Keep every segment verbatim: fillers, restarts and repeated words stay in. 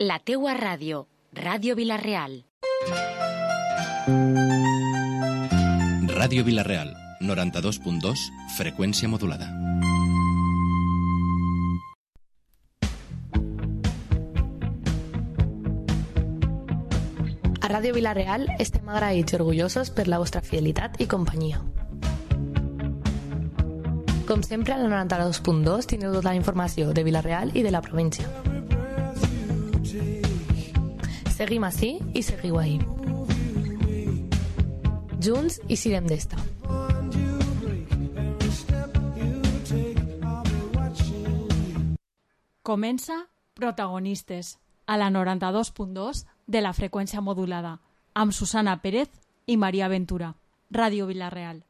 La teua ràdio, Ràdio Vila-real. Ràdio Vila-real, noranta-dos punt dos, freqüència modulada. A Ràdio Vila-real estem agraïts i orgullosos per la vostra fidelitat i companyia. Com sempre, a la noranta-dos punt dos tindreu tota la informació de Vila-real i de la província. Seguim ací i seguiu ahí. Junts i siguem d'esta. Comença Protagonistes, a la noranta-dos punt dos de la freqüència modulada, amb Susana Pérez i Maria Ventura. Ràdio Vila-real.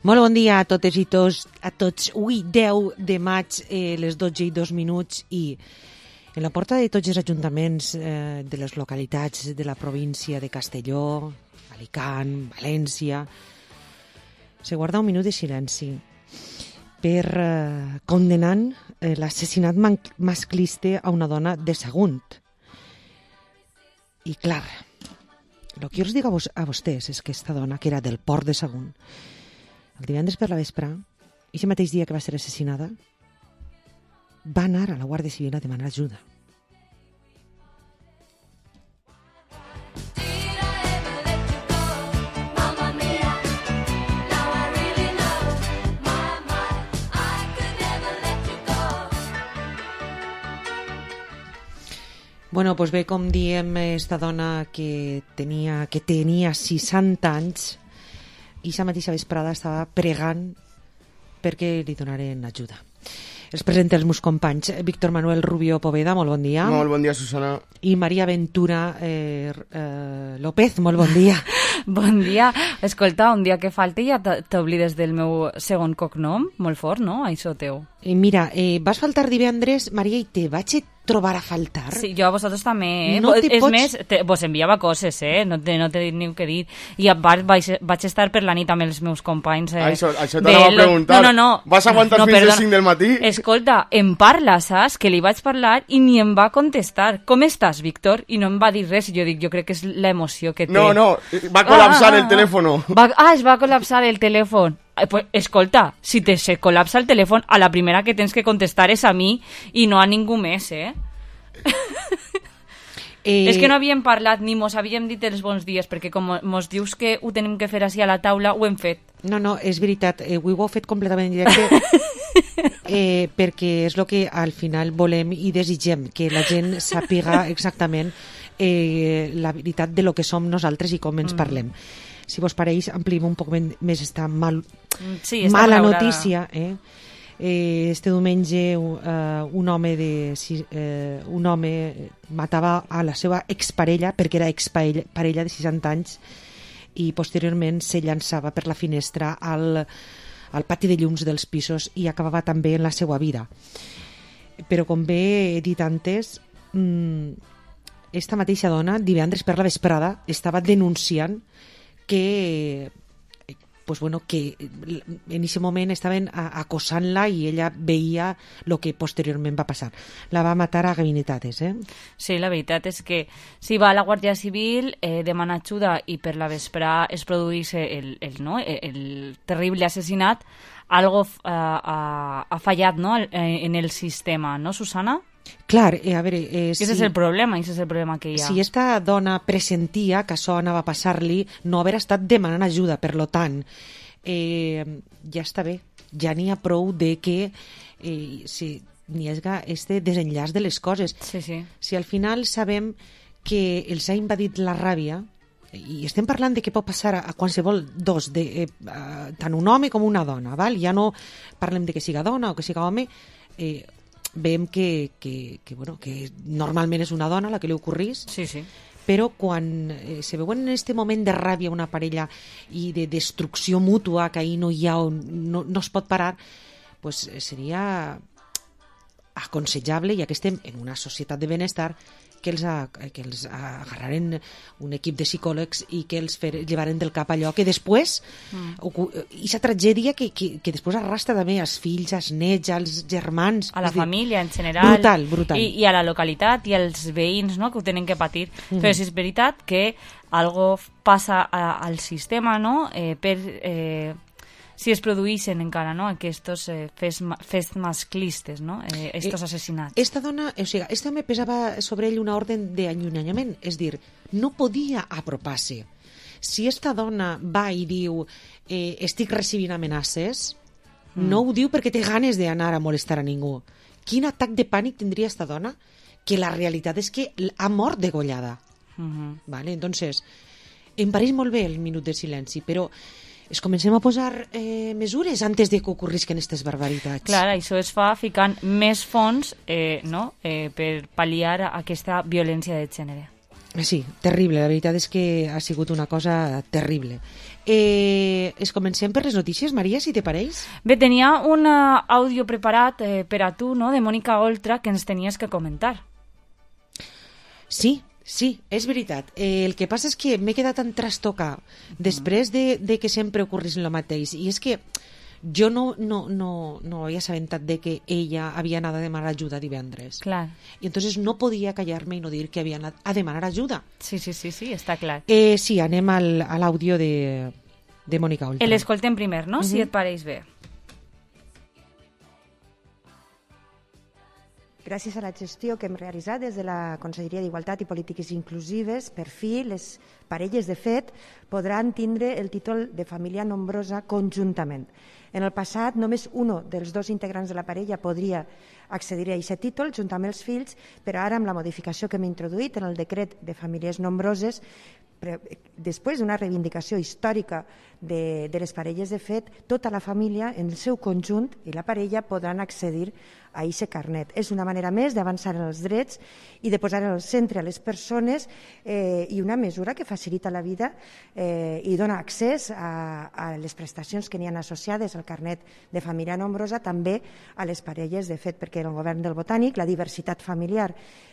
Molt bon dia a totes i tots, a tots. Avui, deu de maig, eh, les dotze i dos minuts, i en la porta de tots els ajuntaments eh, de les localitats de la província de Castelló, Alicant, València, se guarda un minut de silenci per eh, condenant eh, l'assassinat masclista a una dona de Sagunt. I clar, el que jo us dic a, vos, a vostès és que aquesta dona, que era del port de Sagunt, el divendres per la vespre, i aquest mateix dia que va ser assassinada, va anar a la Guàrdia Civil a demanar ajuda. Bueno, doncs bé, com diem, esta dona que tenia, que tenia seixanta anys, i la mateixa vesprada estava pregant perquè li donaren ajuda. Els presenta els meus companys. Víctor Manuel Rubio Poveda, molt bon dia. Molt bon dia, Susana. I Maria Ventura eh, eh, López, molt bon dia. Bon dia. Escolta, un dia que falti ja t'oblides del meu segon cognom, molt fort, no? Això teu. Eh, mira, eh, vas faltar divendres, Maria, i te vaig trobar a faltar. Sí, jo a vosaltres també, eh? No és pots... més, te, vos enviava coses, eh? No te, no t'he dit ni què dir. I a part vaig, vaig estar per la nit amb els meus companys. Eh? Això, això t'anava a preguntar. No, no, no. Vas aguantar no, fins perdona. les cinc del matí? Escolta, em parla, saps? Que li vaig parlar i ni em va contestar. Com estàs, Víctor? I no em va dir res. Jo dic, jo crec que és l'emoció que té. No, no, va col·lapsar ah, ah, el telèfon. Va, ah, es va col·lapsar el telèfon. Eh, pues, escolta, si te se col·lapsa el telèfon, a la primera que tens que contestar és a mi i no a ningú més, eh? Eh... És que no havíem parlat ni mos havíem dit els bons dies, perquè com mos dius que ho tenim que fer així a la taula, ho hem fet. No, no, és veritat, eh, ho heu fet completament en directe, eh, perquè és el que al final volem i desitgem, que la gent sàpiga exactament eh, la veritat de lo que som nosaltres i com ens mm. parlem. Si vos pareix, ampliem un poc més esta mal, sí, està mala malaurada. notícia, eh? Este diumenge uh, un home de uh, un home matava a la seva exparella perquè era exparella parella de seixanta anys i posteriorment se llançava per la finestra al, al pati de llums dels pisos i acabava també en la seva vida. Però com bé he dit antes, mmm, esta mateixa dona divendres per la vesprada estava denunciant que pues bueno, que en aquest moment estaven acosant-la i ella veia el que posteriorment va passar. La va matar a gabinetades, eh? Sí, la veritat és que si va a la Guàrdia Civil, eh, demana ajuda i per la vesprà es produís el, el, no? el terrible assassinat, algo uh, ha, ha fallat, no? en el sistema, no, Susana? Clar, eh, a veure... Eh, que si, és el problema, és el problema que hi ha. Si esta dona pressentia que això anava a passar-li, no haver estat demanant ajuda, per lo tant, eh, ja està bé, ja n'hi ha prou de que eh, si n'hi hagi este desenllaç de les coses. Sí, sí. Si al final sabem que els ha invadit la ràbia, i estem parlant de què pot passar a, a qualsevol dos, de, eh, a, tant un home com una dona, val? Ja no parlem de que siga dona o que siga home, eh, veiem que, que, que, bueno, que normalment és una dona la que li ocorrís, Sí, sí. però quan eh, se veuen en aquest moment de ràbia una parella i de destrucció mútua, que ahir no hi ha, no, no es pot parar, pues seria aconsellable, ja que estem en una societat de benestar, que els, a, que els agarraren un equip de psicòlegs i que els fer, llevaren del cap allò que després, mm. aquesta tragèdia que, que, que després arrastra també als fills, als nets, als germans... A la dir, família, en general. Brutal, brutal. I, I a la localitat i als veïns, no?, que ho tenen que patir. Mm. Però és veritat que algo passa a, al sistema, no?, eh, per... Eh, si es produeixen encara, no?, aquests eh, fets, fets masclistes, no?, eh, estos assassinats. Esta dona, o sigui, este home pesava sobre ell una ordre d'allunyament, és dir, no podia apropar-se. Si esta dona va i diu eh, estic recibint amenaces, mm. no ho diu perquè té ganes d'anar a molestar a ningú. Quin atac de pànic tindria esta dona? Que la realitat és que ha mort degollada. Mm-hmm. Vale? Entonces, em pareix molt bé el minut de silenci, però es comencem a posar eh, mesures antes de que ocorrisquen aquestes barbaritats. Clar, això es fa ficant més fons eh, no? eh, per pal·liar aquesta violència de gènere. Sí, terrible, la veritat és que ha sigut una cosa terrible. Eh, es comencem per les notícies, Maria, si te pareix? Bé, tenia un àudio preparat eh, per a tu, no?, de Mònica Oltra, que ens tenies que comentar. Sí, sí, és veritat. Eh, el que passa és que m'he quedat tan trastocar després de, de que sempre ocorrís el mateix. I és que jo no, no, no, no havia assabentat de que ella havia anat a demanar ajuda divendres. Clar. I entonces no podia callar-me i no dir que havia anat a demanar ajuda. Sí, sí, sí, sí, està clar. Eh, sí, anem al, a l'àudio de, de Mònica Oltra. L'escoltem primer, no?, uh-huh. si et pareix bé. Gràcies a la gestió que hem realitzat des de la Conselleria d'Igualtat i Polítiques Inclusives, per fi les parelles de fet podran tindre el títol de família nombrosa conjuntament. En el passat només un dels dos integrants de la parella podria accedir a aquest títol junt amb els fills, però ara amb la modificació que hem introduït en el decret de famílies nombroses, després d'una reivindicació històrica de, de les parelles de fet, tota la família en el seu conjunt i la parella podran accedir a aquest carnet. És una manera més d'avançar en els drets i de posar en el centre a les persones eh, i una mesura que facilita la vida eh, i dona accés a, a les prestacions que n'hi ha associades al carnet de família nombrosa, també a les parelles de fet, perquè en el govern del Botànic la diversitat familiar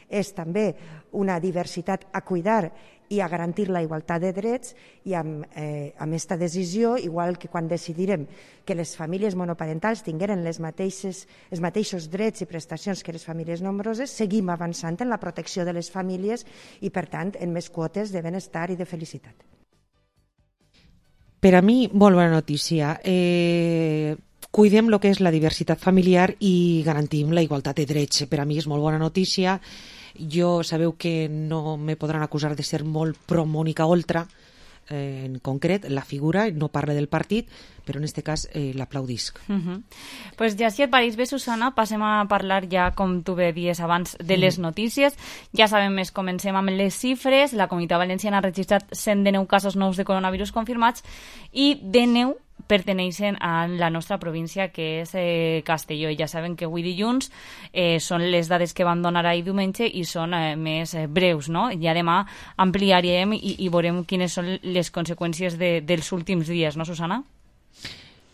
és també una diversitat a cuidar i a garantir la igualtat de drets, i amb, eh, amb aquesta decisió, igual que quan decidirem que les famílies monoparentals tingueren les mateixes, els mateixos drets i prestacions que les famílies nombroses, seguim avançant en la protecció de les famílies i, per tant, en més quotes de benestar i de felicitat. Per a mi, molt bona notícia. Eh, cuidem el que és la diversitat familiar i garantim la igualtat de drets. Per a mi és molt bona notícia. Jo sabeu que no me podran acusar de ser molt pro Mònica Oltra, eh, en concret, la figura, no parla del partit, però en aquest cas eh, l'aplaudisc. Uh -huh. Pues ja si et pareix bé, Susana, passem a parlar ja, com tu bé dies abans, de les uh -huh. notícies. Ja sabem més, comencem amb les xifres. La Comunitat Valenciana ha registrat cent dinou casos nous de coronavirus confirmats i dinou perteneixen a la nostra província, que és eh, Castelló. Ja saben que avui dilluns eh, són les dades que van donar ahir diumenge i són eh, més eh, breus, no? Ja demà ampliarem i, i veurem quines són les conseqüències de, dels últims dies, no, Susana?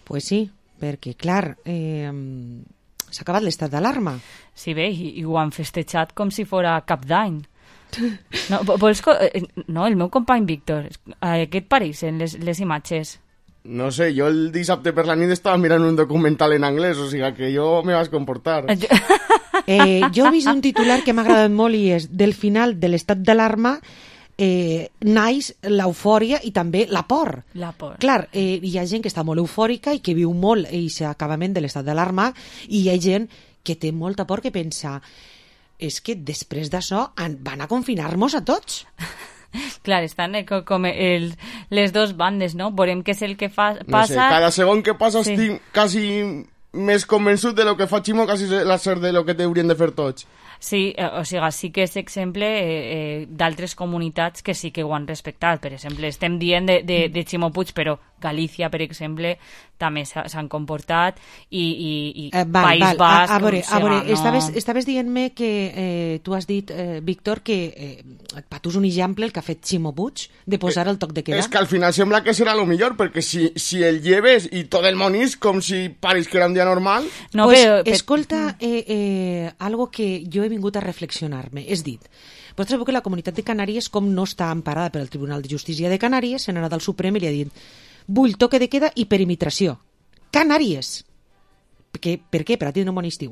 Pues sí, perquè, clar, eh, s'ha acabat l'estat d'alarma. Sí, bé, i, i ho han festejat com si fora Cap d'Any. No, vols, no, el meu company Víctor, eh, què et pareixen les, les imatges? No sé, jo el dissabte per la nit estava mirant un documental en anglès, o sigui que jo me vas comportar. Eh, jo he vist un titular que m'ha agradat molt i és: del final de l'estat d'alarma eh, naix l'eufòria i també la por. La por. Clar, eh, hi ha gent que està molt eufòrica i que viu molt aquest acabament de l'estat d'alarma, i hi ha gent que té molta por, que pensa és que després d'això van a confinar-nos a tots. Clar, estan eh, com el, les dos bandes, no? Veurem què és el que fa, passa... No sé, cada segon que passa sí. estic quasi més convençut de lo que fa Ximo, quasi la ser de lo que haurien de fer tots. Sí, eh, o sigui, sí que és exemple eh, eh, d'altres comunitats que sí que ho han respectat. Per exemple, estem dient de, de, de Ximo Puig, però Galícia, per exemple, també s'han comportat i, i, i eh, val, País val. Basc... A, a veure, a veure no... estaves, estaves dient-me que eh, tu has dit, eh, Víctor, que eh, per tu és un exemple el que ha fet Ximo Puig de posar el toc de queda. Es que al final sembla que serà lo millor, perquè si, si el lleves i tot el món és com si pareix que era un dia normal... No, pues, però, escolta, eh, eh, algo que jo he vingut a reflexionar-me. És dit, vosaltres sabeu que la Comunitat de Canàries, com no està emparada per el Tribunal de Justícia de Canàries, se n'ha anat al Suprem i li ha dit vull toque de queda i perimetració. Canàries! Per, per què? Per a tindre un bon estiu.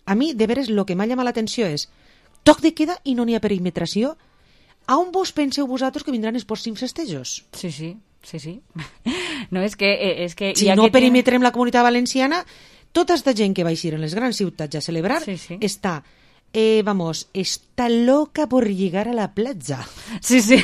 A mi, de veres, el que m'ha llamat l'atenció és toc de queda i no n'hi ha perimetració. A on vos penseu vosaltres que vindran els pròxims festejos? Sí, sí, sí, sí. No, és que... És que si no perimetrem tiene... la Comunitat Valenciana, tota esta gent que va eixir en les grans ciutats a celebrar sí, sí. està... Eh, vamos, está loca por llegar a la platja. Sí, sí,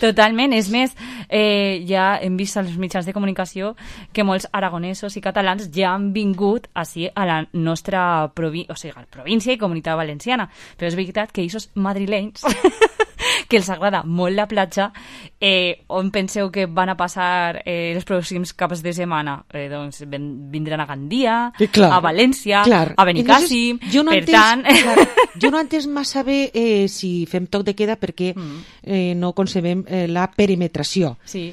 totalment. És més, eh, ja hem vist als mitjans de comunicació que molts aragonesos i catalans ja han vingut així a la nostra provi o sigui, província i Comunitat Valenciana. Però és veritat que aquests madrilenys que els agrada molt la platja, eh, on penseu que van a passar eh, els pròxims caps de setmana? Eh, doncs vindran a Gandia, clar, a València, clar. A Benicàssim, no per entès, tant... Clar, jo no he entès massa bé eh, si fem toc de queda perquè mm. eh, no concebem eh, la perimetració. Sí.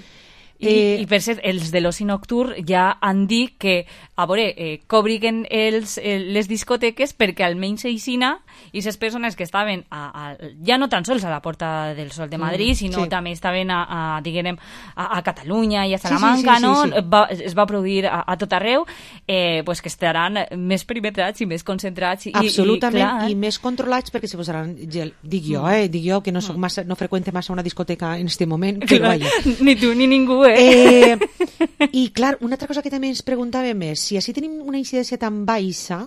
I, eh, i per cert, els de l'oci nocturn ja han dit que a veure, eh, cobriguen els, eh, les discoteques perquè almenys aixina i les persones que estaven a, a, ja no tan sols a la Porta del Sol de Madrid, mm, sinó sí. també estaven a, a, diguem, a, a Catalunya i a Salamanca, sí, sí, sí, no? Sí, sí. Va, es va produir a, a tot arreu, eh, pues que estaran més perimetrats i més concentrats. I, absolutament, i, clar, i més controlats perquè se posaran gel. Dic jo, eh, dic jo que no, soc massa, no freqüente massa una discoteca en este moment, però vaja. Ni tu ni ningú, eh? eh I clar, una altra cosa que també ens preguntàvem és si així tenim una incidència tan baixa,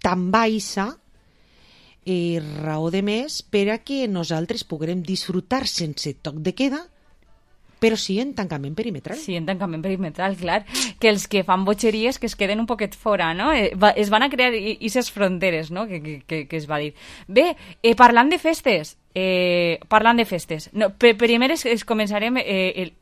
tan baixa, eh, raó de més per a que nosaltres puguem disfrutar sense toc de queda, però sí en tancament perimetral. Sí, en tancament perimetral, clar. Que els que fan botxeries que es queden un poquet fora, no? Eh, va, es van a crear aquestes fronteres, no?, que, que, que es va dir. Bé, eh, parlant de festes, eh, parlant de festes, no, primer es, es començarem... Eh, el,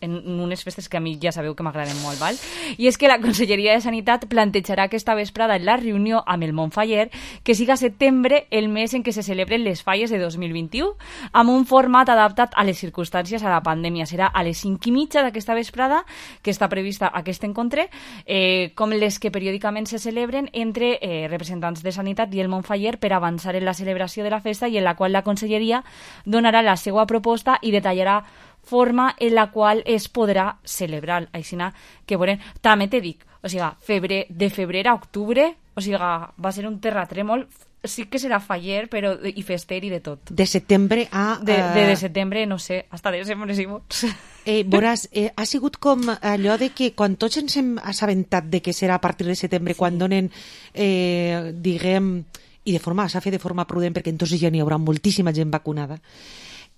en unes festes que a mi ja sabeu que m'agraden molt, val? I és que la Conselleria de Sanitat plantejarà aquesta vesprada en la reunió amb el Montfaller que siga setembre el mes en què se celebren les falles de dos mil vint-i-u amb un format adaptat a les circumstàncies a la pandèmia. Serà a les cinc i mitja d'aquesta vesprada que està prevista aquest encontre, eh, com les que periòdicament se celebren entre eh, representants de Sanitat i el Montfaller per avançar en la celebració de la festa i en la qual la Conselleria donarà la seva proposta i detallarà forma en la qual es podrà celebrar. Així que, bueno, també te dic, o sigui, febrer, de febrer a octubre, o sigui, va ser un terratrèmol, sí que serà faller, però i fester i de tot. De setembre a... De, de, de setembre, no sé, hasta desembre si vols. Eh, veuràs, eh, ha sigut com allò de que quan tots ens hem assabentat de que serà a partir de setembre, sí. Quan donen, eh, diguem, i de forma, s'ha fet de forma prudent, perquè entonces ja n'hi haurà moltíssima gent vacunada,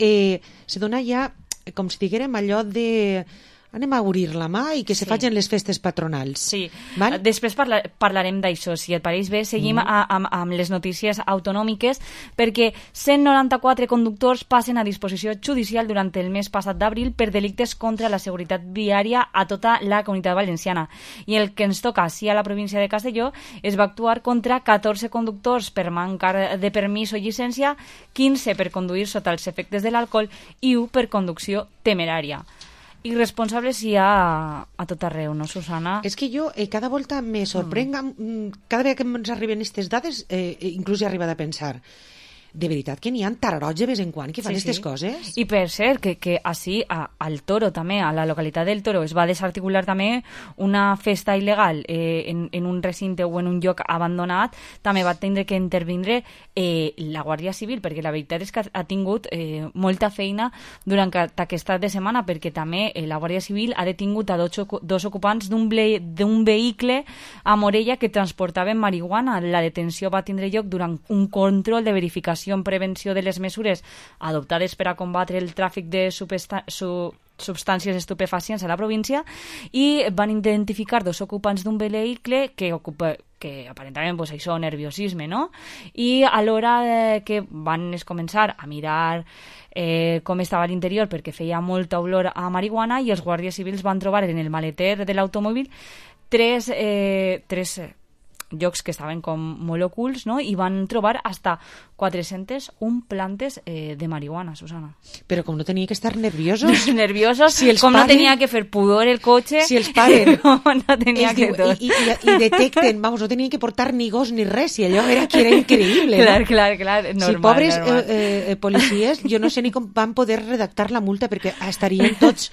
eh, se dona ja com si diguérem allò de anem a obrir la mà i que se sí. facin les festes patronals. Sí, val? Després parla parlarem d'això. Si et pareix bé, seguim mm. a, amb, amb les notícies autonòmiques perquè cent noranta-quatre conductors passen a disposició judicial durant el mes passat d'abril per delictes contra la seguretat viària a tota la Comunitat Valenciana. I el que ens toca, sí, a la província de Castelló, es va actuar contra catorze conductors per mancar de permís o llicència, quinze per conduir sota els efectes de l'alcohol i u per conducció temerària. Irresponsables hi ha a, a tot arreu, no, Susana? És que jo eh, cada volta me sorprenga, mm. cada vegada que ens arriben aquestes dades, eh, inclús he arribat a pensar, de veritat que n'hi ha tararots de vez en quan que fan aquestes sí, sí. coses? I per cert, que, que així a, al Toro també, a la localitat del Toro, es va desarticular també una festa il·legal eh, en, en un recinte o en un lloc abandonat, també va tindre que intervindre eh, la Guàrdia Civil, perquè la veritat és que ha tingut eh, molta feina durant aquesta de setmana, perquè també eh, la Guàrdia Civil ha detingut a dos, dos ocupants d'un vehicle a Morella que transportaven marihuana. La detenció va tindre lloc durant un control de verificació en prevenció de les mesures adoptades per a combatre el tràfic de substàncies estupefacients a la província i van identificar dos ocupants d'un vehicle que, ocupa, que aparentament pues, això, nerviosisme, no? I a l'hora de que van començar a mirar eh, com estava l'interior, perquè feia molta olor a marihuana, i els guàrdies civils van trobar en el maleter de l'automòbil tres, eh, tres llocs que estaven com molt ocults, no? I van trobar hasta quatre-centes un plantes eh, de marihuana, Susana. Però com no tenia que estar nerviosos... nerviosos, si els com paren, no tenia que fer pudor el cotxe... Si els paren... no tenia que diu, tot. I, i, i detecten, vamos, no tenien que portar ni gos ni res, i allò era que era increïble. Clar, no? clar, clar, normal. Si pobres normal. Eh, eh, policies, jo no sé ni com van poder redactar la multa, perquè estarien tots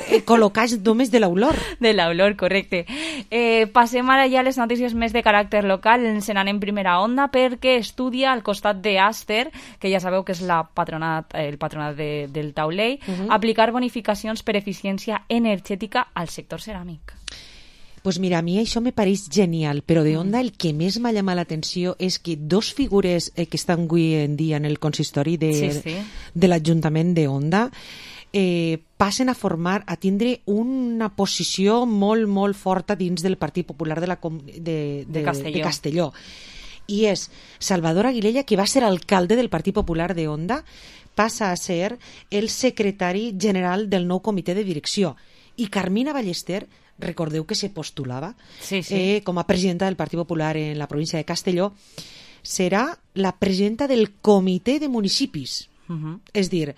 eh, col·locats només de l'olor. De l'olor, correcte. Eh, passem ara ja a les notícies més de caràcter local. Ens n'anem primera onda perquè estudia al costat d'Aster, que ja sabeu que és la patronat, el patronat de, del taulell, uh-huh. aplicar bonificacions per eficiència energètica al sector ceràmic. Pues mira, a mi això me pareix genial, però de Onda el que més m'ha llamat l'atenció és que dos figures eh, que estan avui en dia en el consistori de, sí, sí. de l'Ajuntament de Onda eh, passen a formar, a tindre una posició molt, molt forta dins del Partit Popular de, la, de, de, de, Castelló. de Castelló. I és Salvador Aguilella, que va ser alcalde del Partit Popular de Onda, passa a ser el secretari general del nou comitè de direcció. I Carmina Ballester, recordeu que se postulava sí, sí. Eh, com a presidenta del Partit Popular en la província de Castelló, serà la presidenta del comitè de municipis. Uh-huh. És dir,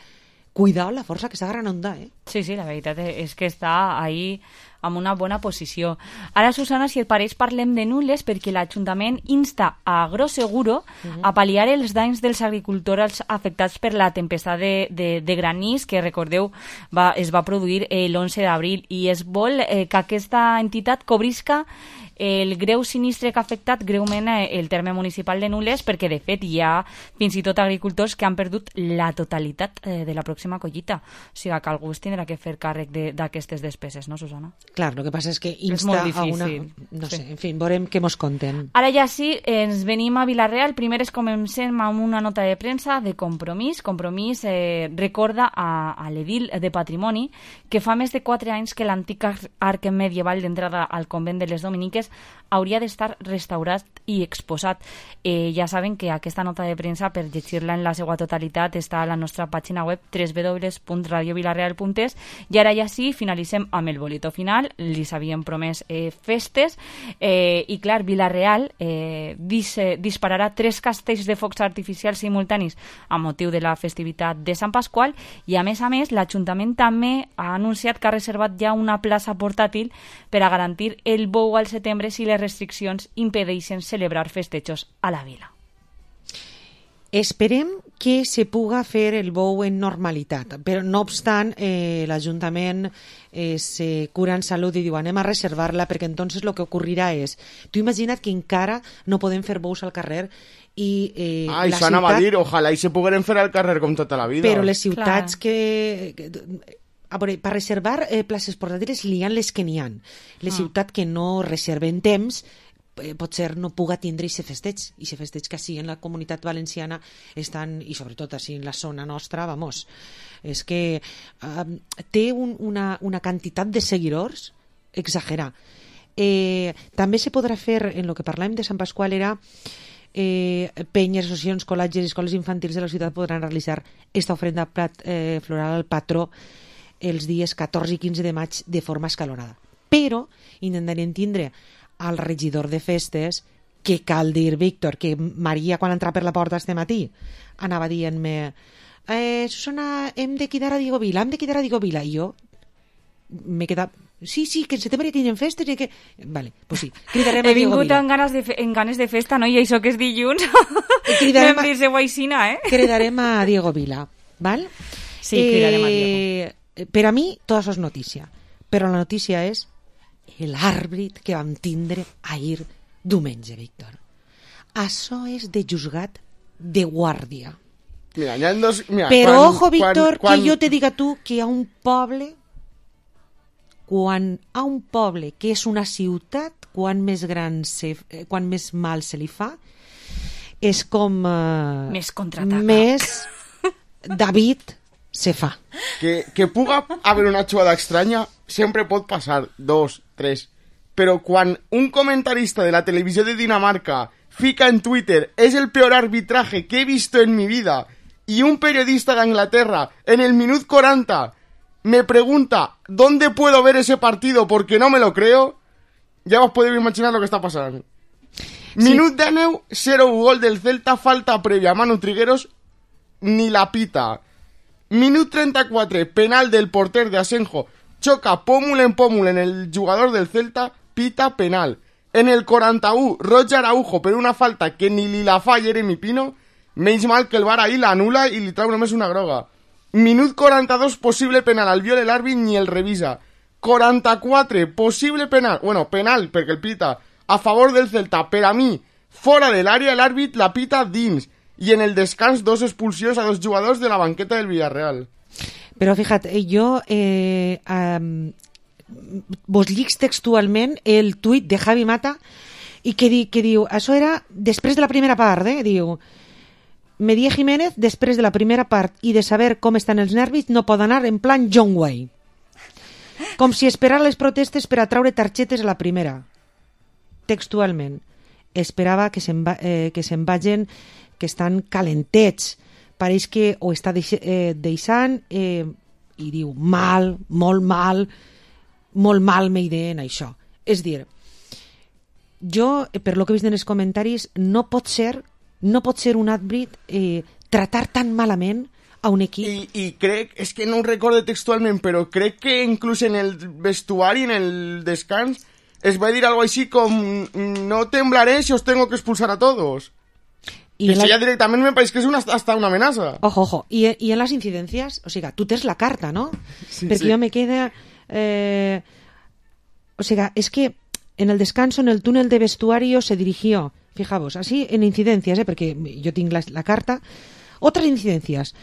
cuidao la força que està Gran Onda, eh? Sí, sí, la veritat és que està ahí amb una bona posició. Ara, Susana, si et pareix, parlem de Nules, perquè l'Ajuntament insta a Agroseguro uh-huh. a pal·liar els danys dels agricultors afectats per la tempestat de, de, de granís que, recordeu, va, es va produir eh, l'onze d'abril, i es vol eh, que aquesta entitat cobrisca el greu sinistre que ha afectat greument el terme municipal de Nules, perquè de fet hi ha fins i tot agricultors que han perdut la totalitat eh, de la pròxima collita. O sigui que algú es tindrà que fer càrrec d'aquestes despeses, no, Susana? Clar, el que passa és que insta és a una... No sí. sé, en fi, veurem què mos conten. Ara ja sí, ens venim a Vilareal. Primer es comencem amb una nota de premsa de Compromís. Compromís eh, recorda a, a l'edil de Patrimoni que fa més de quatre anys que l'antic arc medieval d'entrada al convent de les Dominiques hauria d'estar restaurat i exposat. Eh, ja saben que aquesta nota de premsa, per llegir-la en la seva totalitat, està a la nostra pàgina web w w w punt radio vilareal punt es. I ara ja sí, finalitzem amb el bolito final. Li s'havien promès eh, festes eh, i clar, Vilareal eh, dis, eh, dispararà tres castells de focs artificials simultanis a motiu de la festivitat de Sant Pasqual, i a més a més l'Ajuntament també ha anunciat que ha reservat ja una plaça portàtil per a garantir el bou al setembre si les restriccions impedeixen celebrar festejos a la vila. Esperem que se puga fer el bou en normalitat, però no obstant eh, l'Ajuntament eh, se cura en salut i diu anem a reservar-la, perquè entonces lo que ocurrirà és, tu imagina't que encara no podem fer bous al carrer i eh, ah, i la s'anava ciutat... a dir, ojalà i se pogueren fer al carrer com tota la vida. Però les ciutats Clar. que... que a veure, per reservar eh, places portàtiles n'hi ha les que n'hi ha. Les ah. ciutats que no reserven temps eh, potser no puga tindre i se festeig. I se festeig que sí, en la comunitat valenciana estan, i sobretot així en la zona nostra, vamos, és que eh, té un, una, una quantitat de seguidors exagerar. Eh, també se podrà fer, en el que parlàvem de Sant Pasqual, era eh, penyes, associacions, col·legis i escoles infantils de la ciutat podran realitzar esta ofrenda plat, eh, floral al patró els dies catorze i quinze de maig de forma escalonada. Però intentarem tindre al regidor de festes, que cal dir, Víctor, que Maria, quan entrava per la porta este matí, anava dient-me eh, Susana, hem de quedar a Diego Vila, hem de quedar a Diego Vila. I jo m'he quedat... Sí, sí, que en setembre tenen festes i que... Vale, pues sí, cridarem a He Diego Vila. He vingut amb ganes, de fe... en ganes de festa, no? I això que és dilluns. Cridarem a... Aixina, eh? Cridarem a Diego Vila, val? Sí, cridarem a Diego. Per a mi, tot això és notícia. Però la notícia és l'àrbit que vam tindre ahir diumenge, Víctor. Això és de juzgat de guàrdia. Mira, hi ha dos... Mira, Però, quan, ojo, Víctor, quan, quan... que jo te diga tu que hi ha un poble, quan hi ha un poble que és una ciutat, quan més gran se, quan més mal se li fa, és com... Uh, més contraataca. Més David se fa. Que, que puga haver una jugada estranya sempre pot passar, dos, tres, però quan un comentarista de la televisió de Dinamarca fica en Twitter es el peor arbitraje que he visto en mi vida y un periodista de Inglaterra en el minut cuarenta me pregunta ¿dónde puedo ver ese partido? Porque no me lo creo, ya os podéis imaginar lo que está pasando. Sí. Minut dinou, cero gol del Celta, falta previa, Manu Trigueros ni la pita. Minut trenta-quatre, penal del porter de Asenjo, choca pómul en pómul en el jugador del Celta, pita penal. En el quaranta-u, Roger Araujo per una falta que ni li la fa Jeremy Pino, menys mal que el V A R ahí la anula i li trau només una groga. Minut quaranta-dos, possible penal, al viol l'àrbit ni el revisa. quaranta-quatre, possible penal, bueno, penal, perquè el pita, a favor del Celta, per a mi, fora de l'àrea, l'àrbit la pita dins, i en el descans dos expulsions a dos jugadors de la banqueta del Villarreal. Però fíjate, jo eh, um, vos llics textualment el tuit de Javi Mata i que, di, que diu, això era després de la primera part, eh? Diu, Medía Jiménez, després de la primera part i de saber com estan els nervis, no pot anar en plan John Wayne. Com si esperara les protestes per a traure targetes a la primera. Textualment. Esperava que se'n va, eh, que se'n vagin, que estan calentets. Pareix que ho està deix, eh, deixant eh, i diu mal, molt mal, molt mal m'ideen això. És dir, jo, per lo que he vist en els comentaris, no pot ser, no pot ser un àrbit eh, tratar tan malament a un equip. I, i crec, és que no ho recordo textualment, però crec que inclús en el vestuari, en el descans, es va dir algo així com no temblaré si os tengo que expulsar a todos. Y eso la... ya directamente me parece que es una, hasta una amenaza. Ojo, ojo. Y, y en las incidencias, o sea, tú tienes la carta, ¿no? Sí, Porque sí. yo me queda... Eh, o sea, es que en el descanso, en el túnel de vestuario, se dirigió, fijaos, así en incidencias, ¿eh? Porque yo tengo la, la carta. Otras incidencias.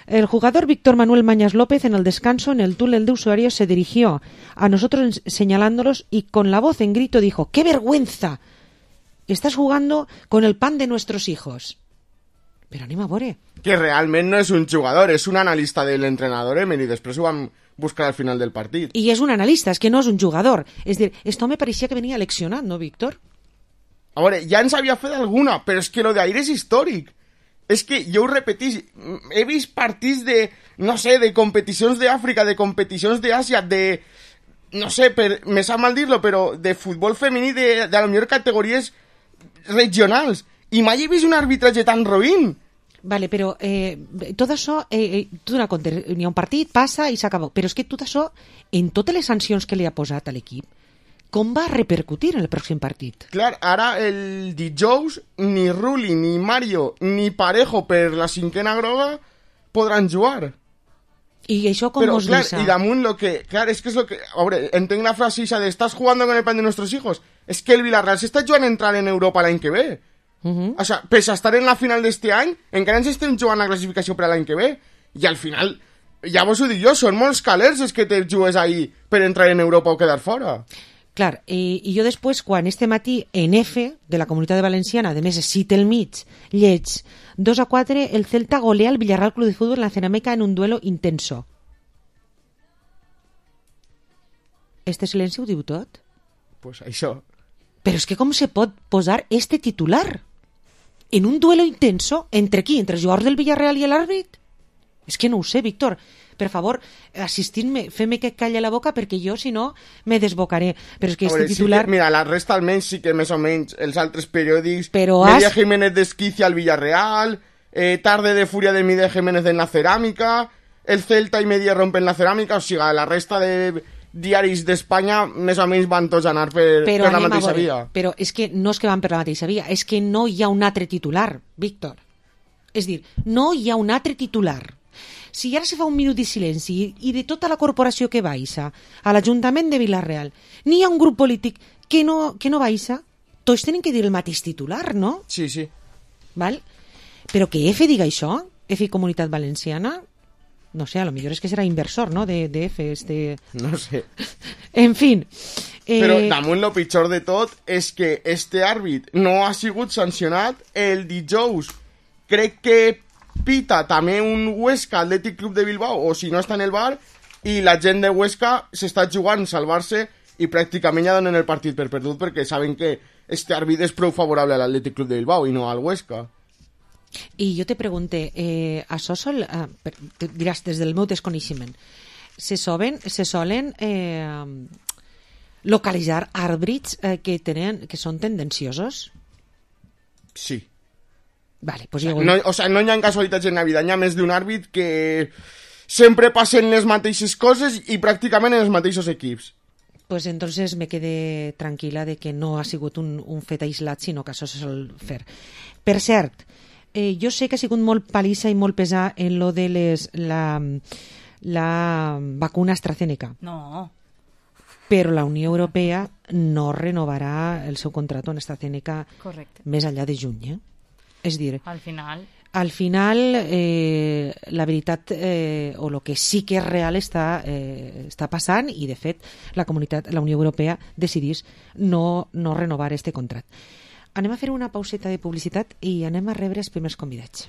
El jugador Víctor Manuel Mañas López en el descanso, en el túnel de usuarios, se dirigió a nosotros señalándolos y con la voz en grito dijo: ¡qué vergüenza! Estás jugando con el pan de nuestros hijos. Pero anem a veure. Que realment no és un jugador, és un analista del entrenador Emery, després ho vam buscar al final del partit. I és un analista, és que no és un jugador. És dir, esto me parecía que venia leccionat, ¿no, Víctor? A veure, ja ens havia fet alguna, però és que lo d'ahir és històric. És que jo ho repetís, he vist partits de, no sé, de competicions d'Àfrica, de competicions d'Àsia, de, no sé, per, me sap mal dir-lo, però de futbol femení de, de a lo millor categories regionals, i mai he vist un arbitratge tan roïn. Vale, però eh, tot això, eh, eh, tu donar compte, n'hi ha un partit, passa i s'acabó, però és que tot això, en totes les sancions que li ha posat a l'equip, com va repercutir en el pròxim partit? Clar, ara el dijous ni Rulli, ni Mario, ni Parejo per la cinquena groga podran jugar. I això com Però, us clar, deixa? i damunt lo que... Clar, és que és lo que... A veure, entenc la frase esa de «estás jugando con el pan de nuestros hijos». És que el Villarreal s'està jugant a entrar en Europa l'any que ve. Uh -huh. O sea, pese a estar en la final d'este any, encara ens estem jugant la classificació per a l'any que ve. I al final, ja vos ho dic jo, són molts calers els que te jugues ahí per entrar en Europa o quedar fora. Clar, i, i jo després, quan este matí en F, de la Comunitat Valenciana, a més, cita el mig, lleig, dos a quatre, el Celta golea el Villarreal Club de Fútbol en la Cenameca en un duelo intenso. Este silenci ho diu tot? Pues això. Però és que com se pot posar este titular en un duelo intenso entre qui? Entre els jugadors del Villarreal i l'àrbit? És que no ho sé, Víctor. Per favor, assistint-me, fem-me que calle la boca perquè jo, si no, me desbocaré. Però és que este veure, titular... Sí que, mira, la resta almenys sí que més o menys els altres periòdics... Però Media has... Jiménez desquicia al Villarreal, eh, tarde de furia de Media Jiménez en la ceràmica, el Celta i Media rompen la ceràmica, o sigui, la resta de diaris d'Espanya més o menys van tots anar per, però per la mateixa via. Però és que no és que van per la mateixa via, és que no hi ha un altre titular, Víctor. És dir, no hi ha un altre titular. Si ara se fa un minut de silenci i de tota la corporació que baixa a l'Ajuntament de Vilareal n'hi ha un grup polític que no, que no baixa, tots tenen que dir el mateix titular, no? Sí, sí. Val? Però que F diga això, F i Comunitat Valenciana, no sé, a lo millor és que serà inversor, no?, de, de F, este... No sé. En fin. Eh... Però damunt lo pitjor de tot és que este àrbit no ha sigut sancionat el dijous. Crec que pita també un Huesca Athletic Club de Bilbao, o si no està en el bar, i la gent de Huesca s'està jugant salvar-se i pràcticament ja donen el partit per perdut perquè saben que este àrbit és prou favorable a l'Atlètic Club de Bilbao i no al Huesca. I jo te pregunte, eh, això sol, eh, per, te diràs des del meu desconeixement, se solen, se solen eh, localitzar àrbits eh, que, tenen, que són tendenciosos? Sí. Vale, pues o, sea, jo... no, o sea, no hi ha casualitats en la vida, hi ha més d'un àrbit que sempre passen les mateixes coses i pràcticament en els mateixos equips. Pues entonces me quedé tranquil·la de que no ha sigut un, un fet aïslat, sinó que això se sol fer. Per cert, eh, jo sé que ha sigut molt palissa i molt pesar en lo de les, la, la vacuna AstraZeneca. No. Però la Unió Europea no renovarà el seu contracte amb AstraZeneca Correcte. més enllà de juny. Eh? És dir, Al final... al final eh, la veritat eh, o el que sí que és real està, eh, està passant i de fet la comunitat, la Unió Europea decidís no, no renovar este contracte. Anem a fer una pauseta de publicitat i anem a rebre els primers convidats.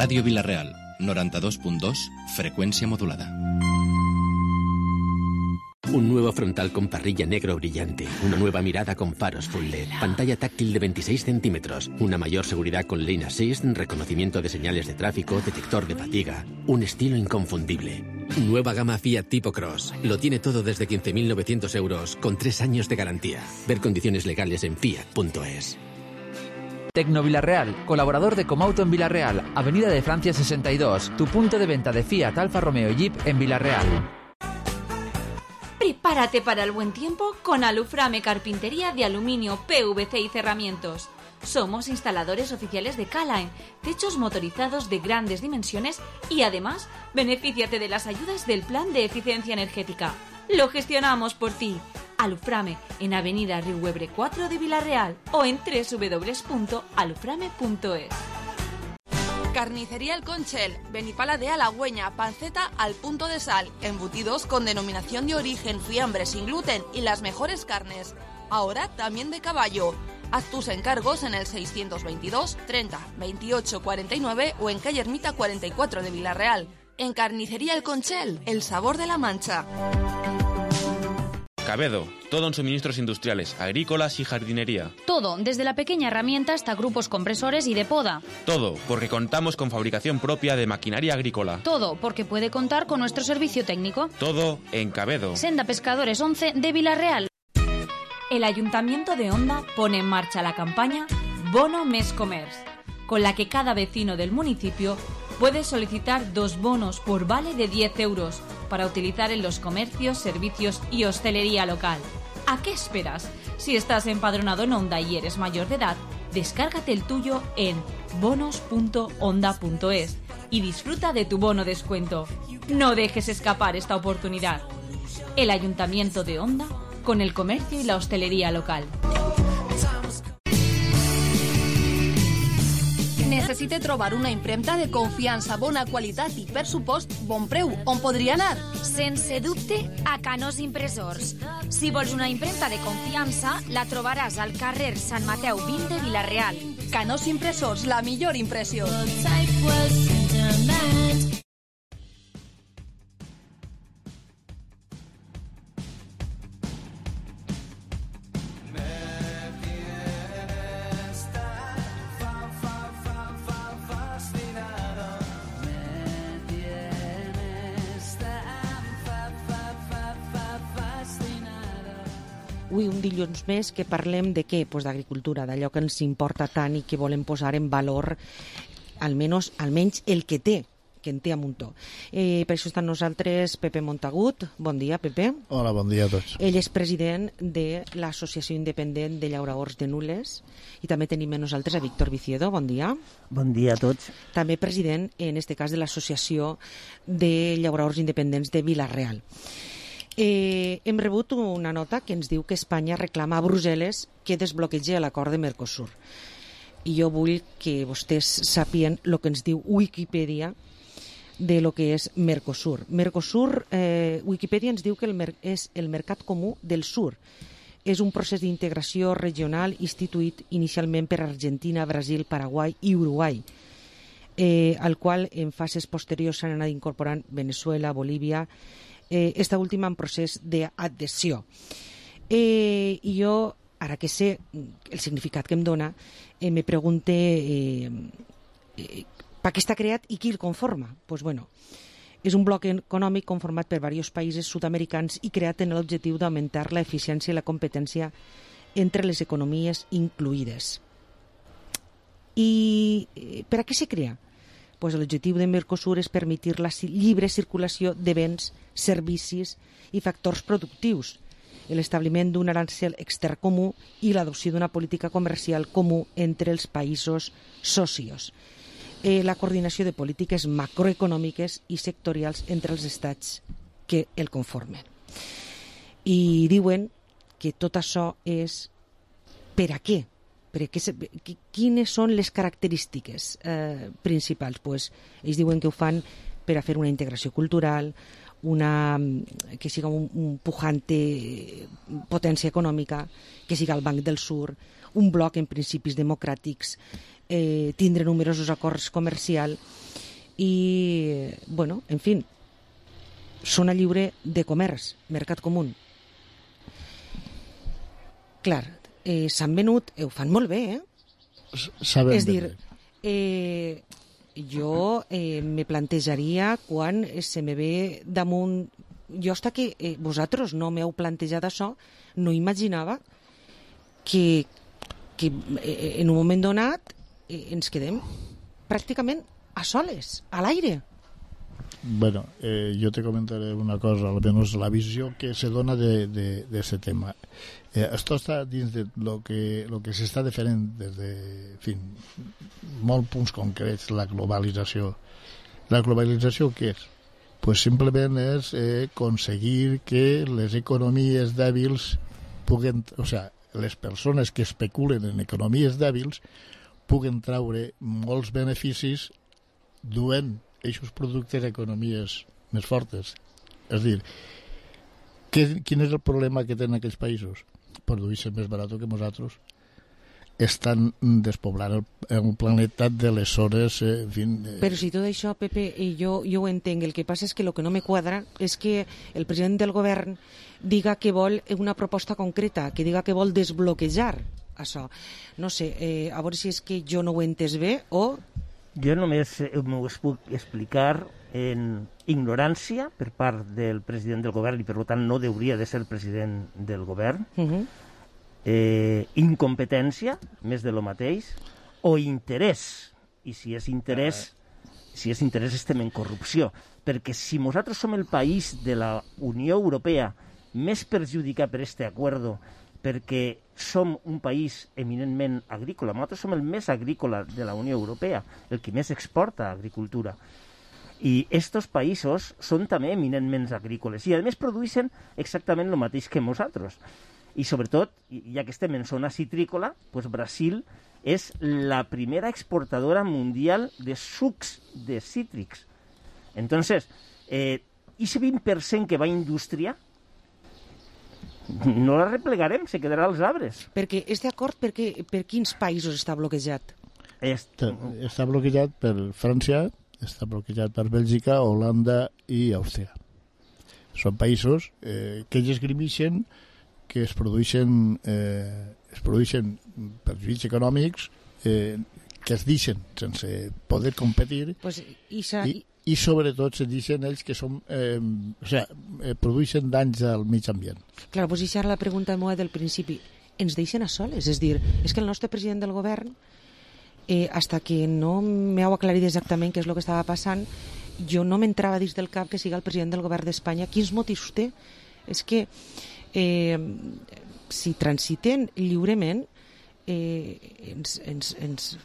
Radio Villarreal, noventa y dos punto dos, frecuencia modulada. Un nuevo frontal con parrilla negro brillante, una nueva mirada con faros full L E D, pantalla táctil de veintiséis centímetros, una mayor seguridad con Lane Assist, reconocimiento de señales de tráfico, detector de fatiga, un estilo inconfundible. Nueva gama Fiat Tipo Cross. Lo tiene todo desde quince mil novecientos euros, con tres años de garantía. Ver condiciones legales en fiat punto es. Tecno Villarreal, colaborador de Comauto en Villarreal, Avenida de Francia sesenta y dos, tu punto de venta de Fiat, Alfa Romeo y Jeep en Villarreal. Prepárate para el buen tiempo con Aluframe Carpintería de Aluminio, P V C y Cerramientos. Somos instaladores oficiales de Calaen, techos motorizados de grandes dimensiones y además benefíciate de las ayudas del Plan de Eficiencia Energética. Lo gestionamos por ti. Aluframe en Avenida Riuebre cuatro de Villarreal o en doble u doble u doble u punto aluframe punto es. Carnicería El Conchel, Benipala de Halagüeña, panceta al punto de sal, embutidos con denominación de origen, fiambre sin gluten y las mejores carnes. Ahora también de caballo. Haz tus encargos en el seiscientos veintidós treinta veintiocho cuarenta y nueve o en calle Ermita cuarenta y cuatro de Villarreal. En Carnicería El Conchel, el sabor de la Mancha. Cabedo, todo en suministros industriales, agrícolas y jardinería. Todo, desde la pequeña herramienta hasta grupos compresores y de poda. Todo, porque contamos con fabricación propia de maquinaria agrícola. Todo, porque puede contar con nuestro servicio técnico. Todo en Cabedo. Senda Pescadores once de Villarreal. El Ayuntamiento de Onda pone en marcha la campaña Bono Mes Comerç, con la que cada vecino del municipio Puedes solicitar dos bonos por vale de diez euros para utilizar en los comercios, servicios y hostelería local. ¿A qué esperas? Si estás empadronado en Onda y eres mayor de edad, descárgate el tuyo en bonos punto onda punto es y disfruta de tu bono descuento. No dejes escapar esta oportunidad. El Ayuntamiento de Onda con el comercio y la hostelería local. Necessite trobar una impremta de confiança, bona qualitat i, per supost, bon preu. On podria anar? Sense dubte, a Canós Impressors. Si vols una impremta de confiança, la trobaràs al carrer Sant Mateu vint de Vila-real. Canós Impressors, la millor impressió. Avui un dilluns més que parlem de què? Pues d'agricultura, d'allò que ens importa tant i que volem posar en valor, almenys, almenys el que té, que en té a muntó. Eh, per això estan nosaltres Pepe Montagut. Bon dia, Pepe. Hola, bon dia a tots. Ell és president de l'Associació Independent de Llauradors de Nules i també tenim amb nosaltres a Víctor Viciedo. Bon dia. Bon dia a tots. També president, en este cas, de l'Associació de Llauradors Independents de Vila-real. Eh, hem rebut una nota que ens diu que Espanya reclama a Brussel·les que desbloquegi l'acord de Mercosur. I jo vull que vostès sàpien el que ens diu Wikipedia de lo que és Mercosur. Mercosur, eh, Wikipedia ens diu que el mer és el mercat comú del sur. És un procés d'integració regional instituït inicialment per Argentina, Brasil, Paraguai i Uruguai, eh, al qual en fases posteriors s'han anat incorporant Venezuela, Bolívia, eh, esta última en procés d'adhesió. Eh, I jo, ara que sé el significat que em dona, eh, me pregunte eh, eh, per què està creat i qui el conforma. Pues bueno, és un bloc econòmic conformat per diversos països sud-americans i creat amb l'objectiu d'augmentar la eficiència i la competència entre les economies incluïdes. I eh, per a què se crea? Pues l'objectiu de Mercosur és permetir la lliure circulació de béns, servicis i factors productius, l'establiment d'un arancel extern comú i l'adopció d'una política comercial comú entre els països socios, eh, la coordinació de polítiques macroeconòmiques i sectorials entre els estats que el conformen. I diuen que tot això és per a què? Quines són les característiques eh, principals? Pues, ells diuen que ho fan per a fer una integració cultural, una, que siga un, un pujante potència econòmica, que siga el Banc del Sur, un bloc en principis democràtics, eh, tindre numerosos acords comercials i, bueno, en fi, zona lliure de comerç, mercat comú. Clar, Eh, s'han venut, eh, ho fan molt bé, eh? Sabem és dir, bé. Eh, jo eh, me plantejaria quan se me ve damunt... Jo hasta que eh, vosaltres no m'heu plantejat això, no imaginava que, que eh, en un moment donat eh, ens quedem pràcticament a soles, a l'aire. Bueno, eh, yo te comentaré una cosa, al menos la visión que se dona de, de, de ese tema. Eh, esto está dins de lo que, lo que s'està defendent des de, en fi, molts punts concrets, la globalització. La globalització què és? Pues simplement és eh, aconseguir que les economies dèbils puguen, o sea, les persones que especulen en economies dèbils puguen traure molts beneficis duent aquests productes a economies més fortes. És a dir, que, quin és el problema que tenen aquells països? Produir-se més barat que nosaltres. Estan despoblant el, el planeta de les hores... Eh, en fin, eh... Però si tot això, Pepe, jo, jo ho entenc. El que passa és que el que no me quadra és que el president del govern diga que vol una proposta concreta, que diga que vol desbloquejar això. No sé, eh, a veure si és que jo no ho he entès bé o... Jo només m'ho puc explicar en ignorància per part del president del govern i per tant no hauria de ser el president del govern, uh-huh. eh, incompetència, més de lo mateix, o interès, i si és interès si és interès estem en corrupció, perquè si nosaltres som el país de la Unió Europea més perjudicat per este acuerdo, perquè som un país eminentment agrícola, nosaltres som el més agrícola de la Unió Europea, el que més exporta agricultura, i estos països són també eminentment agrícoles, i a més produeixen exactament el mateix que nosaltres. I sobretot, ja que estem en zona citrícola, pues Brasil és la primera exportadora mundial de sucs de cítrics. Entonces, eh, ese vint per cent que va a indústria, no la replegarem, se quedarà als arbres. Perquè este acord, per, què, per quins països està bloquejat? Està, està bloquejat per França, està bloquejat per Bèlgica, Holanda i Àustria. Són països eh, que ells esgrimixen que es produeixen, eh, es produeixen perjudicis econòmics eh, que es deixen sense poder competir pues, Isa... i, i sobretot se deixen ells que són, eh, o sea, eh, produeixen danys al mig ambient. Clar, pues això era la pregunta meva del principi. Ens deixen a soles? És dir, és que el nostre president del govern, eh, hasta que no m'heu aclarit exactament què és el que estava passant, jo no m'entrava dins del cap que siga el president del govern d'Espanya. Quins motius té? És que eh, si transiten lliurement eh, ens, ens, ens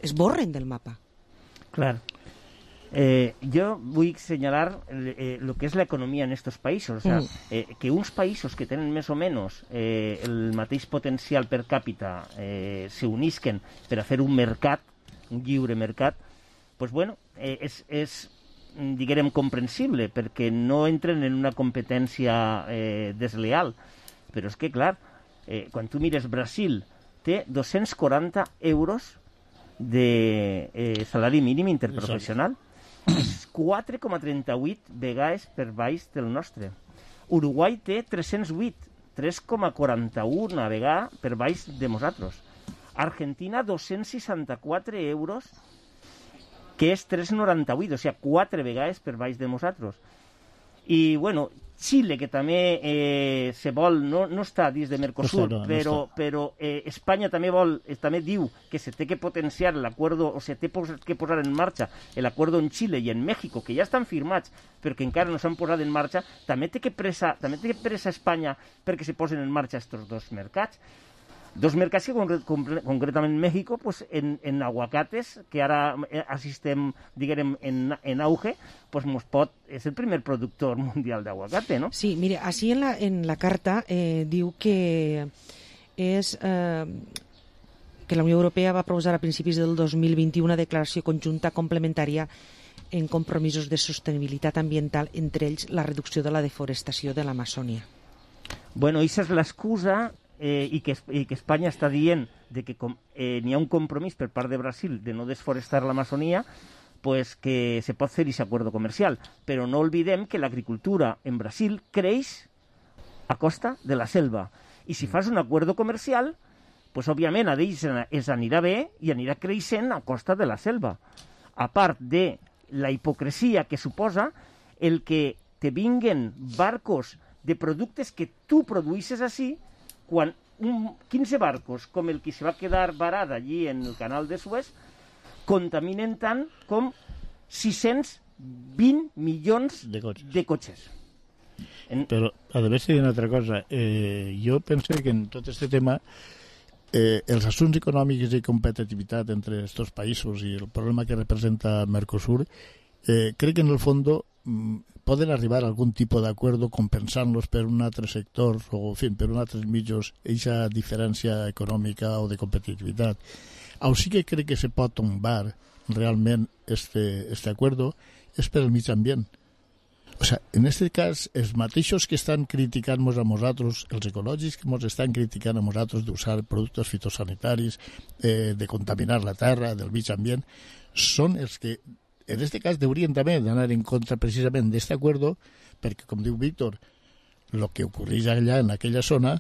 es borren del mapa. Clar. Eh, yo voy a señalar eh, lo que es la economía en estos países. O sea, eh, que uns països que tenen més o menys eh, el mateix potencial per càpita eh, se unisquen per a fer un mercat, un lliure mercat, pues bueno, eh, és, és diguem, comprensible, perquè no entren en una competència eh, desleal. Però és que, clar, eh, quan tu mires Brasil, té dos-cents quaranta euros de eh, salari mínim interprofessional. És quatre coma trenta-vuit vegades per baix del nostre. Uruguai té tres-cents vuit, tres coma quaranta-u vegades per baix de nosaltres. Argentina, dos-cents seixanta-quatre euros, que és tres coma noranta-vuit, o sigui, quatre vegades per baix de nosaltres. I, bueno, Xile, que també eh, se vol, no, no està dins de Mercosur, no està, no, però, no però eh, Espanya també vol, eh, també diu que se té que potenciar l'acuerdo, o se té que posar en marxa l'acuerdo en Xile i en México, que ja estan firmats, però que encara no s'han posat en marxa, també té que pressa, també té que pressa Espanya perquè se posen en marxa aquests dos mercats. Dos mercats que concre concretament México, pues, en, en aguacates, que ara assistem, diguem, en, en auge, pues, mos pot, és el primer productor mundial d'aguacate, no? Sí, mire, així en la, en la carta eh, diu que és eh, que la Unió Europea va proposar a principis del dos mil vint-i-u una declaració conjunta complementària en compromisos de sostenibilitat ambiental, entre ells la reducció de la deforestació de l'Amazònia. Bueno, aquesta és l'excusa Eh, i, que, i que Espanya està dient de que com, eh, n'hi ha un compromís per part de Brasil de no desforestar l'Amazònia, pues que se pot fer aquest acord comercial. Però no oblidem que l'agricultura en Brasil creix a costa de la selva. I si fas un acord comercial, pues òbviament a ells es anirà bé i anirà creixent a costa de la selva. A part de la hipocresia que suposa el que te vinguen barcos de productes que tu produïsses així, quan un, quinze barcos com el que se va quedar varat allí en el canal de Suez contaminen tant com sis-cents vint milions de cotxes. De cotxes. En... Però, a més, una altra cosa. Eh, jo penso que en tot aquest tema eh, els assumptes econòmics i competitivitat entre aquests països i el problema que representa Mercosur, eh, crec que en el fons poden arribar a algun tipus d'acord compensant-los per un altre sector o en fi, per un altre mitjos aquesta diferència econòmica o de competitivitat. O sí que crec que se pot tombar realment este, este acuerdo és per el mig ambient. O sea, en este cas, els mateixos que estan criticant-nos a nosaltres, els ecològics que ens estan criticant a nosaltres d'usar productes fitosanitaris, eh, de contaminar la terra, del mig ambient, són els que en este cas deurien també d'anar en contra precisament d'aquest acuerdo, perquè, com diu Víctor, el que ocorreix allà en aquella zona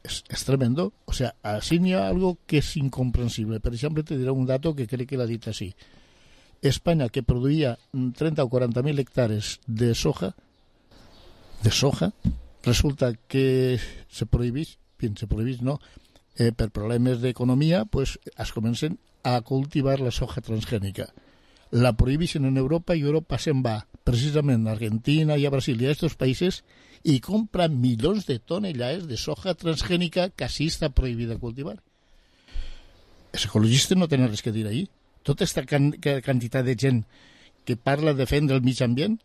és, és tremendo. O sea, així n'hi ha algo que és incomprensible. Per exemple, te diré un dato que crec que l'ha dit així. Espanya, que produïa trenta o quaranta mil hectares de soja, de soja, resulta que se prohibís, fin, se prohibís no, eh, per problemes d'economia, pues es comencen a cultivar la soja transgènica. la prohibeixen en Europa i Europa se'n va precisament a Argentina i a Brasil i a aquests països i compra milions de tonelades de soja transgènica que així està prohibida cultivar. Els ecologistes no tenen res que dir ahí. Tota aquesta can quantitat de gent que parla de defendre el mig ambient,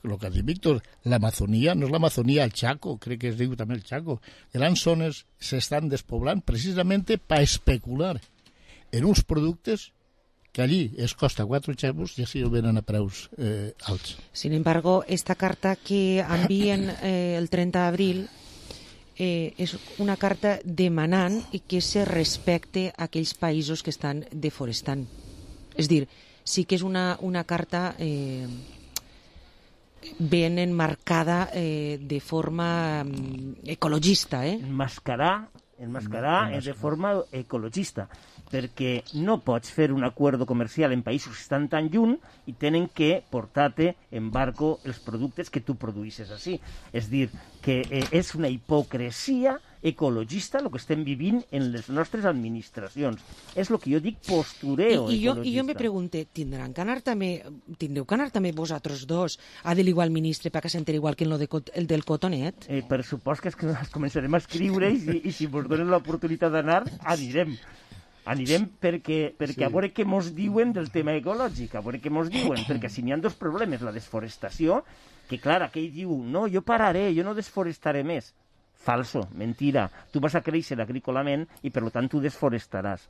el que ha dit Víctor, l'Amazonia, no és l'Amazonia, el Chaco, crec que es diu també el Chaco, grans zones s'estan despoblant precisament per especular en uns productes que allí es costa quatre xavos i així el venen a preus eh, alts. Sin embargo, esta carta que envien eh, el trenta d'abril eh, és una carta demanant que se respecte a aquells països que estan deforestant. És dir, sí que és una, una carta eh, ben enmarcada eh, de forma eh, ecologista. Eh? Enmascarar, enmascarar és de forma ecologista, perquè no pots fer un acord comercial en països que estan tan lluny i tenen que portar-te en barco els productes que tu produïsses així. És dir, que eh, és una hipocresia ecologista el que estem vivint en les nostres administracions. És el que jo dic postureo I, i jo, ecologista. I jo me pregunte, tindran que anar també, tindreu que anar també vosaltres dos a dir-li al ministre perquè s'enteri igual que en lo de, el del cotonet? Eh, per supòs que, és que ens començarem a escriure i si, i si ens donen l'oportunitat d'anar, anirem. Anirem perquè, perquè sí. A veure què mos diuen del tema ecològic, a veure què mos diuen, perquè si n'hi ha dos problemes, la desforestació, que clar, aquell diu, no, jo pararé, jo no desforestaré més. Falso, mentira. Tu vas a créixer agrícolament i per tant tu desforestaràs.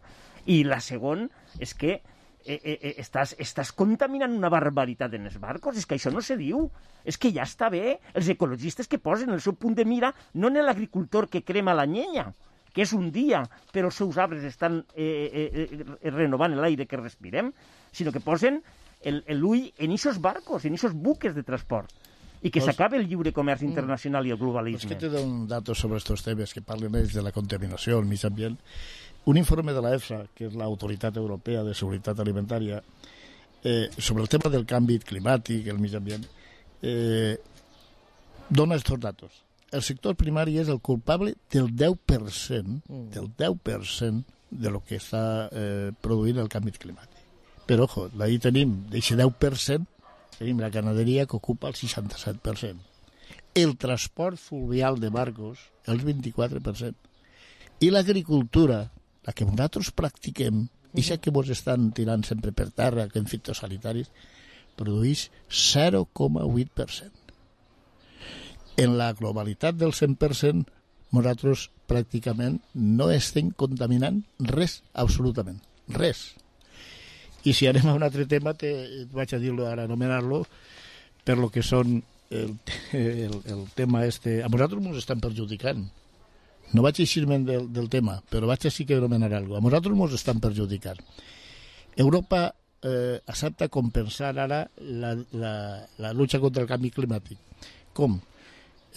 I la segona és que eh, eh, estàs, estàs contaminant una barbaritat en els barcos, és que això no se diu. És que ja està bé els ecologistes que posen el seu punt de mira no en l'agricultor que crema la llenya, que és un dia, però els seus arbres estan eh, eh, eh, renovant l'aire que respirem, sinó que posen l'ull en aquests barcos, en aquests buques de transport, i que pues, s'acabe el lliure comerç internacional mm, i el globalisme. És que te dono datos sobre aquests temes que parlen ells de la contaminació, el mig ambient. Un informe de la EFSA, que és l'Autoritat Europea de Seguretat Alimentària, eh, sobre el tema del canvi climàtic, el mig ambient, eh, dona aquests datos. El sector primari és el culpable del deu per cent, del deu per cent de lo que està eh, produint el canvi climàtic. Però, ojo, ahí tenim, d'aquest deu per cent, tenim la ramaderia que ocupa el seixanta-set per cent. El transport fluvial de barcos, el vint-i-quatre per cent. I l'agricultura, la que nosaltres practiquem, i ja que vos estan tirant sempre per terra, que en fitosanitaris, produeix zero coma vuit per cent. En la globalitat del cent per cent, nosaltres pràcticament no estem contaminant res, absolutament, res. I si anem a un altre tema, te, vaig a dir-lo ara, anomenar-lo, per lo que són el, el, el tema este. A nosaltres ens estan perjudicant. No vaig eixir-me'n del, del tema, però vaig a sí que anomenar alguna cosa. A nosaltres ens estan perjudicant. Europa eh, accepta compensar ara la, la, la lucha contra el canvi climàtic. Com?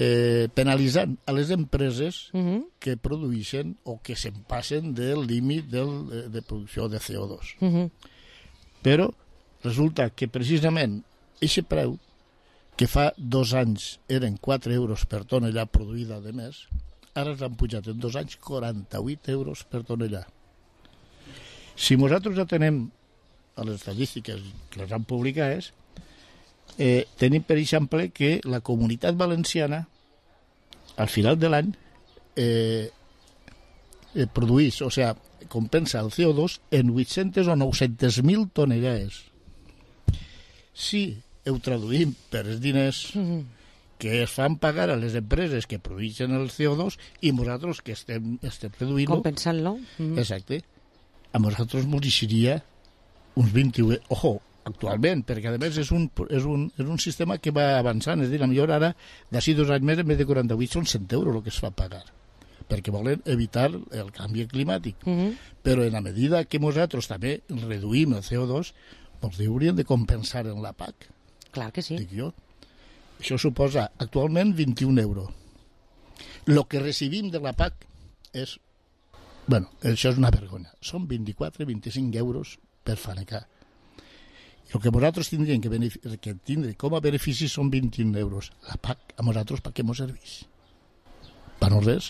Eh, penalitzant a les empreses uh-huh. que produeixen o que se'n passen del límit del, de, de producció de C O dos. Uh-huh. Però resulta que precisament aquest preu, que fa dos anys eren quatre euros per tonelà produïda de més, ara s'han pujat en dos anys quaranta-vuit euros per tonelà. Si nosaltres atenem a les estadístiques que les han publicades, Eh, tenim, per exemple, que la Comunitat Valenciana al final de l'any eh, eh, produeix, o sea, compensa el C O dos en vuit-centes o nou-centes mil tonelades. Si ho traduïm per els diners que es fan pagar a les empreses que produeixen el C O dos i nosaltres que estem, estem reduint-lo... Compensant-lo. Mm. Exacte. A nosaltres ens deixaria uns vint-i-u... Ojo, actualment, perquè a més és un, és, un, és un sistema que va avançant, és a dir, a millor ara d'ací dos anys més en vez de quaranta-vuit són cent euros el que es fa pagar, perquè volen evitar el canvi climàtic. Uh-huh. Però en la medida que nosaltres també reduïm el C O dos, ens hauríem de compensar en la P A C. Clar que sí. Dic jo. Això suposa actualment vint-i-un euros. El que recibim de la P A C és, bueno, això és una vergonya, són vint-i-quatre a vint-i-cinc euros per fanecar. El que nosaltres tindríem que, que tindre com a benefici són vint-i-un euros. La P A C, a nosaltres, per què ens serveix? Per no res.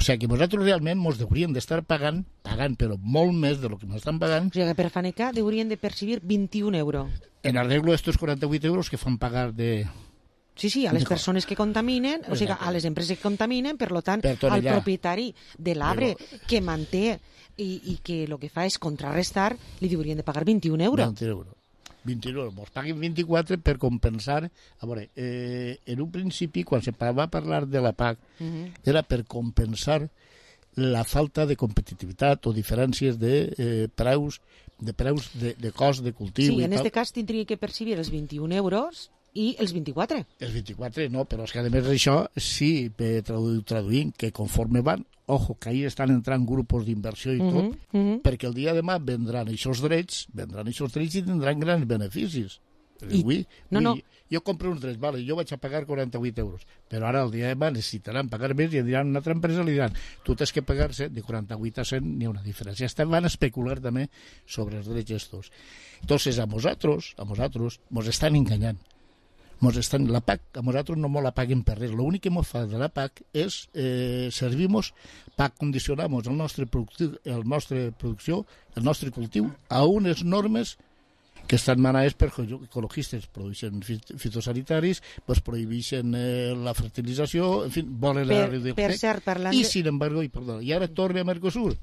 O sigui que nosaltres realment ens hauríem d'estar pagant, pagant, però molt més de lo que m'estan pagant. O sigui que per fanecar haurien de percibir vint-i-un euros. En arreglo estos quaranta-vuit euros que fan pagar de... Sí, sí, a les persones que contaminen, o sigui, a les empreses que contaminen, per lo tant, al propietari de l'arbre que manté i, i que el que fa és contrarrestar, li haurien de pagar vint-i-un euros. vint euros. vint-i-un euros. Mos paguen vint-i-quatre per compensar... A veure, eh, en un principi, quan se va parlar de la P A C, uh-huh. era per compensar la falta de competitivitat o diferències de eh, preus, de preus de, de cost de cultiu. Sí, i en aquest cas tindria que percibir els vint-i-un euros i els vint-i-quatre. Els vint-i-quatre no, però és que a més d'això, sí, tradu traduint, que conforme van, ojo, que ahí estan entrant grupos d'inversió i uh -huh, tot, uh -huh. perquè el dia de demà vendran aquests drets, vendran aquests drets i tindran grans beneficis. I, ui, no, ui, no. Jo compro uns drets, vale, jo vaig a pagar quaranta-vuit euros, però ara el dia de demà necessitaran pagar més i diran una altra empresa, li diran, tu tens que pagar-se de quaranta-vuit a cent, n'hi ha una diferència. Estan van a especular també sobre els drets estos. Entonces, a nosaltres, a nosaltres, mos estan enganyant. Mos estan, la P A C, a nosaltres no mos la paguen per res. L'únic que mos fa de la P A C és eh, servimos per condicionar-nos el nostre productiu, el nostre producció, el nostre cultiu a unes normes que estan manades per ecologistes, produeixen fitosanitaris, pues prohibeixen eh, la fertilització, en fi, volen per, la reducció. Per cert, parlant I, de... sin embargo, i, perdó, i ara torna a Mercosur.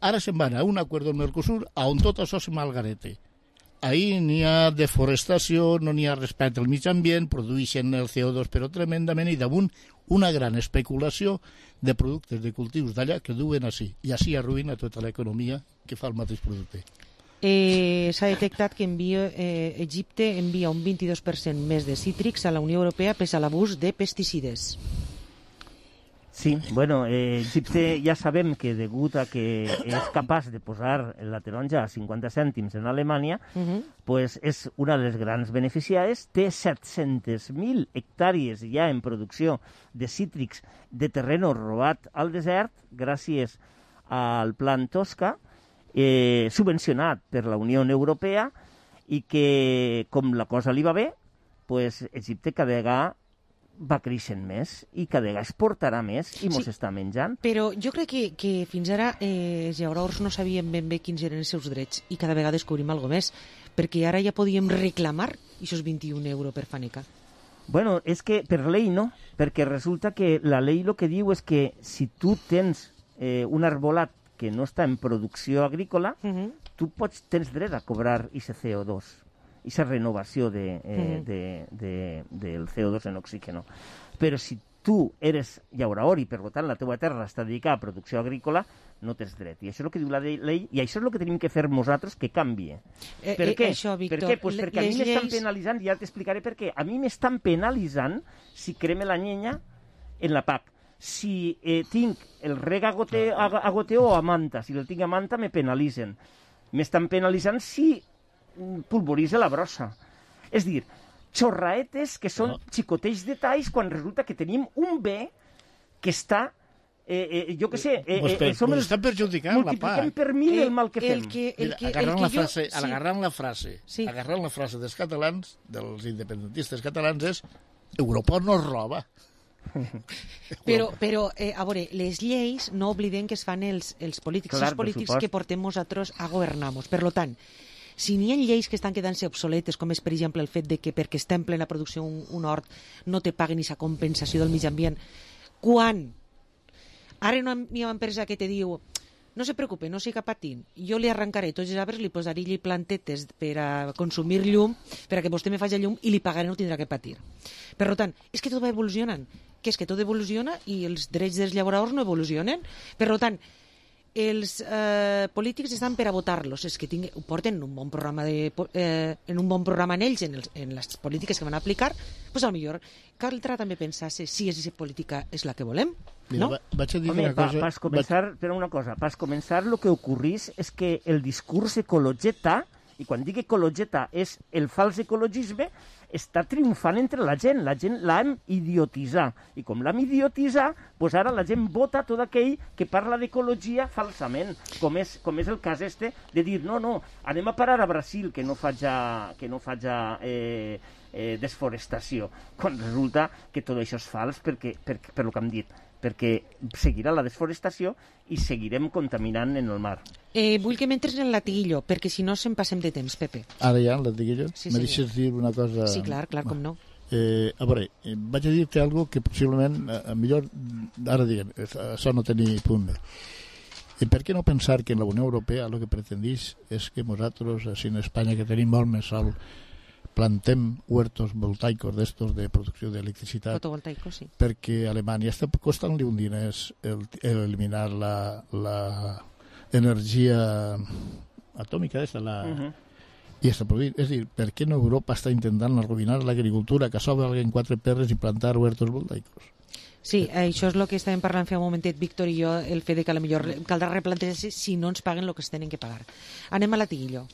Ara se'n van a un acord amb Mercosur on tot això se malgarete. Ahí n'hi ha deforestació, no n'hi ha respecte al mig ambient, produeixen el C O dos però tremendament i damunt una gran especulació de productes de cultius d'allà que duen així. I així arruïna tota l'economia que fa el mateix producte. Eh, S'ha detectat que envia, eh, Egipte envia un vint-i-dos per cent més de cítrics a la Unió Europea pese a l'abús de pesticides. Sí, bueno, eh, Egipte ja sabem que degut a que és capaç de posar la taronja a cinquanta cèntims en Alemanya, uh-huh. pues és una de les grans beneficiades, té set-centes mil hectàrees ja en producció de cítrics de terreno robat al desert gràcies al Plan Tosca, eh, subvencionat per la Unió Europea i que, com la cosa li va bé, pues Egipte cada vegada va creixent més i cada vegada exportarà més i mos sí, està menjant. Però jo crec que, que fins ara eh, els llauraors no sabien ben bé quins eren els seus drets i cada vegada descobrim alguna més, perquè ara ja podíem reclamar aquests vint-i-un euros per fanecar. Bueno, és que per llei no, perquè resulta que la llei el que diu és que si tu tens eh, un arbolat que no està en producció agrícola, uh-huh. tu pots, tens dret a cobrar aquest C O dos. Esa renovació de, eh, uh-huh. de, de, del C O dos en oxígeno. Però si tu eres llauraor i per tant la teva terra està dedicada a producció agrícola, no tens dret. I això és el que diu la llei i això és el que tenim que fer nosaltres que canvie. Eh, per eh, què? Això, Víctor, per què? Pues perquè a mi lleis... m'estan penalitzant, i ja t'explicaré per què. A mi m'estan penalitzant si creme la llenya en la P A C. Si eh, tinc el rega a, gote, a, a goteo o a manta, si el tinc a manta me penalitzen. M'estan penalitzant si pulveritza la brossa. És dir, xorraetes que són no. xicoteix detalls quan resulta que tenim un bé que està, eh, eh, jo què sé, eh, pues per, eh, som els... estan perjudicant la P A C. Multipliquem per mil el mal que fem. El que, el que, Mira, agarrant, el que la jo... frase, sí. agarrant la frase, sí. agarrant la frase dels catalans, dels independentistes catalans, és Europa no es roba. Però, però eh, a veure, les lleis no oblidem que es fan els, els polítics, Clar, els polítics que portem nosaltres a governar-nos. Per tant, si n'hi ha lleis que estan quedant-se obsoletes, com és, per exemple, el fet de que perquè està en plena producció un, un hort no te paguen aquesta compensació del mig ambient, quan ara no hi ha una empresa que te diu no se preocupe, no siga patint, jo li arrencaré tots els arbres, li posaré li plantetes per a consumir llum, per a que vostè me faci llum i li pagaré, no tindrà que patir. Per tant, és que tot va evolucionant, que és que tot evoluciona i els drets dels llauradors no evolucionen. Per tant, els eh, polítics estan per a votar-los, és que tinc, ho porten un bon programa de, eh, en un bon programa en ells, en, els, en les polítiques que van aplicar, doncs potser caldrà també pensar si aquesta política és la que volem. Mira, no? va, vaig a dir Home, una pa, cosa... Pas començar, vaig... per una cosa, pas començar el que ocorrís és que el discurs ecologeta, i quan dic ecologeta és el fals ecologisme, està triomfant entre la gent. La gent l'hem idiotitzat. I com l'hem idiotitzat, doncs ara la gent vota tot aquell que parla d'ecologia falsament, com és, com és el cas este de dir, no, no, anem a parar a Brasil que no faja, que no faja eh, eh, desforestació, quan resulta que tot això és fals perquè, per, per lo que hem dit, perquè seguirà la desforestació i seguirem contaminant en el mar. Eh, vull que m'entres en el latiguillo, perquè si no se'n passem de temps, Pepe. Ara ja, el latiguillo? Sí, me senyor. deixes dir una cosa? Sí, clar, clar, com no. Eh, a veure, eh, vaig a dir-te algo que possiblement, a, a millor, ara diguem, això no té ni punt bé. I per què no pensar que en la Unió Europea el que pretendís és que nosaltres, així en Espanya, que tenim molt més sol, plantem huertos voltaicos d'estos de producció d'electricitat? Fotovoltaicos, sí. Perquè a Alemanya està costant-li un diners el, el eliminar la, la energia atòmica d'esta, la... Uh-huh. I està prohibit. És a dir, per què no Europa està intentant arruïnar l'agricultura, que s'obre en quatre perres i plantar huertos voltaicos? Sí, això és el que estàvem parlant fa un momentet, Víctor i jo, el fet de que a lo millor caldrà replantejar-se si no ens paguen el que es tenen que pagar. Anem a latiguillo.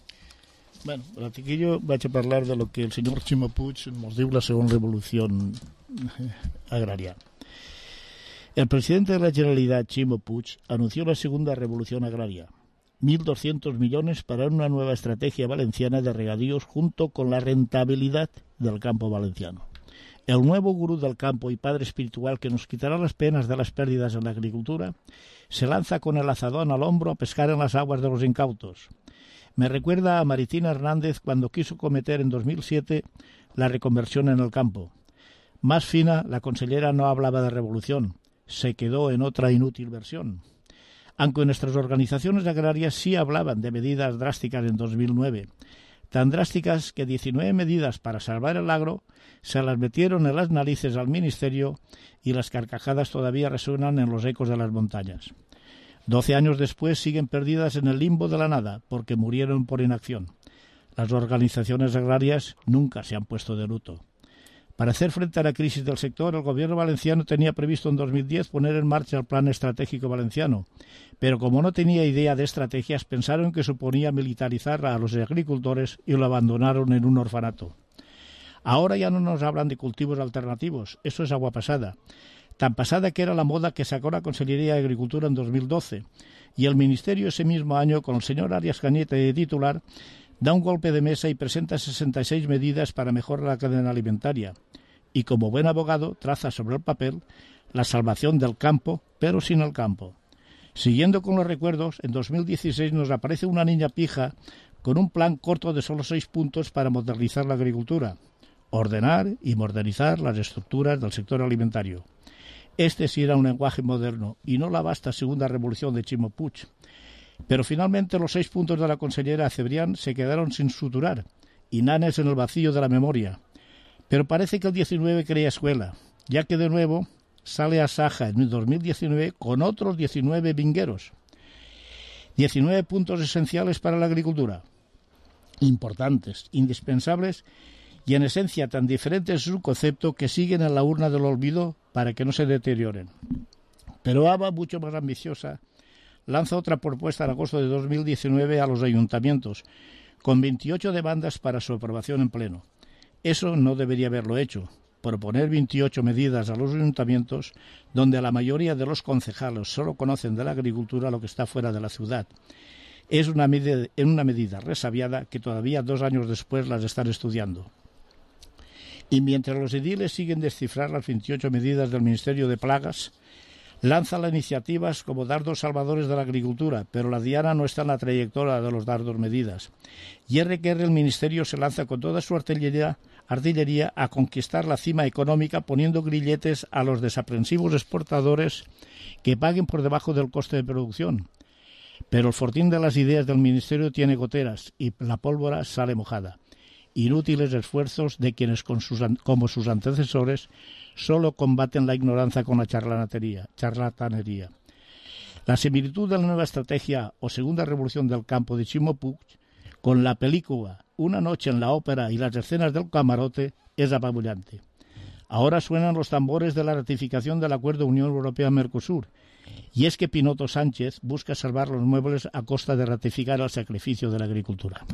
Bueno, a latiguillo vaig a parlar de lo que el senyor Ximo Puig ens diu la segona revolució agraria. El presidente de la Generalitat, Ximo Puig, anunció la segunda revolución agraria. mil doscientos millones para una nueva estrategia valenciana de regadíos junto con la rentabilidad del campo valenciano. El nuevo gurú del campo y padre espiritual que nos quitará las penas de las pérdidas en la agricultura se lanza con el azadón al hombro a pescar en las aguas de los incautos. Me recuerda a Maritina Hernández cuando quiso cometer en dos mil siete la reconversión en el campo. Más fina, la consellera no hablaba de revolución, se quedó en otra inútil versión. Aunque nuestras organizaciones agrarias sí hablaban de medidas drásticas en dos mil nueve, tan drásticas que diecinueve medidas para salvar el agro se las metieron en las narices al Ministerio y las carcajadas todavía resuenan en los ecos de las montañas. Doce años después siguen perdidas en el limbo de la nada porque murieron por inacción. Las organizaciones agrarias nunca se han puesto de luto. Para hacer frente a la crisis del sector, el gobierno valenciano tenía previsto en dos mil diez poner en marcha el Plan Estratégico Valenciano, pero como no tenía idea de estrategias, pensaron que suponía militarizar a los agricultores y lo abandonaron en un orfanato. Ahora ya no nos hablan de cultivos alternativos, eso es agua pasada. Tan pasada que era la moda que sacó la Consellería de Agricultura en dos mil doce, y el Ministerio ese mismo año, con el señor Arias Cañete de titular, da un golpe de mesa y presenta sesenta y seis medidas para mejorar la cadena alimentaria. Y como buen abogado traza sobre el papel la salvación del campo, pero sin el campo. Siguiendo con los recuerdos, en dos mil dieciséis nos aparece una niña pija con un plan corto de solo seis puntos para modernizar la agricultura, ordenar y modernizar las estructuras del sector alimentario. Este sí era un lenguaje moderno y no la vasta segunda revolución de Ximo Puig. Pero finalmente los seis puntos de la consellera Cebrián se quedaron sin suturar, inanes en el vacío de la memoria. Pero parece que el diecinueve crea escuela, ya que de nuevo sale a Saja en dos mil diecinueve con otros diecinueve vingueros. diecinueve puntos esenciales para la agricultura, importantes, indispensables y en esencia tan diferentes es su concepto que siguen en la urna del olvido para que no se deterioren. Pero A B A, mucho más ambiciosa, lanza otra propuesta en agosto de dos mil diecinueve a los ayuntamientos, con veintiocho demandas para su aprobación en pleno. Eso no debería haberlo hecho, proponer veintiocho medidas a los ayuntamientos donde la mayoría de los concejales solo conocen de la agricultura lo que está fuera de la ciudad. Es una medida, una medida resabiada que todavía dos años después las están estudiando. Y mientras los ediles siguen descifrar las veintiocho medidas del Ministerio de Plagas, lanza las iniciativas como dardos salvadores de la agricultura, pero la diana no está en la trayectoria de los dardos medidas. Y R que R el Ministerio se lanza con toda su artillería, artillería a conquistar la cima económica poniendo grilletes a los desaprensivos exportadores que paguen por debajo del coste de producción. Pero el fortín de las ideas del Ministerio tiene goteras y la pólvora sale mojada. Inútiles esfuerzos de quienes, con sus, como sus antecesores, solo combaten la ignorancia con la charlatanería, charlatanería. La similitud de la nueva estrategia o segunda revolución del campo de Ximo Puig con la película Una noche en la ópera y las escenas del camarote es apabullante. Ahora suenan los tambores de la ratificación del acuerdo Unión Europea-Mercosur, y es que Pinoto Sánchez busca salvar los muebles a costa de ratificar el sacrificio de la agricultura.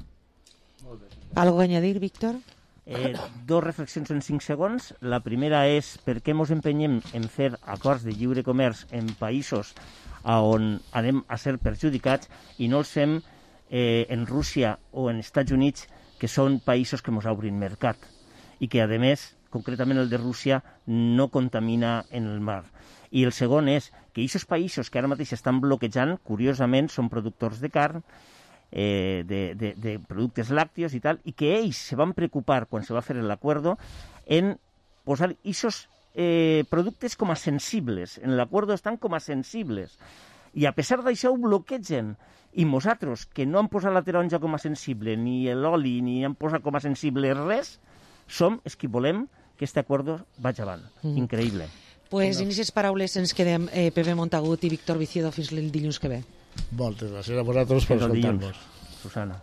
¿Algo a añadir, Víctor? Eh, dos reflexions en cinc segons. La primera és per què ens empenyem en fer acords de lliure comerç en països on anem a ser perjudicats i no els fem eh, en Rússia o en Estats Units, que són països que ens obrin mercat i que, a més, concretament el de Rússia, no contamina en el mar. I el segon és que aquests països que ara mateix estan bloquejant, curiosament, són productors de carn, eh, de, de, de productes làctios i tal, i que ells se van preocupar, quan se va fer l'acuerdo, en posar aquests eh, productes com a sensibles. En l'acuerdo estan com a sensibles. I a pesar d'això ho bloquegen. I nosaltres, que no han posat la taronja com a sensible, ni l'oli, ni han posat com a sensible res, som els que volem que aquest acuerdo vagi avant. Mm. Increïble. Pues en aquestes paraules ens quedem, eh, Pepe Montagut i Víctor Viciedo, fins el dilluns que ve. Moltes gràcies a vosaltres per escoltar-nos. Susana.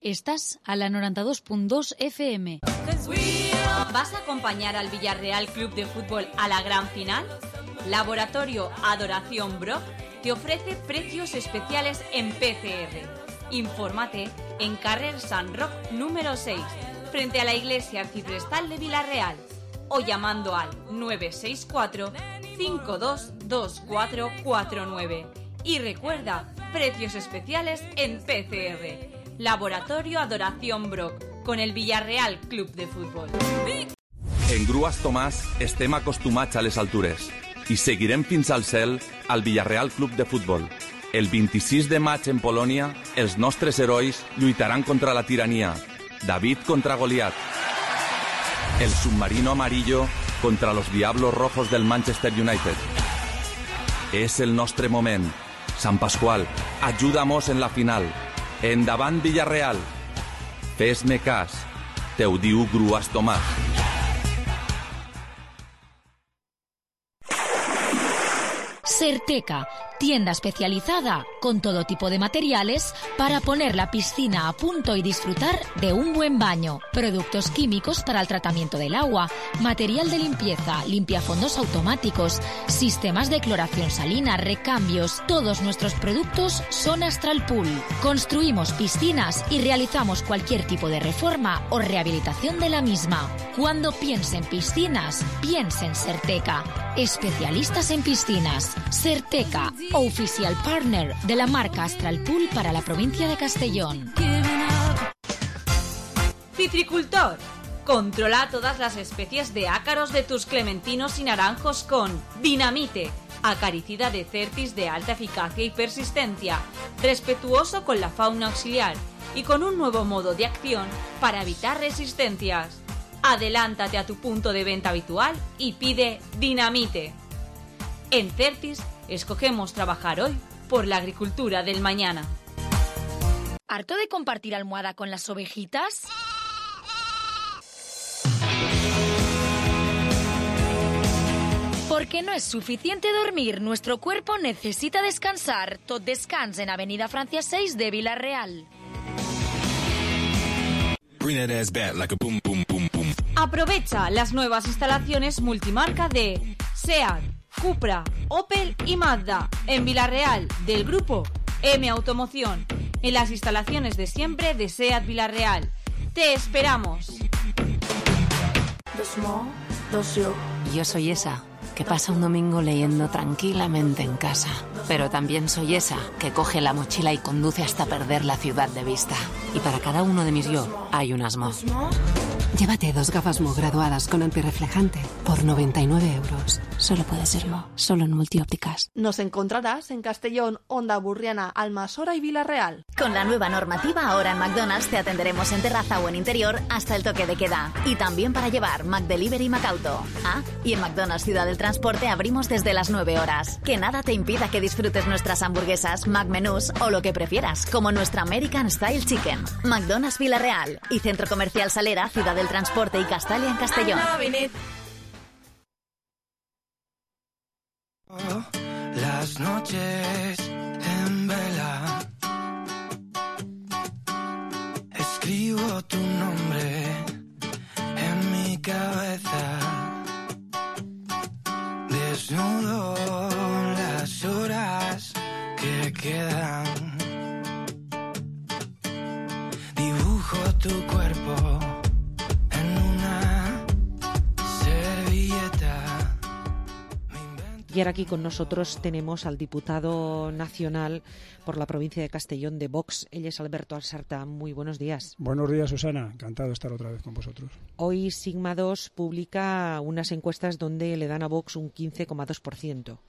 Estás a la noventa y dos punto dos F M. ¿Vas a acompañar al Villarreal Club de Fútbol a la gran final? Laboratorio Adoración Brock te ofrece precios especiales en P C R. Infórmate en Carrer San Roc número seis, frente a la Iglesia Arciprestal de Villarreal, o llamando al nueve seis cuatro, cinco dos dos cuatro cuatro nueve. Y recuerda, precios especiales en P C R. Laboratorio Adoración Brock, con el Villarreal Club de Fútbol. En Grues Tomàs estem acostumats a les altures i seguirem fins al cel al Villarreal Club de Futbol. El vint-i-sis de maig en Polònia, els nostres herois lluitaran contra la tirania. David contra Goliat. El submarino amarillo contra los Diablos Rojos del Manchester United. És el nostre moment. Sant Pasqual, ajuda'mos en la final. Endavant Villarreal. Fes-me cas. Te ho diu Grues Tomàs. Certeca, tienda especializada con todo tipo de materiales para poner la piscina a punto y disfrutar de un buen baño. Productos químicos para el tratamiento del agua, material de limpieza, limpiafondos automáticos, sistemas de cloración salina, recambios. Todos nuestros productos son Astral Pool. Construimos piscinas y realizamos cualquier tipo de reforma o rehabilitación de la misma. Cuando piense en piscinas, piense en Certeca. Especialistas en piscinas. Certeca, oficial partner de la marca Astral Pool para la provincia de Castellón. Citricultor. Controla todas las especies de ácaros de tus clementinos y naranjos con Dinamite, acaricida de Certis de alta eficacia y persistencia, respetuoso con la fauna auxiliar y con un nuevo modo de acción para evitar resistencias. Adelántate a tu punto de venta habitual y pide Dinamite. En Certis, escogemos trabajar hoy por la agricultura del mañana. ¿Harto de compartir almohada con las ovejitas? Porque no es suficiente dormir, nuestro cuerpo necesita descansar. Tot Descans en Avenida Francia seis de Villarreal. Aprovecha las nuevas instalaciones multimarca de SEAT, Cupra, Opel y Mazda en Villarreal del grupo M Automoción, en las instalaciones de siempre de SEAT Villarreal. ¡Te esperamos! Yo soy esa que pasa un domingo leyendo tranquilamente en casa, pero también soy esa que coge la mochila y conduce hasta perder la ciudad de vista. Y para cada uno de mis yo hay un asmo. Llévate dos gafas Mo graduadas con antirreflejante por noventa y nueve euros. Solo puede ser Mo, solo en Multiópticas. Nos encontrarás en Castellón, Onda Burriana, Almasora y Villarreal. Con la nueva normativa, ahora en McDonald's te atenderemos en terraza o en interior hasta el toque de queda. Y también para llevar McDelivery y McAuto. Ah, y en McDonald's Ciudad del Transporte abrimos desde las nueve horas. Que nada te impida que disfrutes nuestras hamburguesas, McMenús o lo que prefieras, como nuestra American Style Chicken. McDonald's Villarreal y Centro Comercial Salera, Ciudad del Transporte y Castalia en Castellón. Las noches en vela. Escribo tu nombre en mi cabeza. Desnudo las horas que quedan. Dibujo tu cuerpo en una servilleta. Y ahora aquí con nosotros tenemos al diputado nacional por la provincia de Castellón de Vox. Él es Alberto Alsarta. Muy buenos días. Buenos días, Susana. Encantado de estar otra vez con vosotros. Hoy Sigma dos publica unas encuestas donde le dan a Vox un quince coma dos por ciento.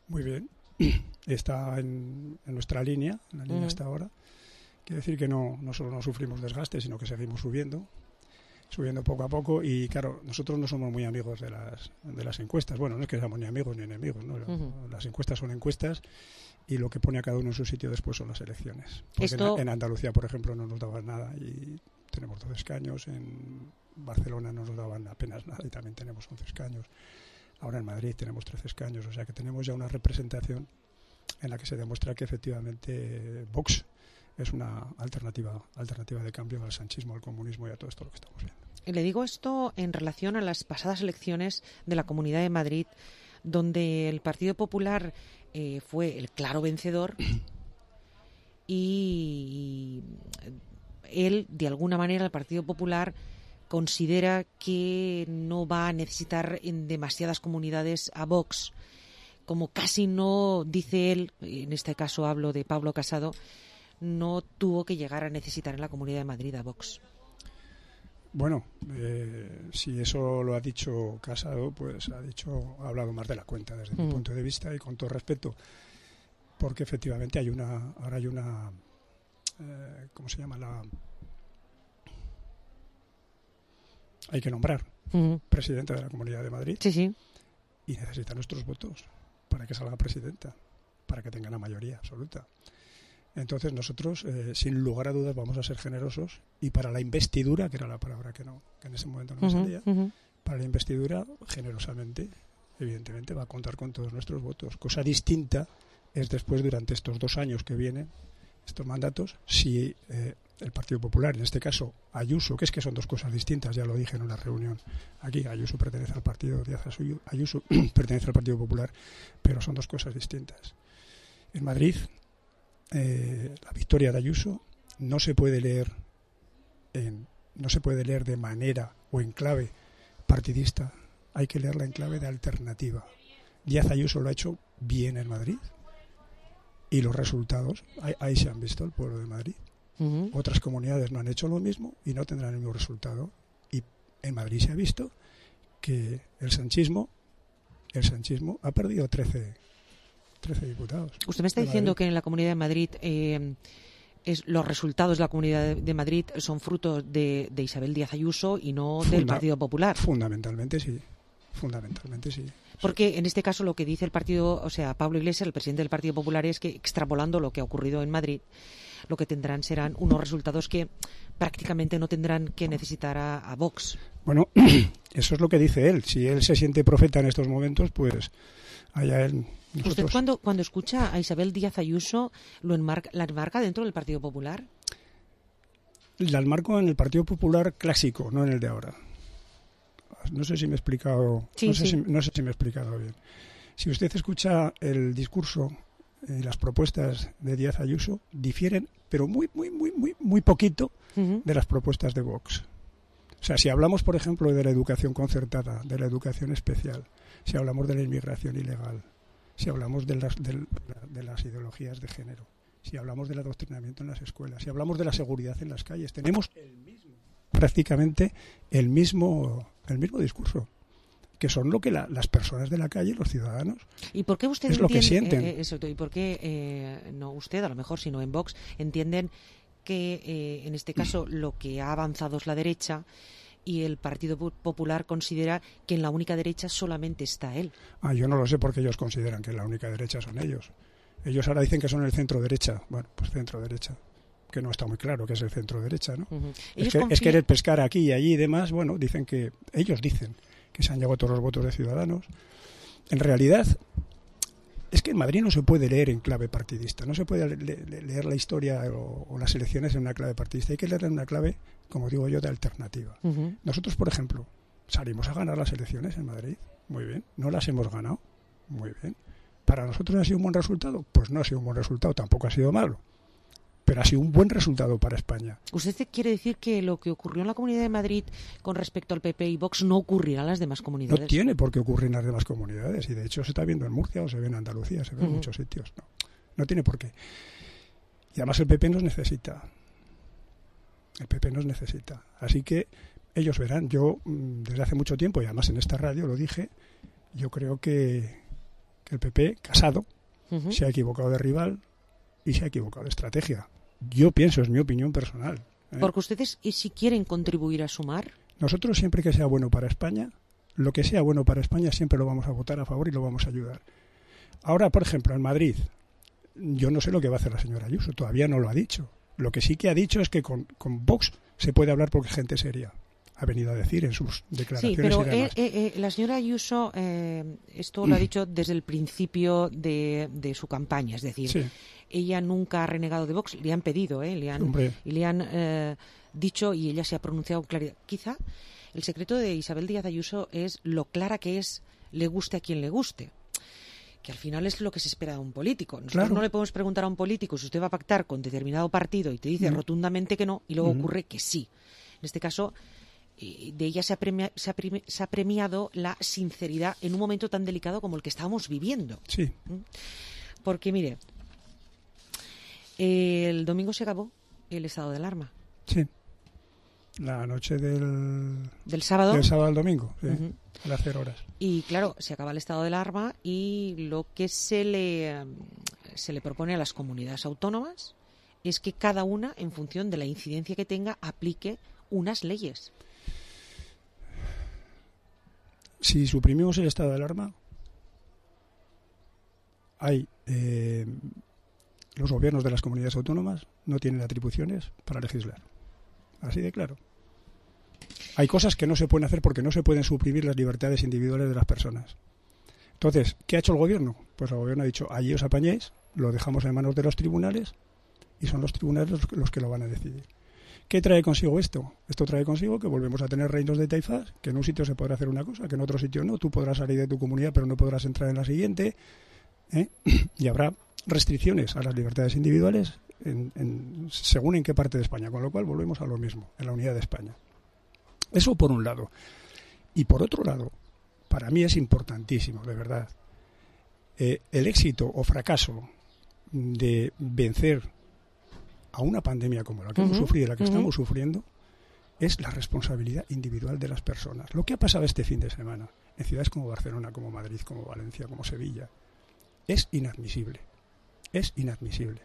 Muy bien. Está en, en nuestra línea, en la línea Uh-huh. hasta ahora. Quiere decir que no, no solo no sufrimos desgaste, sino que seguimos subiendo. subiendo poco a poco y claro, nosotros no somos muy amigos de las de las encuestas. Bueno, no es que seamos ni amigos ni enemigos, ¿no? Uh-huh. Las encuestas son encuestas y lo que pone a cada uno en su sitio después son las elecciones. Porque Esto... en, en Andalucía, por ejemplo, no nos daban nada y tenemos dos escaños, en Barcelona no nos daban apenas nada y también tenemos once escaños. Ahora en Madrid tenemos trece escaños, o sea que tenemos ya una representación en la que se demuestra que efectivamente Vox es una alternativa alternativa de cambio al sanchismo, al comunismo y a todo esto lo que estamos viendo. Le digo esto en relación a las pasadas elecciones de la Comunidad de Madrid, donde el Partido Popular eh, fue el claro vencedor y él, de alguna manera, el Partido Popular considera que no va a necesitar en demasiadas comunidades a Vox, como casi no, dice él, en este caso hablo de Pablo Casado, no tuvo que llegar a necesitar en la Comunidad de Madrid a Vox. Bueno, eh, si eso lo ha dicho Casado, pues ha dicho, ha hablado más de la cuenta desde mm. mi punto de vista y con todo respeto, porque efectivamente hay una, ahora hay una, eh, ¿cómo se llama? La, hay que nombrar mm. presidenta de la Comunidad de Madrid. Sí, sí. Y necesita nuestros votos para que salga presidenta, para que tenga la mayoría absoluta. Entonces nosotros, eh, sin lugar a dudas, vamos a ser generosos y para la investidura, que era la palabra que no que en ese momento no me uh-huh, salía, uh-huh. para la investidura, generosamente, evidentemente, va a contar con todos nuestros votos. Cosa distinta es después, durante estos dos años que vienen, estos mandatos, si eh, el Partido Popular, en este caso Ayuso, que es que son dos cosas distintas, ya lo dije en una reunión aquí, Ayuso pertenece al partido, Díaz Ayuso pertenece al Partido Popular, pero son dos cosas distintas. En Madrid, Eh, la victoria de Ayuso no se puede leer en, no se puede leer de manera o en clave partidista, hay que leerla en clave de alternativa. Díaz Ayuso lo ha hecho bien en Madrid y los resultados ahí, ahí se han visto, el pueblo de Madrid. Uh-huh. Otras comunidades no han hecho lo mismo y no tendrán el mismo resultado, y en Madrid se ha visto que el sanchismo el sanchismo ha perdido trece diputados. Usted me está diciendo que en la Comunidad de Madrid eh, es, los resultados de la Comunidad de Madrid son fruto de, de Isabel Díaz Ayuso y no Funda- del Partido Popular. Fundamentalmente sí. Fundamentalmente sí. Porque en este caso lo que dice el partido, o sea, Pablo Iglesias, el presidente del Partido Popular, es que extrapolando lo que ha ocurrido en Madrid, lo que tendrán serán unos resultados que prácticamente no tendrán que necesitar a, a Vox. Bueno, eso es lo que dice él. Si él se siente profeta en estos momentos, pues allá él. Nosotros... ¿Usted cuando, cuando escucha a Isabel Díaz Ayuso lo enmarca, la enmarca dentro del Partido Popular? La enmarco en el Partido Popular clásico, no en el de ahora. No sé si me he explicado, sí, no, sé sí. si, no sé si me he explicado bien. Si usted escucha el discurso y las propuestas de Díaz Ayuso, difieren, pero muy, muy, muy, muy, muy poquito uh-huh. de las propuestas de Vox. O sea, si hablamos, por ejemplo, de la educación concertada, de la educación especial, si hablamos de la inmigración ilegal, si hablamos de las, de, de las ideologías de género, si hablamos del adoctrinamiento en las escuelas, si hablamos de la seguridad en las calles, tenemos el mismo, prácticamente el mismo, el mismo discurso, que son lo que la, las personas de la calle, los ciudadanos, ¿y por qué usted es entiende, lo que sienten? Eh, eso, ¿y por qué eh, no usted, a lo mejor, sino en Vox, entienden que eh, en este caso lo que ha avanzado es la derecha y el Partido Popular considera que en la única derecha solamente está él? Ah, yo no lo sé porque ellos consideran que la única derecha son ellos. Ellos ahora dicen que son el centro derecha. Bueno, pues centro derecha, que no está muy claro que es el centro derecha, ¿no? Uh-huh. Es, que, confían... es querer pescar aquí y allí y demás. Bueno, dicen que ellos dicen que se han llevado todos los votos de Ciudadanos. En realidad, es que en Madrid no se puede leer en clave partidista, no se puede le- le- leer la historia o, o las elecciones en una clave partidista, hay que leerla en una clave, como digo yo, de alternativa. Uh-huh. Nosotros, por ejemplo, salimos a ganar las elecciones en Madrid, muy bien, no las hemos ganado, muy bien. ¿Para nosotros ha sido un buen resultado? Pues no ha sido un buen resultado, tampoco ha sido malo, pero ha sido un buen resultado para España. ¿Usted quiere decir que lo que ocurrió en la Comunidad de Madrid con respecto al P P y Vox no ocurrirá en las demás comunidades? No tiene por qué ocurrir en las demás comunidades, y de hecho se está viendo en Murcia o se ve en Andalucía, se ve en Ujú. muchos sitios. No, no tiene por qué. Y además el P P nos necesita. El P P nos necesita. Así que ellos verán. Yo, mm, desde hace mucho tiempo, y además en esta radio lo dije, yo creo que, que el P P, Casado, Ujú. se ha equivocado de rival y se ha equivocado de estrategia. Yo pienso, es mi opinión personal. ¿eh? Porque ustedes, ¿y si quieren contribuir a sumar? Nosotros siempre que sea bueno para España, lo que sea bueno para España siempre lo vamos a votar a favor y lo vamos a ayudar. Ahora, por ejemplo, en Madrid, yo no sé lo que va a hacer la señora Ayuso, todavía no lo ha dicho. Lo que sí que ha dicho es que con, con Vox se puede hablar porque es gente seria. Ha venido a decir en sus Sí, declaraciones pero y demás. eh, eh, eh, la señora Ayuso eh, esto lo ha dicho desde el principio de, de su campaña, es decir, Sí. ella nunca ha renegado de Vox, le han pedido, eh, le han, Hombre. y le han eh, dicho y ella se ha pronunciado con claridad. Quizá el secreto de Isabel Díaz Ayuso es lo clara que es, le guste a quien le guste. Que al final es lo que se espera de un político. Nosotros Claro. no le podemos preguntar a un político si usted va a pactar con determinado partido y te dice Mm. rotundamente que no y luego Mm. ocurre que sí. En este caso, eh, de ella se ha, premia- se, ha premi- se ha premiado la sinceridad en un momento tan delicado como el que estábamos viviendo. Sí. ¿Mm? Porque, mire, eh, el domingo se acabó el estado de alarma. Sí. La noche del... ¿Del sábado? Del sábado al domingo, sí. Ujú. A las cero horas. Y claro, se acaba el estado de alarma y lo que se le, eh, se le propone a las comunidades autónomas es que cada una, en función de la incidencia que tenga, aplique unas leyes. Si suprimimos el estado de alarma, hay eh, los gobiernos de las comunidades autónomas no tienen atribuciones para legislar. Así de claro. Hay cosas que no se pueden hacer porque no se pueden suprimir las libertades individuales de las personas. Entonces, ¿qué ha hecho el gobierno? Pues el gobierno ha dicho, allí os apañéis, lo dejamos en manos de los tribunales y son los tribunales los, los que lo van a decidir. ¿Qué trae consigo esto? Esto trae consigo que volvemos a tener reinos de taifas, que en un sitio se podrá hacer una cosa, que en otro sitio no. Tú podrás salir de tu comunidad, pero no podrás entrar en la siguiente. ¿eh? Y habrá restricciones a las libertades individuales en, en, según en qué parte de España. Con lo cual volvemos a lo mismo, en la unidad de España. Eso por un lado. Y por otro lado, para mí es importantísimo, de verdad, eh, el éxito o fracaso de vencer a una pandemia como la que Uh-huh, hemos sufrido y la que uh-huh. estamos sufriendo es la responsabilidad individual de las personas. Lo que ha pasado este fin de semana en ciudades como Barcelona, como Madrid, como Valencia, como Sevilla, es inadmisible. Es inadmisible.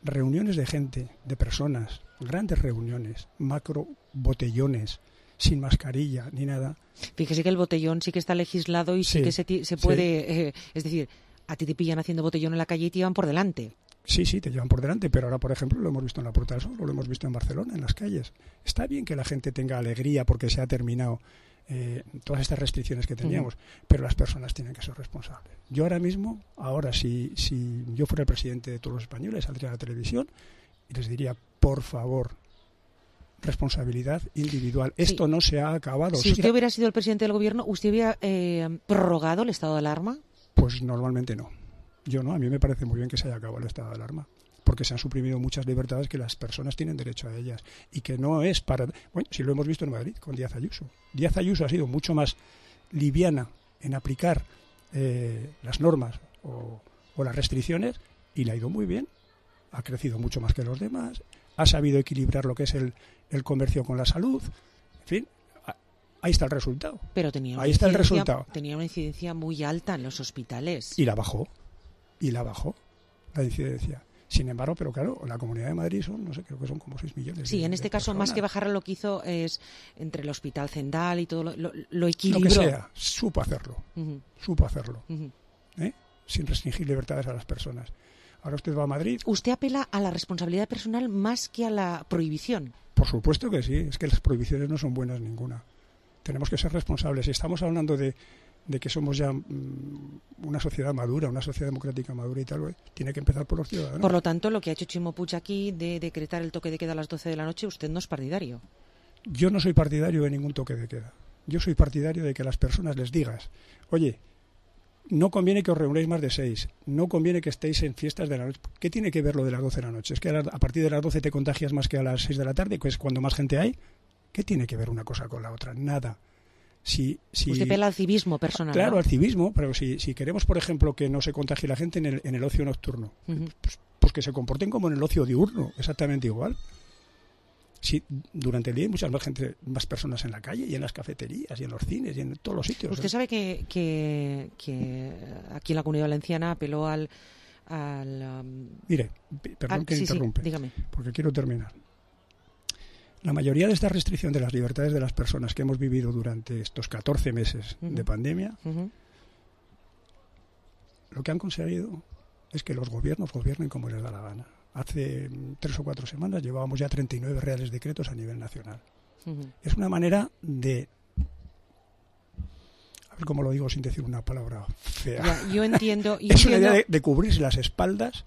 Reuniones de gente, de personas, grandes reuniones, macro botellones, sin mascarilla ni nada. Fíjese que el botellón sí que está legislado y sí, Sí, que se, ti- se sí. puede... eh, es decir, a ti te pillan haciendo botellón en la calle y te llevan por delante. Sí, sí, te llevan por delante, pero ahora, por ejemplo, lo hemos visto en la Puerta del Sol, o lo hemos visto en Barcelona, en las calles. Está bien que la gente tenga alegría porque se ha terminado eh, todas estas restricciones que teníamos, uh-huh. pero las personas tienen que ser responsables. Yo ahora mismo, ahora, si, si yo fuera el presidente de todos los españoles, saldría a la televisión y les diría, por favor, responsabilidad individual. Sí. Esto no se ha acabado. Si usted hubiera sido el presidente del gobierno, ¿usted hubiera eh, prorrogado el estado de alarma? Pues normalmente no. Yo no, a mí me parece muy bien que se haya acabado el estado de alarma, porque se han suprimido muchas libertades que las personas tienen derecho a ellas y que no es para... Bueno, si lo hemos visto en Madrid con Díaz Ayuso. Díaz Ayuso ha sido mucho más liviana en aplicar eh, las normas o, o las restricciones y le ha ido muy bien. Ha crecido mucho más que los demás, ha sabido equilibrar lo que es el, el comercio con la salud, en fin... Ahí está el resultado. Pero tenía una Ahí está el resultado. Tenía una incidencia muy alta en los hospitales. Y la bajó. Y la bajó, la incidencia. Sin embargo, pero claro, la Comunidad de Madrid son, no sé, creo que son como seis millones. Sí, de, en este caso, personas. más que bajar, lo que hizo es, entre el Hospital Zendal y todo, lo, lo, lo equilibró. Lo que sea, supo hacerlo. Uh-huh. Supo hacerlo. Uh-huh. ¿Eh? Sin restringir libertades a las personas. Ahora usted va a Madrid. ¿Usted apela a la responsabilidad personal más que a la prohibición? Por supuesto que sí. Es que las prohibiciones no son buenas ninguna. Tenemos que ser responsables. Si estamos hablando de, de que somos ya mmm, una sociedad madura, una sociedad democrática madura y tal, pues, tiene que empezar por los ciudadanos. Por lo tanto, lo que ha hecho Chimo Puig aquí de decretar el toque de queda a las doce de la noche, usted no es partidario. Yo no soy partidario de ningún toque de queda. Yo soy partidario de que a las personas les digas, oye, no conviene que os reunáis más de seis, no conviene que estéis en fiestas de la noche. ¿Qué tiene que ver lo de las doce de la noche? ¿Es que a partir de las doce te contagias más que a las seis de la tarde, que es cuando más gente hay? ¿Qué tiene que ver una cosa con la otra? Nada. Si, si... Usted pela al civismo personal. Claro, ¿no? al civismo, pero si, si queremos, por ejemplo, que no se contagie la gente en el, en el ocio nocturno, Uh-huh. pues, pues que se comporten como en el ocio diurno, exactamente igual. Si durante el día hay muchas más gente, más personas en la calle y en las cafeterías y en los cines y en todos los sitios. Usted ¿eh? sabe que, que, que aquí en la Comunidad Valenciana apeló al... al um... Mire, perdón al... que sí, interrumpe, sí, dígame. porque quiero terminar. La mayoría de esta restricción de las libertades de las personas que hemos vivido durante estos catorce meses Uh-huh. de pandemia, Uh-huh. lo que han conseguido es que los gobiernos gobiernen como les da la gana. Hace tres o cuatro semanas llevábamos ya treinta y nueve reales decretos a nivel nacional. Uh-huh. Es una manera de... A ver cómo lo digo sin decir una palabra fea. Ya, yo entiendo... Yo es entiendo... una idea de, de cubrirse las espaldas,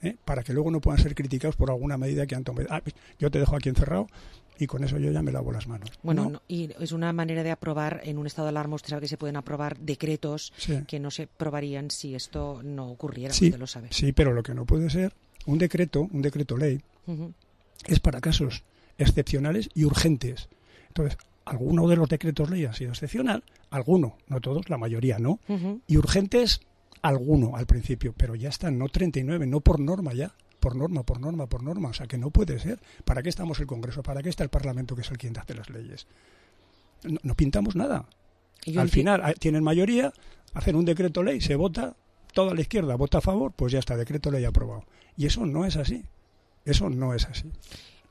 ¿eh? Para que luego no puedan ser criticados por alguna medida que han tomado. Ah, yo te dejo aquí encerrado y con eso yo ya me lavo las manos. Bueno, ¿no? no, y es una manera de aprobar en un estado de alarma. Usted sabe que se pueden aprobar decretos Sí. que no se aprobarían si esto no ocurriera, Sí, usted lo sabe. sí, pero lo que no puede ser, un decreto, un decreto ley, Uh-huh. es para casos excepcionales y urgentes. Entonces, alguno de los decretos ley ha sido excepcional, alguno, no todos, la mayoría no, Uh-huh. y urgentes, alguno al principio, pero ya están, no treinta y nueve, no por norma ya, por norma, por norma, por norma, o sea que no puede ser. ¿Para qué estamos el Congreso? ¿Para qué está el Parlamento, que es el quien hace las leyes? No, no pintamos nada. Yo Al enti- final a- tienen mayoría, hacen un decreto ley, se vota, toda la izquierda vota a favor, pues ya está, decreto ley aprobado. Y eso no es así. Eso no es así.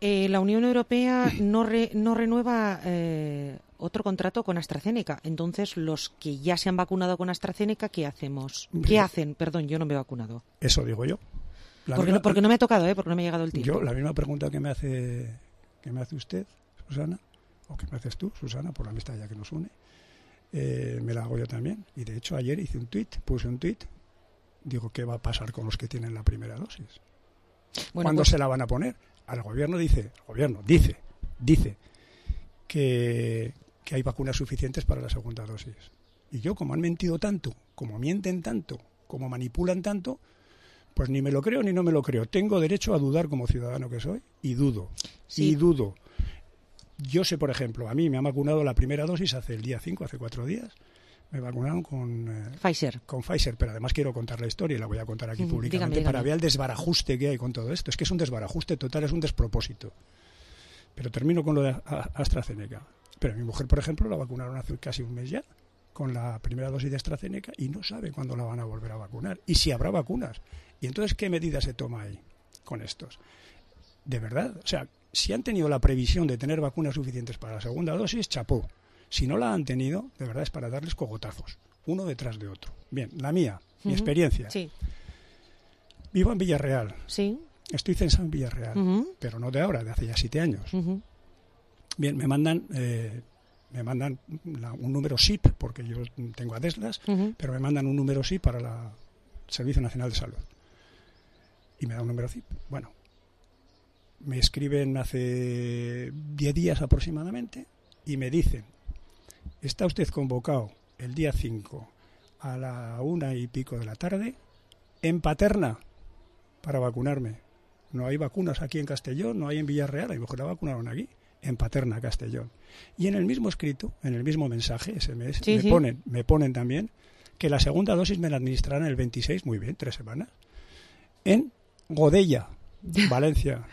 Eh, la Unión Europea no, re- no renueva eh, otro contrato con AstraZeneca. Entonces, los que ya se han vacunado con AstraZeneca, ¿qué hacemos? ¿Qué hacen? Perdón, yo no me he vacunado. Eso digo yo. La Porque, misma- no, porque no me ha tocado, ¿eh? Porque no me ha llegado el tiempo. Yo, la misma pregunta que me hace que me hace usted, Susana, o que me haces tú, Susana, por la amistad ya que nos une, eh, me la hago yo también. Y de hecho ayer hice un tuit, puse un tuit, digo, ¿qué va a pasar con los que tienen la primera dosis? Bueno, ¿Cuándo pues- se la van a poner? Al gobierno dice, el gobierno dice, dice que, que hay vacunas suficientes para la segunda dosis. Y yo, como han mentido tanto, como mienten tanto, como manipulan tanto, pues ni me lo creo ni no me lo creo. Tengo derecho a dudar como ciudadano que soy y dudo. Sí. Y dudo. Yo sé, por ejemplo, a mí me han vacunado la primera dosis hace el día cinco, hace cuatro días. Me vacunaron con eh, Pfizer. Con Pfizer, pero además quiero contar la historia y la voy a contar aquí Mm, públicamente dígame, dígame. para ver el desbarajuste que hay con todo esto. Es que es un desbarajuste total, es un despropósito. Pero termino con lo de A- AstraZeneca. Pero mi mujer, por ejemplo, la vacunaron hace casi un mes ya con la primera dosis de AstraZeneca y no sabe cuándo la van a volver a vacunar y si habrá vacunas. Y entonces, ¿qué medida se toma ahí con estos? De verdad, o sea, si han tenido la previsión de tener vacunas suficientes para la segunda dosis, chapó. Si no la han tenido, de verdad es para darles cogotazos, uno detrás de otro. Bien, la mía, mi Ujú. experiencia. Sí. Vivo en Villarreal. Sí. Estoy censado en Villarreal, Ujú. pero no de ahora, de hace ya siete años. Ujú. Bien, me mandan, eh, me mandan la- un número S I P, porque yo tengo Adeslas, Ujú. pero me mandan un número S I P para la- el Servicio Nacional de Salud. Y me da un número S I P. Bueno, me escriben hace diez días aproximadamente y me dicen, está usted convocado el día cinco a la una y pico de la tarde en Paterna para vacunarme. No hay vacunas aquí en Castellón, no hay en Villarreal, a lo mejor la vacunaron aquí, en Paterna, Castellón. Y en el mismo escrito, en el mismo mensaje, ese mes, Sí, me, sí. Ponen, me ponen también que la segunda dosis me la administrarán el veintiséis, muy bien, tres semanas, en Godella, Valencia.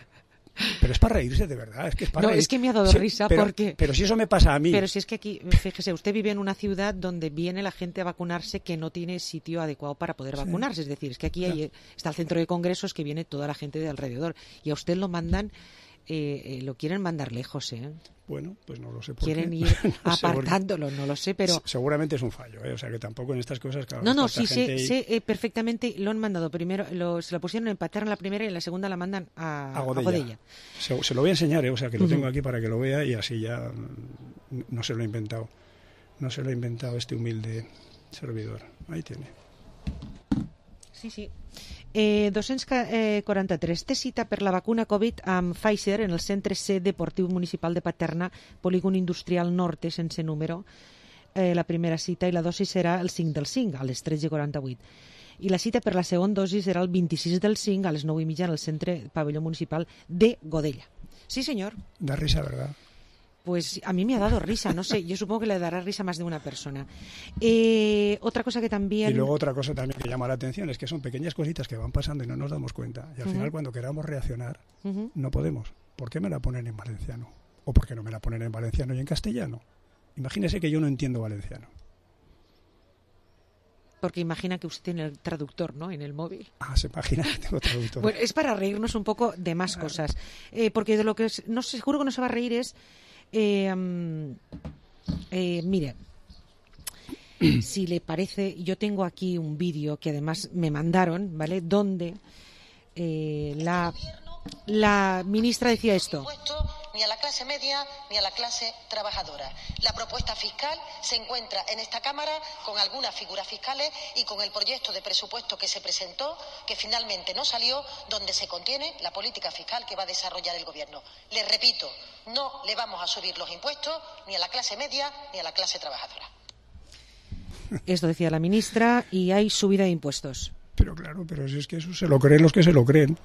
Pero es para reírse de verdad, es que es para No, reír. es que me ha dado Sí, risa pero, porque... Pero si eso me pasa a mí. Pero si es que aquí, fíjese, usted vive en una ciudad donde viene la gente a vacunarse que no tiene sitio adecuado para poder Sí. vacunarse. Es decir, es que aquí Ya. hay- está el centro de congresos que viene toda la gente de alrededor. Y a usted lo mandan, eh, eh, lo quieren mandar lejos, ¿eh? Bueno, pues no lo sé por Quieren qué. ir No sé por qué. apartándolo, no lo sé, pero... Se- Seguramente es un fallo, ¿eh? O sea que tampoco en estas cosas... Claro, No, no, está sí, esta sé, gente y- sé eh, perfectamente, lo han mandado primero, lo, se lo pusieron en Paterna la primera y en la segunda la mandan a, a Godella. a Godella. Se, se lo voy a enseñar, ¿eh? O sea que lo Ujú. tengo aquí para que lo vea y así ya mm, no se lo he inventado. no se lo ha inventado este humilde servidor. Ahí tiene. Sí, sí. Eh, dos-cents quaranta-tres. Té cita per la vacuna Covid amb Pfizer en el Centre C Deportiu Municipal de Paterna, Polígon Industrial Norte, sense número. Eh, la primera cita i la dosi serà el cinc del cinc, a les tretze quaranta-vuit. I la cita per la segona dosi serà el vint-i-sis del cinc, a les nou i mitja, en el Centre Pabelló Municipal de Godella. Sí, señor. Da risa, ¿verdad? Pues a mí me ha dado risa, no sé, yo supongo que le dará risa a más de una persona. Eh, otra cosa que también... Y luego otra cosa también que llama la atención es que son pequeñas cositas que van pasando y no nos damos cuenta. Y al uh-huh. final cuando queramos reaccionar, uh-huh. no podemos. ¿Por qué me la ponen en valenciano? ¿O por qué no me la ponen en valenciano y en castellano? Imagínese que yo no entiendo valenciano. Porque imagina que usted tiene el traductor, ¿no?, en el móvil. Ah, se imagina que tengo traductor. Bueno, es para reírnos un poco de más claro. cosas. Eh, porque de lo que es, no sé, seguro que no se va a reír es... Eh, um, eh, mire, si le parece, yo tengo aquí un vídeo que además me mandaron, ¿vale?, donde eh, la, la ministra decía esto. Ni a la clase media ni a la clase trabajadora. La propuesta fiscal se encuentra en esta Cámara con algunas figuras fiscales y con el proyecto de presupuesto que se presentó, que finalmente no salió, donde se contiene la política fiscal que va a desarrollar el Gobierno. Les repito, no le vamos a subir los impuestos ni a la clase media ni a la clase trabajadora. Esto decía la ministra, y hay subida de impuestos. Pero claro, pero si es que eso se lo creen los que se lo creen.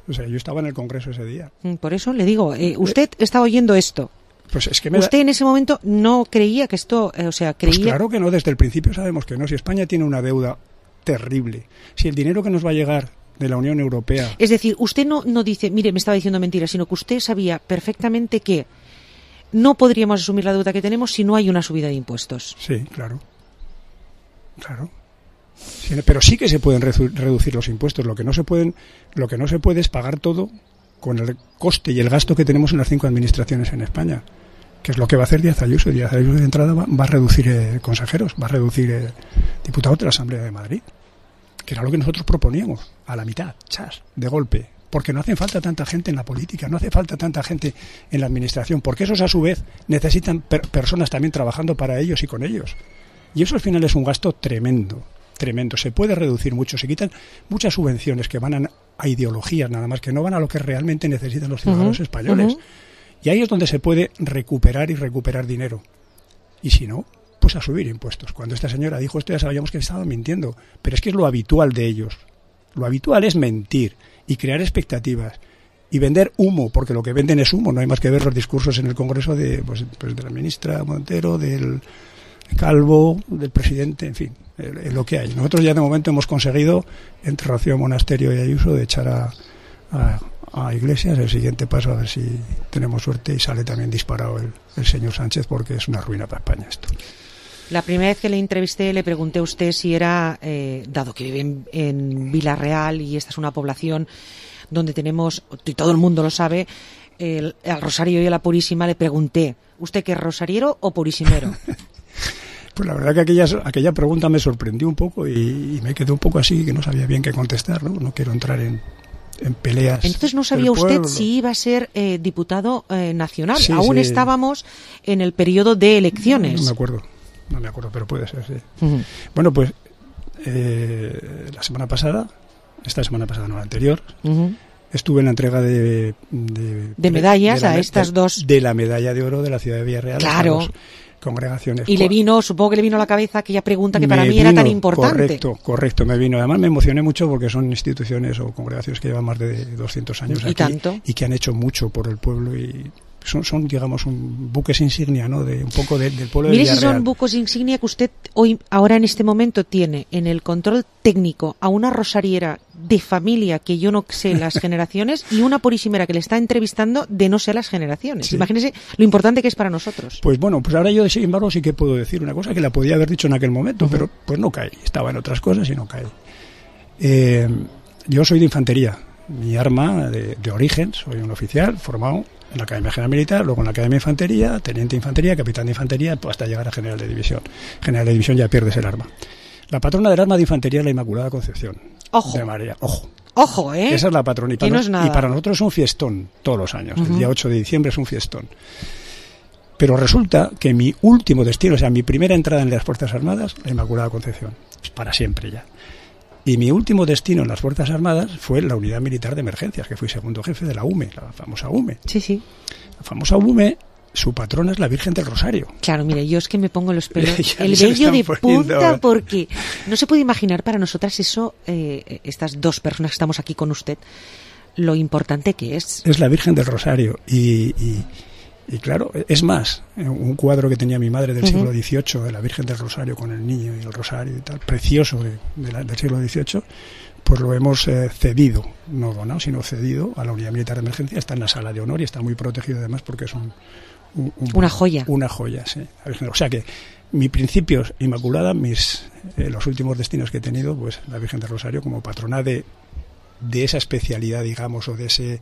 O sea, yo estaba en el Congreso ese día. Por eso le digo, eh, usted estaba oyendo esto. Pues es que me usted da... en ese momento no creía que esto, eh, o sea, creía... Pues claro que no, desde el principio sabemos que no. Si España tiene una deuda terrible, si el dinero que nos va a llegar de la Unión Europea... Es decir, usted no, no dice, mire, me estaba diciendo mentiras, sino que usted sabía perfectamente que no podríamos asumir la deuda que tenemos si no hay una subida de impuestos. Sí, claro. Claro. Sí, pero sí que se pueden reducir los impuestos. Lo que no se pueden, lo que no se puede es pagar todo con el coste y el gasto que tenemos en las cinco administraciones en España, que es lo que va a hacer Díaz Ayuso. Díaz Ayuso de entrada va, va a reducir eh, consejeros, va a reducir eh, diputados de la Asamblea de Madrid, que era lo que nosotros proponíamos, a la mitad, chas, de golpe, porque no hace falta tanta gente en la política, no hace falta tanta gente en la administración, porque esos a su vez necesitan per- personas también trabajando para ellos y con ellos. Y eso al final es un gasto tremendo. Tremendo, se puede reducir mucho, se quitan muchas subvenciones que van a, a ideologías nada más, que no van a lo que realmente necesitan los ciudadanos uh-huh, españoles. Uh-huh. Y ahí es donde se puede recuperar y recuperar dinero. Y si no, pues a subir impuestos. Cuando esta señora dijo esto ya sabíamos que estaba mintiendo, pero es que es lo habitual de ellos. Lo habitual es mentir y crear expectativas y vender humo, porque lo que venden es humo, no hay más que ver los discursos en el Congreso de, pues, pues de la ministra Montero, del Calvo, del presidente, en fin, eh, lo que hay. Nosotros ya de momento hemos conseguido, entre Rocío Monasterio y Ayuso, de echar a, a, a Iglesias. El siguiente paso, a ver si tenemos suerte y sale también disparado el, el señor Sánchez, porque es una ruina para España esto. La primera vez que le entrevisté le pregunté a usted si era, eh, dado que vive en, en Vila-real y esta es una población donde tenemos, y todo el mundo lo sabe, el, al Rosario y a la Purísima, le pregunté, ¿usted qué es rosariero o purísimero? Pues la verdad que aquella, aquella pregunta me sorprendió un poco y, y me quedé un poco así, que no sabía bien qué contestar, ¿no? No quiero entrar en, en peleas. Entonces no sabía usted si iba a ser eh, diputado eh, nacional. Sí, Aún sí. estábamos en el periodo de elecciones. No me acuerdo, no me acuerdo, pero puede ser, sí. Uh-huh. Bueno, pues eh, la semana pasada, esta semana pasada, no la anterior, uh-huh. estuve en la entrega de... De, de medallas de la, a estas de, dos. De la medalla de oro de la ciudad de Villarreal. Claro. Congregaciones. Y le vino, supongo que le vino a la cabeza aquella pregunta que me para mí vino, era tan importante. Correcto, correcto, me vino. Además me emocioné mucho porque son instituciones o congregaciones que llevan más de doscientos años ¿Y aquí tanto? Y que han hecho mucho por el pueblo y son, son digamos, un buques insignia, ¿no? De un poco de, del pueblo Mire de Villarreal. si son buques insignia que usted hoy, ahora en este momento tiene en el control técnico a una rosariera de familia que yo no sé las generaciones y una purísimera que le está entrevistando de no sé las generaciones. Sí. Imagínese lo importante que es para nosotros. Pues bueno, pues ahora yo sin embargo sí que puedo decir una cosa que la podía haber dicho en aquel momento, uh-huh. pero pues no cae. Estaba en otras cosas y no cae. Eh, yo soy de infantería. Mi arma de, de origen, soy un oficial formado en la Academia General Militar, luego en la Academia de Infantería, teniente de infantería, capitán de infantería, pues hasta llegar a general de división. General de división ya pierdes el arma. La patrona del arma de infantería es la Inmaculada Concepción. Ojo. De María. Ojo. Ojo, ¿eh? Esa es la patrona. Y para, no es nada. y para nosotros es un fiestón todos los años. Uh-huh. El día ocho de diciembre es un fiestón. Pero resulta que mi último destino, o sea, mi primera entrada en las Fuerzas Armadas, la Inmaculada Concepción, es para siempre ya. Y mi último destino en las Fuerzas Armadas fue la Unidad Militar de Emergencias, que fui segundo jefe de la U M E, la famosa U M E. Sí, sí. La famosa U M E, su patrona es la Virgen del Rosario. Claro, mire, yo es que me pongo los pelos, el vello de punta, porque no se puede imaginar para nosotras eso, eh, estas dos personas que estamos aquí con usted, lo importante que es. Es la Virgen del Rosario y... y Y claro, es más, un cuadro que tenía mi madre del uh-huh. siglo dieciocho, de la Virgen del Rosario con el niño y el rosario y tal, precioso de, de la, del siglo dieciocho, pues lo hemos eh, cedido, no donado, sino cedido a la Unidad Militar de Emergencia. Está en la sala de honor y está muy protegido además porque es un... un, un una joya. Una joya, sí. O sea que mi principio inmaculada, mis eh, los últimos destinos que he tenido, pues la Virgen del Rosario como patrona de, de esa especialidad, digamos, o de ese...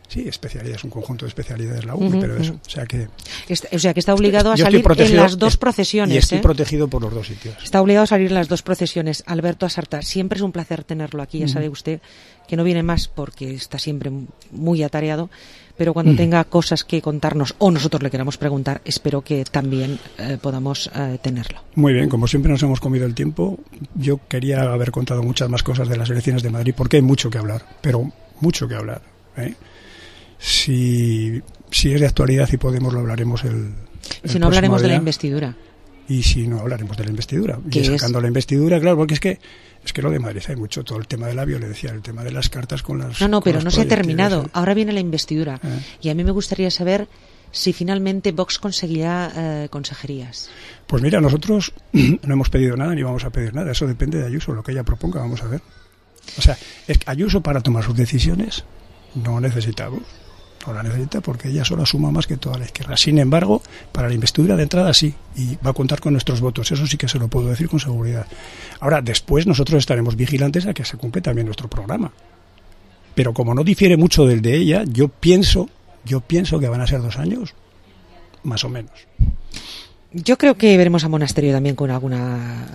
Sí, especialidad, es un conjunto de especialidades la U M E, uh-huh, pero eso, o sea que... Está, o sea que está obligado a salir en las dos procesiones. Y estoy ¿eh? protegido por los dos sitios. Está obligado a salir en las dos procesiones. Alberto Asarta, siempre es un placer tenerlo aquí, ya uh-huh. sabe usted que no viene más porque está siempre muy atareado, pero cuando uh-huh. tenga cosas que contarnos o nosotros le queramos preguntar, espero que también eh, podamos eh, tenerlo. Muy bien, como siempre nos hemos comido el tiempo, yo quería haber contado muchas más cosas de las elecciones de Madrid porque hay mucho que hablar, pero mucho que hablar, ¿eh? Si, si es de actualidad y podemos, lo hablaremos el, el si no hablaremos día. de la investidura. Y si no hablaremos de la investidura. Y sacando es? la investidura, claro, porque es que es que lo de Madrid hay mucho, todo el tema de la violencia, el tema de las cartas con las... No, no, pero no se ha terminado. ¿eh? Ahora viene la investidura. ¿Eh? Y a mí me gustaría saber si finalmente Vox conseguirá eh, consejerías. Pues mira, nosotros no hemos pedido nada ni vamos a pedir nada. Eso depende de Ayuso, lo que ella proponga, vamos a ver. O sea, es que Ayuso para tomar sus decisiones no necesitamos. No la necesita porque ella sola suma más que toda la izquierda. Sin embargo, para la investidura de entrada sí, y va a contar con nuestros votos. Eso sí que se lo puedo decir con seguridad. Ahora, después nosotros estaremos vigilantes a que se cumpla también nuestro programa. Pero como no difiere mucho del de ella, yo pienso, yo pienso que van a ser dos años, más o menos. Yo creo que veremos a Monasterio también con alguna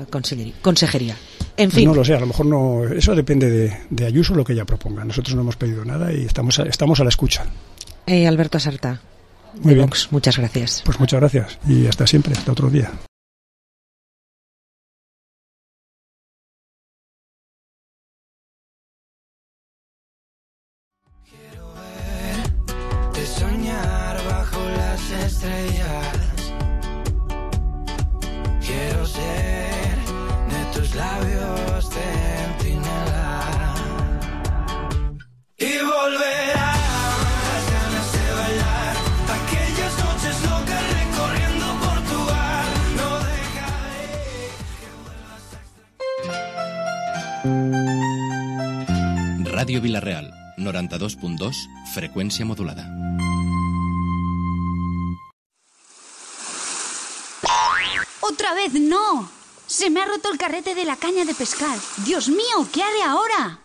consejería. En fin. No lo sé, a lo mejor no. Eso depende de, de Ayuso, lo que ella proponga. Nosotros no hemos pedido nada y estamos a, estamos a la escucha. Eh, Alberto Asarta, Muy bien. Vox, muchas gracias. Pues muchas gracias y hasta siempre, hasta otro día. Quiero verte soñar bajo las estrellas. Quiero ser de tus labios centinela y volver a las ganas de bailar aquellas noches locas recorriendo Portugal. No dejaré que vuelvas a... Radio Vilareal, noranta-dos punt dos, freqüència modulada. ¡Otra vez no! Se me ha roto el carrete de la caña de pescar. ¡Dios mío! ¿Qué haré ahora?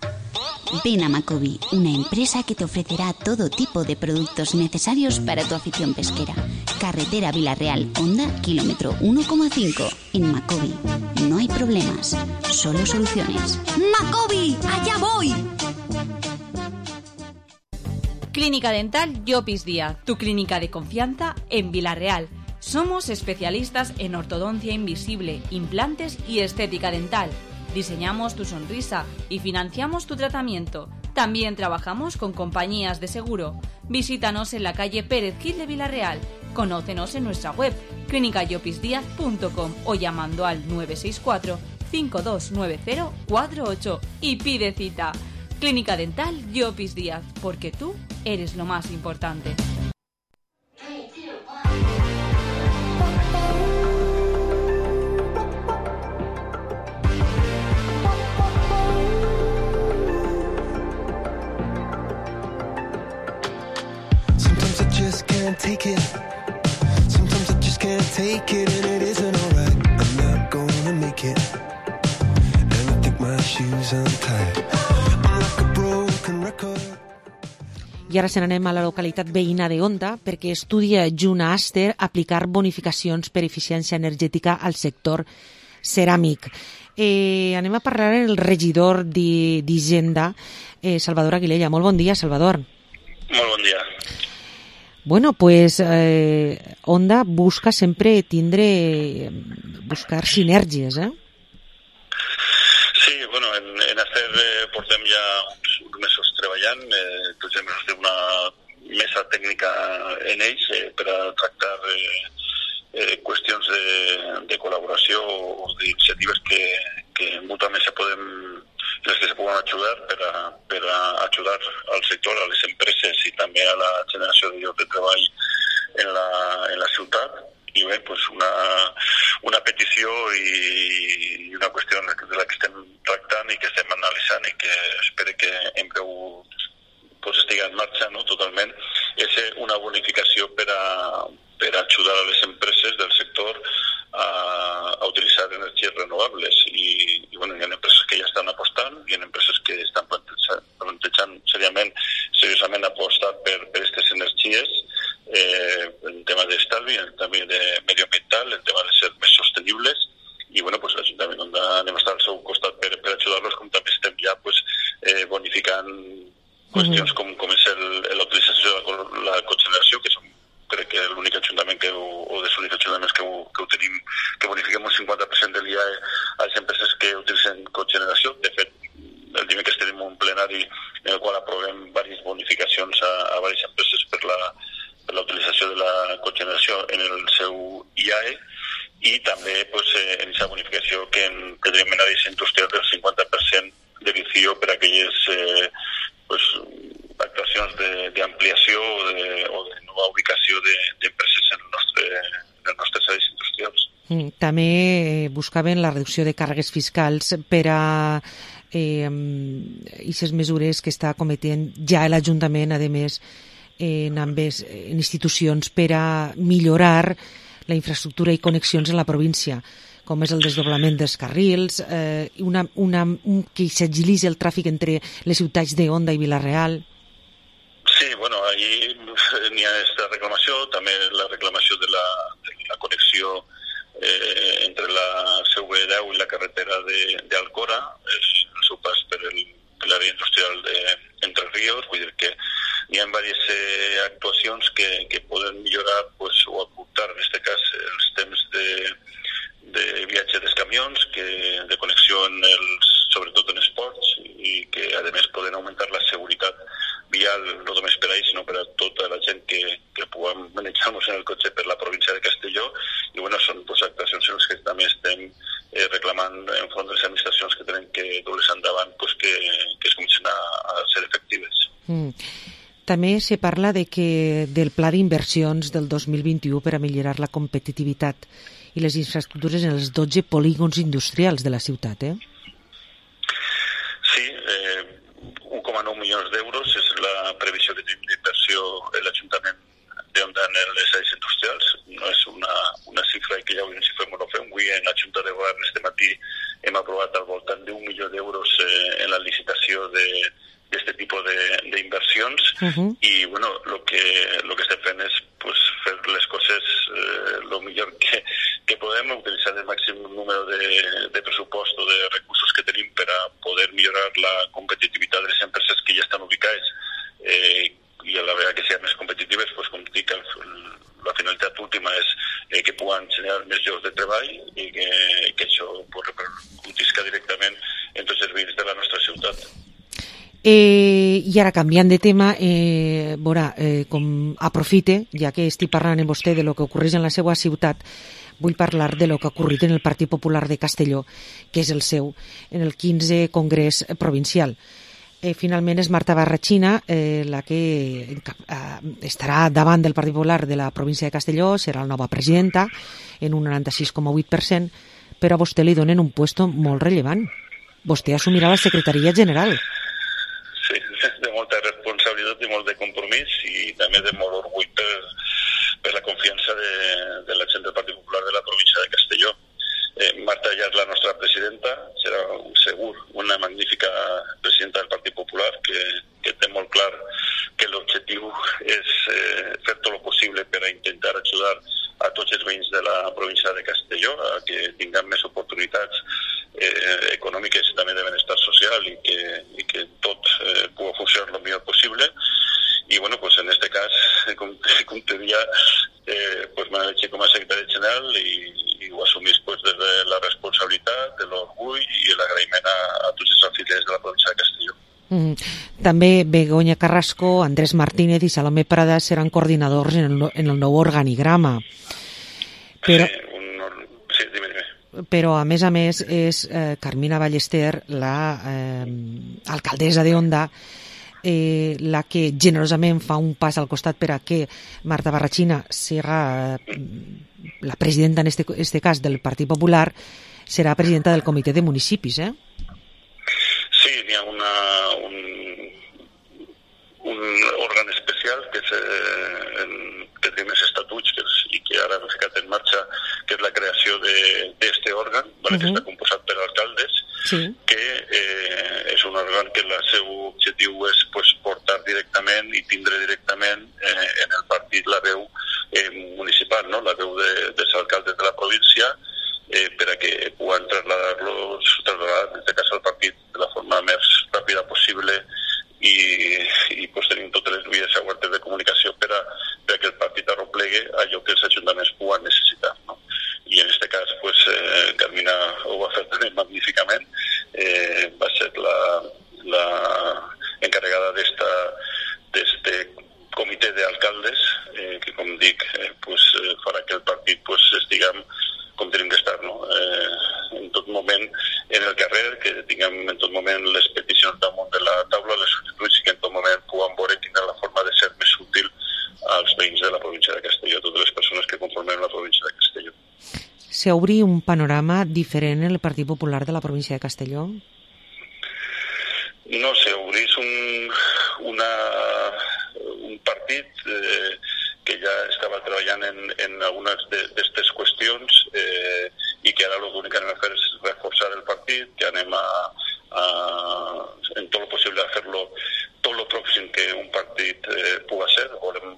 Ven a Macobi, una empresa que te ofrecerá todo tipo de productos necesarios para tu afición pesquera. Carretera Vilarreal, Honda, kilómetro uno coma cinco. En Macobi no hay problemas, solo soluciones. ¡Macobi! ¡Allá voy! Clínica Dental Llopis Díaz, tu clínica de confianza en Vilarreal. Somos especialistas en ortodoncia invisible, implantes y estética dental. Diseñamos tu sonrisa y financiamos tu tratamiento. También trabajamos con compañías de seguro. Visítanos en la calle Pérez Gil de Vilarreal. Conócenos en nuestra web clínica llopis díaz punto com o llamando al nueve seis cuatro, cinco dos nueve cero, cuatro ocho y pide cita. Clínica Dental Llopis Díaz, porque tú eres lo más importante. Can't take it. Sometimes I just can't take it, and it isn't alright. I'm not gonna make it, and I think my shoes untied. I'm like a broken record. I ara se n'anem a la localitat veïna de Onda perquè estudia junt a Aster aplicar bonificacions per eficiència energètica al sector ceràmic. Eh, anem a parlar amb el regidor d'Hisenda, eh, Salvador Aguilella. Molt bon dia, Salvador. Molt bon dia. Bueno, pues eh, Onda busca sempre tindre, buscar sinergies, eh? Sí, bueno, en, en Acer eh, portem ja uns, uns mesos treballant, eh, tots els mesos té una mesa tècnica en ells eh, per a tractar eh, eh, qüestions de, de col·laboració o d'iniciatives que, que mútuament se podem, les que se poden ajudar per a, per a ajudar al sector, a les empreses i també a la generació de llocs de treball en la, en la ciutat. I bé, pues una, una petició i, i una qüestió de la que estem tractant i que estem analitzant i que espero que en breu pues, estigui en marxa, no, totalment, és una bonificació per a, per a ajudar a les empreses del sector a, a utilitzar energies renovables. I, i bueno, hi ha empreses que ja estan apostant, hi ha empreses que estan plantejant, plantejant seriament, seriosament apostar per, per aquestes energies, eh, en tema d'estalvi, en tema de medioambiental, en tema de ser més sostenibles, i bueno, pues l'Ajuntament on anem a estar al seu costat per, per ajudar-los, com també estem ja pues, eh, bonificant qüestions com, com és la utilització de la, la cogeneració, que som crec que l'únic ajuntament que ho, o dels únics ajuntaments que ho, que ho tenim, que bonifiquem un cinquanta per cent del I A E a les empreses que utilitzen cogeneració. De fet, el dimecres tenim un plenari en el qual aprovem diverses bonificacions a, a diverses empreses per la, per la utilització de la cogeneració en el seu I A E i també pues, en aquesta bonificació que, en, que tenim en àrees industrials del cinquanta per cent de vicio per a aquelles eh, pues, actuacions d'ampliació o, de, o de nova ubicació d'empreses de, en, el nostre, en els nostres àrees industrials. També buscaven la reducció de càrregues fiscals per a eh, aquestes mesures que està cometent ja l'Ajuntament, a més, en, ambes, en institucions per a millorar la infraestructura i connexions en la província, com és el desdoblament dels carrils, eh, una, una, un, que s'agilitzi el tràfic entre les ciutats d'Onda i Vila-real. Sí, bueno, allí n'hi ha aquesta reclamació, també la reclamació de la, de la connexió eh, entre la C V deu i la carretera d'Alcora, el seu pas per l'àrea industrial d'Entre Ríos, vull dir que hi ha diverses eh, actuacions que, que poden millorar pues, o aportar, en aquest cas, els temps de, de viatge dels camions, que, de connexió en els, sobretot en els ports, i que, a més, poden augmentar la seguretat vial, no només per a ells, sinó per a tota la gent que, que puguem manejar-nos en el cotxe per la província de Castelló. I, bueno, són pues, actuacions en les que també estem eh, reclamant en front de les administracions que tenen que dur-les endavant pues, que, que es comencen a, a ser efectives. Mm. També se parla de que del pla d'inversions del dos mil vint-i-u per a millorar la competitivitat i les infraestructures en els dotze polígons industrials de la ciutat, eh? Sí, eh, un coma nou milions d'euros és la previsió que tenim d'inversió en l'Ajuntament d'Onda en les àrees industrials. No és una, una xifra que ja avui ens hi fem o no fem. Avui en la Junta de Govern este matí hem aprovat al voltant d'un milió d'euros eh, en la licitació de d'aquest tipus d'inversions uh-huh. i bueno, lo que, lo que estem fent és pues, fer les coses eh, lo millor que, que podem, utilitzar el màxim número de, de pressupost o de recursos que tenim per a poder millorar la competitivitat de les empreses que ja estan ubicades eh, i a la vegada que siguin més competitives, pues, com dic, el, la finalitat última és eh, que puguen generar més llocs de treball i que, que això pues, repercutisca directament en tots els veïns de la nostra ciutat. Eh, I ara, canviant de tema, eh, veurà, eh, com aprofite, ja que estic parlant amb vostè de lo que ocorreix en la seva ciutat, vull parlar de lo que ha ocorrit en el Partit Popular de Castelló, que és el seu, en el quinze Congrés Provincial. Eh, finalment és Marta Barrachina eh, la que eh, estarà davant del Partit Popular de la província de Castelló, serà la nova presidenta, en un noranta-sis coma vuit per cent, però a vostè li donen un puesto molt rellevant. Vostè assumirà la secretaria general. Sí, de molta responsabilitat i molt de compromís i també de molt orgull per, per la confiança de, de la gent del Partit Popular de la província de Castelló. Eh, Marta ja és la nostra presidenta, serà segur una magnífica presidenta del Partit Popular que, que té molt clar que l'objectiu és eh, fer tot el possible per a intentar ajudar a tots els veïns de la província de Castelló a que tinguin més oportunitats eh, econòmiques i també de benestar social i que, i que tot eh, pugui funcionar el millor possible. i bueno, pues en este cas, com, com te dia, eh, pues m'han elegit com a secretari general i, i ho assumís pues, des de la responsabilitat, de l'orgull i l'agraïment a, a tots els afiliats de la província de Castelló. Mm. També Begoña Carrasco, Andrés Martínez i Salomé Prada seran coordinadors en el, en el nou organigrama. Però, sí, un, sí, dime, dime. Però a més a més és eh, Carmina Ballester, la eh, alcaldessa de Onda, eh, la que generosament fa un pas al costat per a que Marta Barrachina serà eh, la presidenta en este, este cas del Partit Popular, serà presidenta del Comitè de Municipis, eh? Sí, hi ha una, un, un òrgan especial que, és, eh, en, que té més estatuts que és, i que ara han ficat en marxa, que és la creació d'aquest òrgan, vale, uh-huh. que està composat per alcaldes, sí. que eh, és un òrgan que el seu objectiu és pues, portar directament i tindre directament eh, en el partit la veu eh, municipal, no? La veu de, dels alcaldes de la província, eh, per a que puguin trasladar-los, trasladar en aquest cas al partit de la forma més ràpida possible i, i pues, tenim totes les vies obertes de comunicació per a, per a que el partit arroplegue allò que els ajuntaments puguen necessitar, no? I en aquest cas, pues, eh, Carmina ho va fer també magníficament, eh, va ser la, la encarregada d'esta, d'este comitè d'alcaldes, eh, que com dic, eh, pues, eh, farà que el partit pues, estiguem com tenim d'estar, no? Eh, en tot moment en el carrer, que tinguem en tot moment les peticions damunt de la taula, les sol·licituds, i que en tot moment puguem veure quina la forma de ser més útil als veïns de la província de Castelló, totes les persones que conformem la província de Castelló. S'obri un panorama diferent en el Partit Popular de la província de Castelló? No sé, obrís un, una, un partit eh, que ja estava treballant en, en algunes d'aquestes qüestions eh, i que ara l'únic que anem a fer és reforçar el partit, que anem a, a en tot el possible a fer-lo tot el pròxim que un partit eh, puga ser. Volem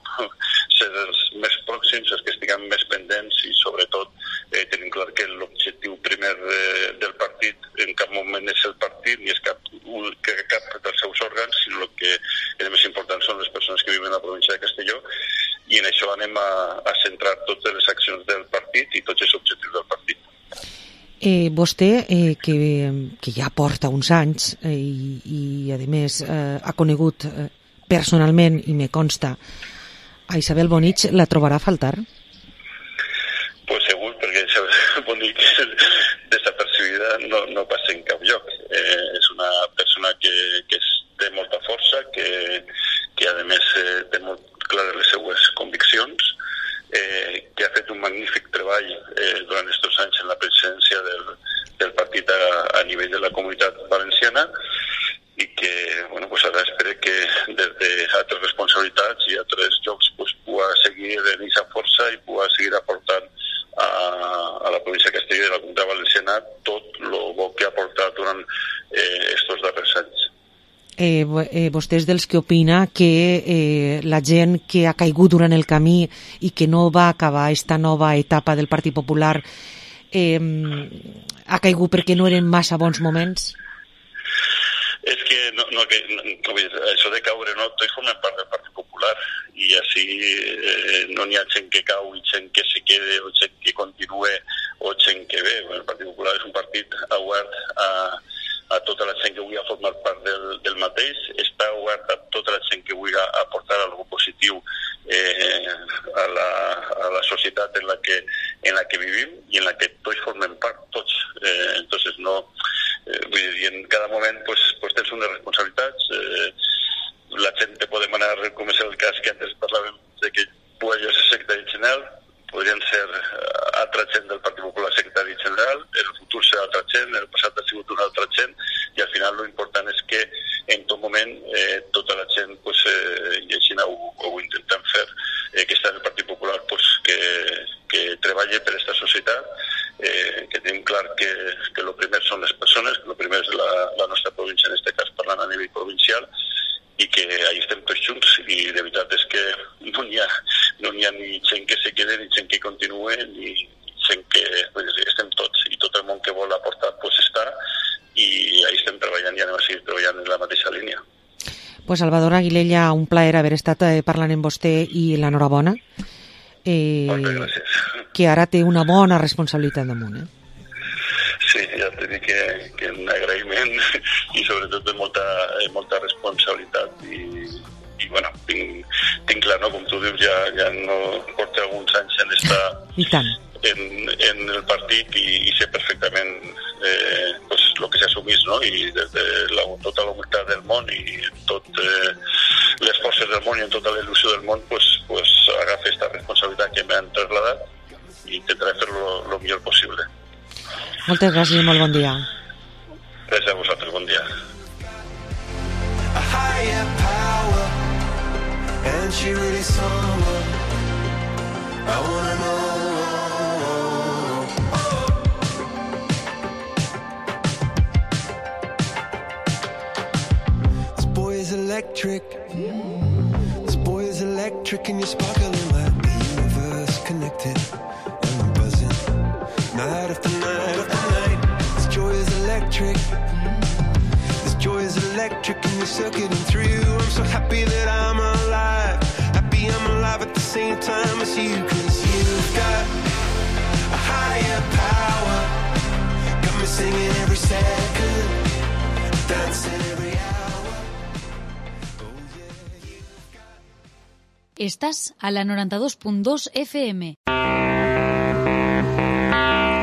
ser els més pròxims, els que estiguem més pendents i sobretot eh, tenim clar que l'objectiu primer eh, del partit en cap moment és el partit ni és cap, un, que cap dels seus òrgans, sinó el que és més important són les persones que viven a la província de Castelló, i en això anem a, a centrar totes les accions del partit i tots els objectius del partit. Eh, vostè, eh, que, que ja porta uns anys eh, i, i, a més, eh, ha conegut eh, personalment, i me consta, a Isabel Bonich, la trobarà a faltar? Pues segur, perquè Isabel Bonich desapercibida no, no passa en cap lloc. Eh, és una persona que, que és, té molta força, que, que a més eh, té molt clares les seues conviccions, eh, que ha fet un magnífic treball eh, durant aquests anys en la presidència del, del partit a, a nivell de la comunitat valenciana i que, bueno, pues ara espero que des d'altres responsabilitats i altres llocs pues, pugui seguir en aquesta força i pugui seguir aportant a, a la província de Castelló i a la comunitat valenciana tot el bo que ha aportat durant aquests eh, darrers anys. Eh, eh, vostè és dels que opina que eh, la gent que ha caigut durant el camí i que no va acabar aquesta nova etapa del Partit Popular eh, ha caigut perquè no eren massa bons moments? És que no, no, que, no, això de caure, no, tots formem part del Partit Popular i així eh, no n'hi ha gent que cau i gent que se quede o gent que continue o gent que ve. El Partit Popular és un partit obert a a tota la gent que vulgui formar part del, del mateix, està obert a tota la gent que vulgui aportar alguna positiu eh, a, la, a la societat en la, que, en la que vivim i en la que tots formem part, tots. Eh, entonces, no, eh, vull dir, en cada moment pues, pues tens unes responsabilitats, eh, la gent te pot demanar, com és el cas que antes parlàvem, de que pugui ser secretari general, podrien ser altra gent del Partit Popular secretari general, el futur serà altra gent, el passat ha sigut una altra gent, i al final l'important és que en tot moment eh, tota la gent, pues, eh, i així ho, ho intentem fer, eh, que està en el Partit Popular, pues, que, que treballi per aquesta societat, eh, que tenim clar que, que el primer són les persones, que el primer és la, la nostra província, en aquest cas parlant a nivell provincial, i que ahí estem tots junts, i de veritat és que no n'hi ha, no n'hi ha ni gent que se quede, ni gent que continue, ni gent que pues, estem tots, i tot el món que vol aportar pues, està, i ahí estem treballant i anem a seguir treballant en la mateixa línia. Pues Salvador Aguilella, un plaer haver estat eh, parlant amb vostè i l'enhorabona. Eh, Moltes gràcies. Que ara té una bona responsabilitat damunt, eh? Sí, ja t'he dit que, que un agraïment i sobretot de molta, molta responsabilitat i, i bueno, tinc, tinc clar, no? Com tu dius, ja, ja no porta alguns anys en estar I tant. En, en el partit i, i sé perfectament eh, pues, el que s'assumís, no? I des de la, tota la humilitat del món i tot eh, les forces del món i en tota la il·lusió del món, pues, pues, agafa aquesta responsabilitat que m'han trasladat i intentaré fer-lo el millor possible. Moltes gràcies i molt bon dia. Gràcies a vosaltres, bon dia. A higher power, and she really someone I wanna know. This boy is electric. This boy is electric, and you're sparkling like the universe connected. And I'm buzzing night after night after night. This joy is electric. This joy is electric, and you're circuiting through. I'm so happy that I'm alive. Happy I'm alive at the same time as you, 'cause you've got a higher power. Got me singing every second, dancing every hour. Estás a la noranta-dos punt dos F M.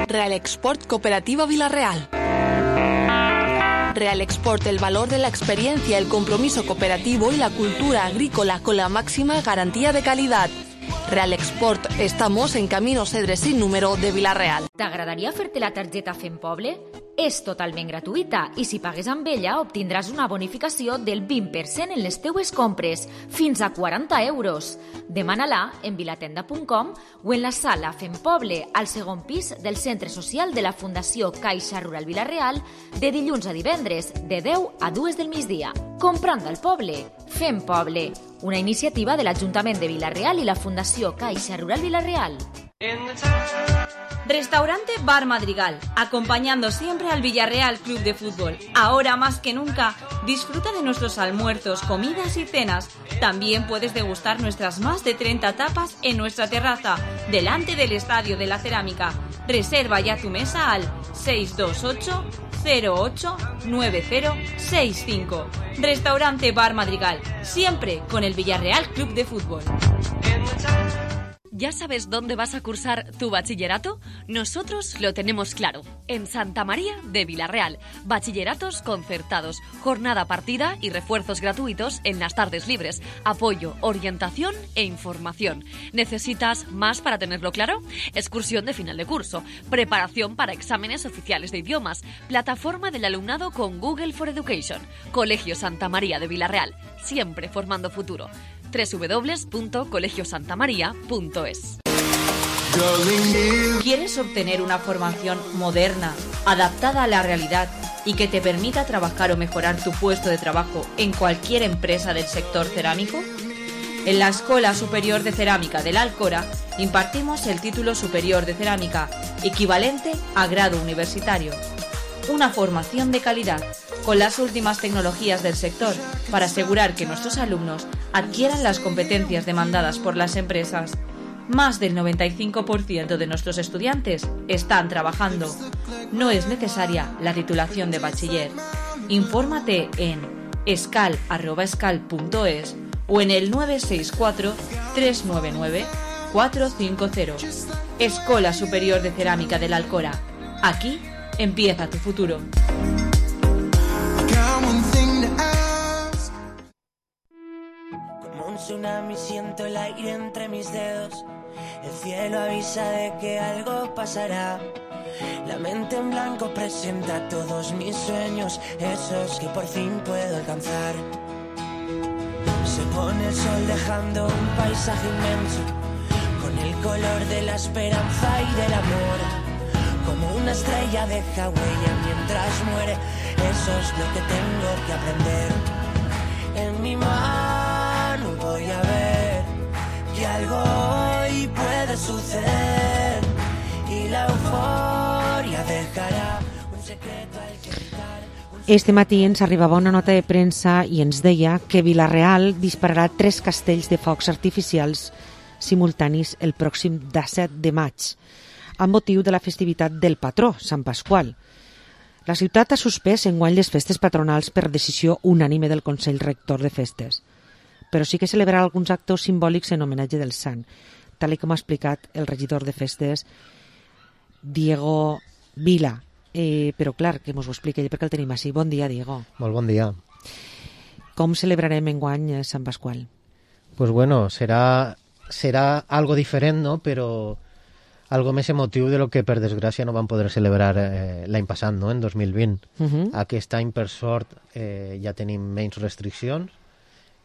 Real Export Cooperativa Vilarreal. Real Export, el valor de la experiencia, el compromiso cooperativo y la cultura agrícola con la máxima garantía de calidad. Real Export, estamos en Camino Cedre sin número de Vilarreal. T'agradaria fer-te la targeta Fem Poble? És totalment gratuïta i si pagues amb ella obtindràs una bonificació del vint per cent en les teues compres, fins a quaranta euros. Demana-la en vilatenda punt com o en la sala Fem Poble, al segon pis del Centre Social de la Fundació Caixa Rural Vilarreal, de dilluns a divendres, de deu a dues del migdia. Comprant al poble, Fem Poble, una iniciativa de l'Ajuntament de Vilarreal y la Fundació Caixa Rural Vilarreal. Restaurante Bar Madrigal, acompañando siempre al Villarreal Club de Fútbol. Ahora más que nunca, disfruta de nuestros almuerzos, comidas y cenas. También puedes degustar nuestras más de treinta tapas en nuestra terraza, delante del Estadio de la Cerámica. Reserva ya tu mesa al seis dos ocho cero ocho nueve cero seis cinco. Restaurante Bar Madrigal, siempre con el Villarreal Club de Fútbol. ¿Ya sabes dónde vas a cursar tu bachillerato? Nosotros lo tenemos claro. En Santa María de Vilarreal. Bachilleratos concertados, jornada partida y refuerzos gratuitos en las tardes libres. Apoyo, orientación e información. ¿Necesitas más para tenerlo claro? Excursión de final de curso. Preparación para exámenes oficiales de idiomas. Plataforma del alumnado con Google for Education. Colegio Santa María de Vilarreal. Siempre formando futuro. doble u doble u doble u punto colegio santa maría punto es. ¿Quieres obtener una formación moderna, adaptada a la realidad y que te permita trabajar o mejorar tu puesto de trabajo en cualquier empresa del sector cerámico? En la Escuela Superior de Cerámica de la Alcora impartimos el título superior de cerámica, equivalente a grado universitario. Una formación de calidad, con las últimas tecnologías del sector, para asegurar que nuestros alumnos adquieran las competencias demandadas por las empresas. Más del noventa y cinco por ciento de nuestros estudiantes están trabajando. No es necesaria la titulación de bachiller. Infórmate en escal arroba escal punto es o en el nueve seis cuatro tres nueve nueve cuatro cinco cero. Escuela Superior de Cerámica de la Alcora. Aquí empieza tu futuro. Como un tsunami siento el aire entre mis dedos. El cielo avisa de que algo pasará. La mente en blanco presenta todos mis sueños, esos que por fin puedo alcanzar. Se pone el sol dejando un paisaje inmenso, con el color de la esperanza y del amor. Como una estrella deja huella mientras muere, eso es lo que tengo que aprender. En mi mano voy a ver que algo hoy puede suceder y la euforia dejará un secreto al que gritar. Este matí ens arribava una nota de premsa i ens deia que Vila-real dispararà tres castells de focs artificials simultanis el pròxim disset de maig, amb motiu de la festivitat del patró, Sant Pasqual. La ciutat ha suspès enguany les festes patronals per decisió unànime del Consell Rector de Festes, però sí que celebrarà alguns actes simbòlics en homenatge del sant, tal com ha explicat el regidor de festes, Diego Vila. Eh, però clar, que mos ho expliqui ell perquè el tenim així. Bon dia, Diego. Molt bon dia. Com celebrarem enguany Sant Pasqual? Pues bueno, serà, serà algo diferent, no? Però algo més emotiu de lo que per desgràcia no vam poder celebrar eh, l'any passat, no? En dos mil vint. Uh -huh. Aquest any, per sort, eh, ja tenim menys restriccions.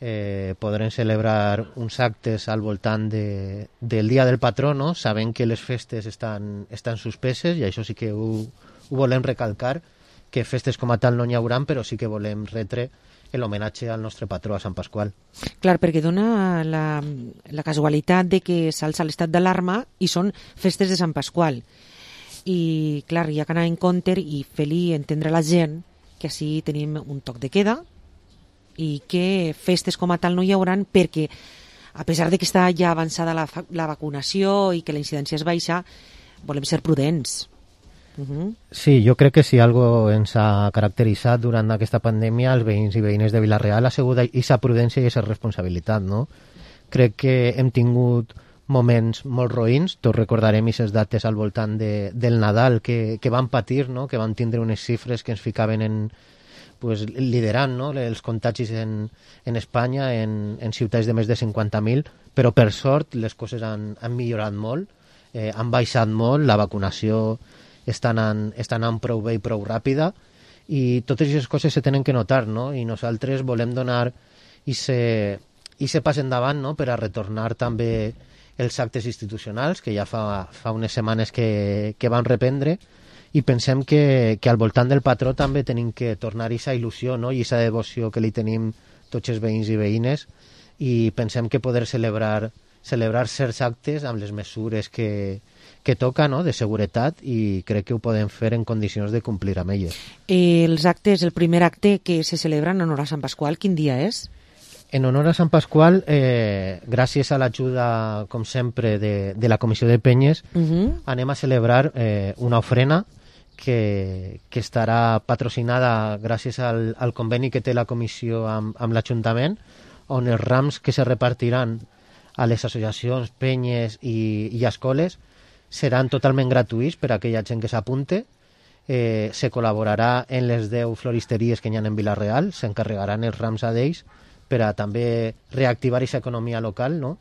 Eh, podrem celebrar uns actes al voltant de, del dia del patró, no? Sabent que les festes estan, estan suspeses, i això sí que ho, ho volem recalcar, que festes com a tal no n'hi hauran, però sí que volem retre l'homenatge al nostre patró, a Sant Pasqual. Clar, perquè dona la, la casualitat de que s'alça l'estat d'alarma i són festes de Sant Pasqual. I, clar, hi ha que anar en compte i fer-li entendre a la gent que així tenim un toc de queda i que festes com a tal no hi hauran perquè, a pesar de que està ja avançada la, la vacunació i que la incidència és baixa, volem ser prudents. Uh -huh. Sí, jo crec que si algo ens ha caracteritzat durant aquesta pandèmia, els veïns i veïnes de Vila-real ha sigut aquesta prudència i aquesta responsabilitat, no? Crec que hem tingut moments molt roïns, tots recordarem aquestes dates al voltant de, del Nadal que, que van patir, no? Que van tindre unes xifres que ens ficaven en, pues, liderant, no? Els contagis en, en Espanya, en, en ciutats de més de cinquanta mil, però per sort les coses han, han millorat molt, eh, han baixat molt, la vacunació està anant, està anant prou bé i prou ràpida, i totes aquestes coses se tenen que notar, no? I nosaltres volem donar aquest pas endavant, no? Per a retornar també els actes institucionals, que ja fa, fa unes setmanes que, que van reprendre, i pensem que, que al voltant del patró també tenim que tornar aquesta il·lusió, no? I aquesta devoció que li tenim tots els veïns i veïnes, i pensem que poder celebrar, celebrar certs actes amb les mesures que, que toca, no? De seguretat, i crec que ho podem fer en condicions de complir amb elles. Eh, els actes, el primer acte que se celebra en honor a Sant Pasqual, quin dia és? En honor a Sant Pasqual, eh, gràcies a l'ajuda, com sempre, de, de la Comissió de Penyes, uh -huh. anem a celebrar eh, una ofrena que, que estarà patrocinada gràcies al, al conveni que té la comissió amb, amb l'Ajuntament, on els rams que se repartiran a les associacions, penyes i, i escoles seran totalment gratuïts per a aquella gent que s'apunte. Eh, se col·laborarà en les deu floristeries que hi ha en Vila-real, s'encarregaran els rams a d'ells per a també reactivar aquesta economia local, no?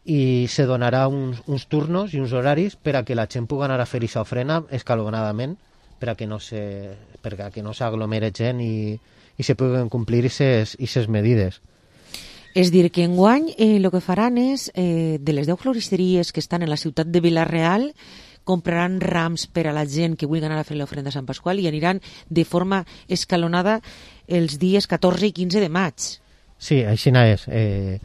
I se donarà uns, uns turnos i uns horaris per a que la gent pugui anar a fer aquesta ofrena escalonadament, per a que no se, per a que no s'aglomere gent i, i se puguen complir aquestes medides. És dir, que enguany el eh, que faran és, eh, de les deu floristeries que estan en la ciutat de Vila-real, compraran rams per a la gent que vulgui anar a fer l'ofrenda a Sant Pasqual i aniran de forma escalonada els dies catorze i quinze de maig. Sí, així és. Eh,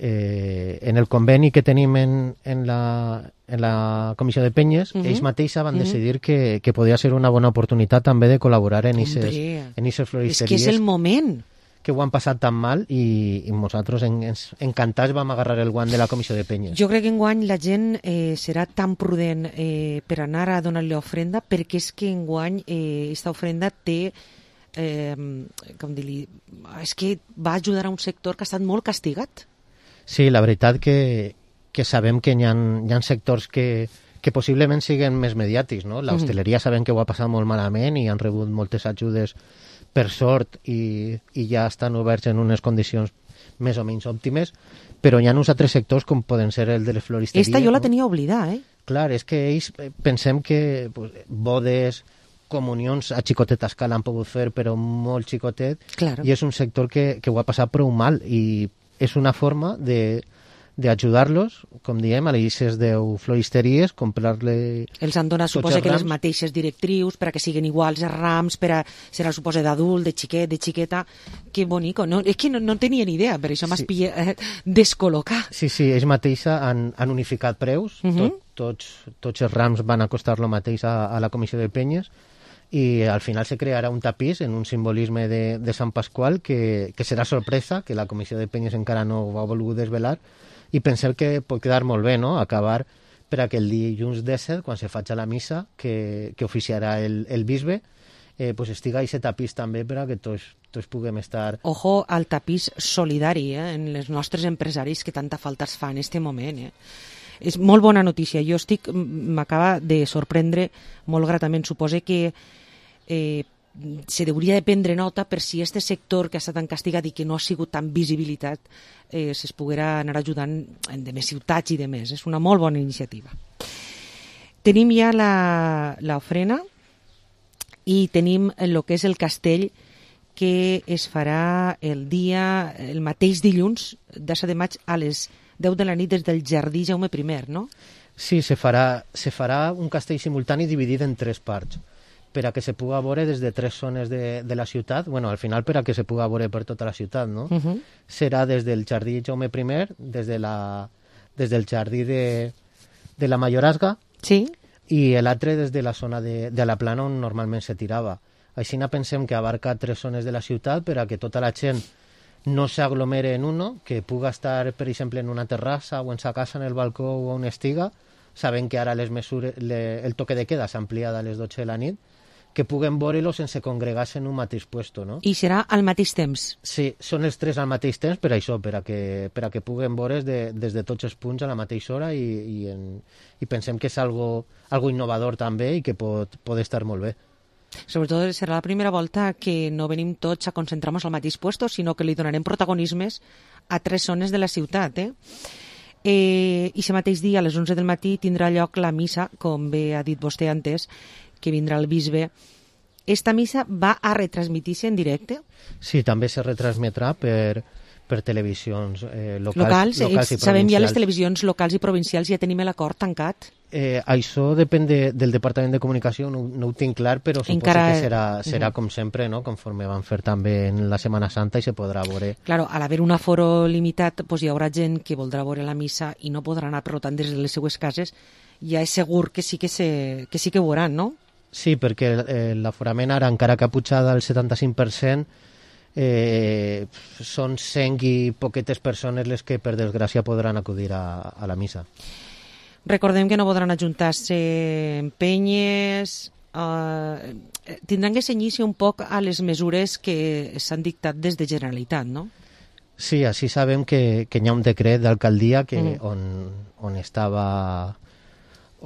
eh, en el conveni que tenim en, en, la, en la Comissió de Penyes, uh -huh. ells mateixos van uh -huh. decidir que, que podia ser una bona oportunitat també de col·laborar en aquestes floristeries. És que és el moment. Que ho han passat tan mal, i, i nosaltres en, ens, encantats vam agarrar el guant de la Comissió de Penyes. Jo crec que enguany la gent eh, serà tan prudent eh, per anar a donar-li ofrenda, perquè és que enguany aquesta eh, ofrenda té eh, com dir-li, és que va ajudar a un sector que ha estat molt castigat. Sí, la veritat que, que sabem que hi ha, hi ha sectors que, que possiblement siguin més mediàtics, no? L'hostaleria sabem que ho ha passat molt malament i han rebut moltes ajudes per sort, i, i ja estan oberts en unes condicions més o menys òptimes, però hi ha uns altres sectors com poden ser el de les floristeries. Esta jo la no? tenia oblidada, eh? Clar, és que ells pensem que pues, bodes, comunions a xicoteta escala han pogut fer, però molt xicotet, claro. I és un sector que, que ho ha passat prou mal, i és una forma de d'ajudar-los, com diem, a les deu floristeries, comprar-le... Els han donat, suposa que les mateixes directrius per a que siguin iguals els rams, per a serà, suposa, d'adult, de xiquet, de xiqueta... Que bonico, no? És que no, no tenia ni idea, per això m'has sí. pillat descol·locar. Sí, sí, ells mateixa han, han unificat preus, uh -huh. tot, tots, tots els rams van a costar lo mateix a, a la Comissió de Penyes, i al final se crearà un tapís en un simbolisme de, de Sant Pasqual que, que serà sorpresa, que la comissió de penyes encara no ho ha volgut desvelar, i pensem que pot quedar molt bé, no?, acabar per aquell dilluns disset, quan se faci la missa que, que oficiarà el, el bisbe, eh, pues estiga aquest tapís també per a que tots, tots puguem estar... Ojo al tapís solidari, eh, en els nostres empresaris que tanta falta es fa en este moment, eh. És molt bona notícia. Jo estic, m'acaba de sorprendre molt gratament. Suposo que eh, se hauria de prendre nota per si este sector que ha estat tan castigat i que no ha sigut tan visibilitat eh, es poguera anar ajudant en de més ciutats i de més. És una molt bona iniciativa. Tenim ja l'ofrena i tenim el que és el castell que es farà el dia, el mateix dilluns, disset de maig, a les deu de la nit des del Jardí Jaume primer, no? Sí, se farà, se farà un castell simultani dividit en tres parts, per a que se puga veure des de tres zones de, de la ciutat, bueno, al final per a que se puga veure per tota la ciutat, no? Uh -huh. Serà des del Jardí Jaume primer, des, de la, des del Jardí de, de la Mayorazga, sí, i l'altre des de la zona de, de la Plana on normalment se tirava. Així pensem que abarca tres zones de la ciutat per a que tota la gent no s'aglomere en uno, que puga estar, per exemple, en una terrassa o en sa casa, en el balcó o on estiga, sabent que ara les mesures, le, el toque de queda s'ha ampliat a les dotze de la nit, que puguen veure-lo sense congregar-se en un mateix puesto, no? I serà al mateix temps? Sí, són els tres al mateix temps per això, per a que, per a que puguen veure's de, des de tots els punts a la mateixa hora i, i, en, i pensem que és algo, algo innovador també i que pot, pot estar molt bé. Sobretot serà la primera volta que no venim tots a concentrar-nos al mateix puesto, sinó que li donarem protagonismes a tres zones de la ciutat. Eh? Eh, I aquest mateix dia, a les onze del matí, tindrà lloc la missa, com bé ha dit vostè antes, que vindrà el bisbe. Esta missa va a retransmitir-se en directe? Sí, també se retransmetrà per, per televisions eh, locals, locals, locals i provincials. Sabem ja les televisions locals i provincials, ja tenim l'acord tancat? Eh, això depèn de, del Departament de Comunicació, no, no ho tinc clar, però suposo Encara... que serà, serà uh -huh. com sempre, no? Conforme van fer també en la Setmana Santa i se podrà veure. Claro, al haver un aforo limitat, pues hi haurà gent que voldrà veure la missa i no podrà anar, per tant, des de les seues cases, ja és segur que sí que, se, que sí que veuran, no? Sí, perquè eh, l'aforament ara, encara que ha pujat al setanta-cinc per cent, eh, són cent i poquetes persones les que, per desgràcia, podran acudir a, a la missa. Recordem que no podran ajuntar-se en penyes, eh, tindran que cenyir-se un poc a les mesures que s'han dictat des de Generalitat, no? Sí, així sabem que, que hi ha un decret d'alcaldia que, mm. on, on estava...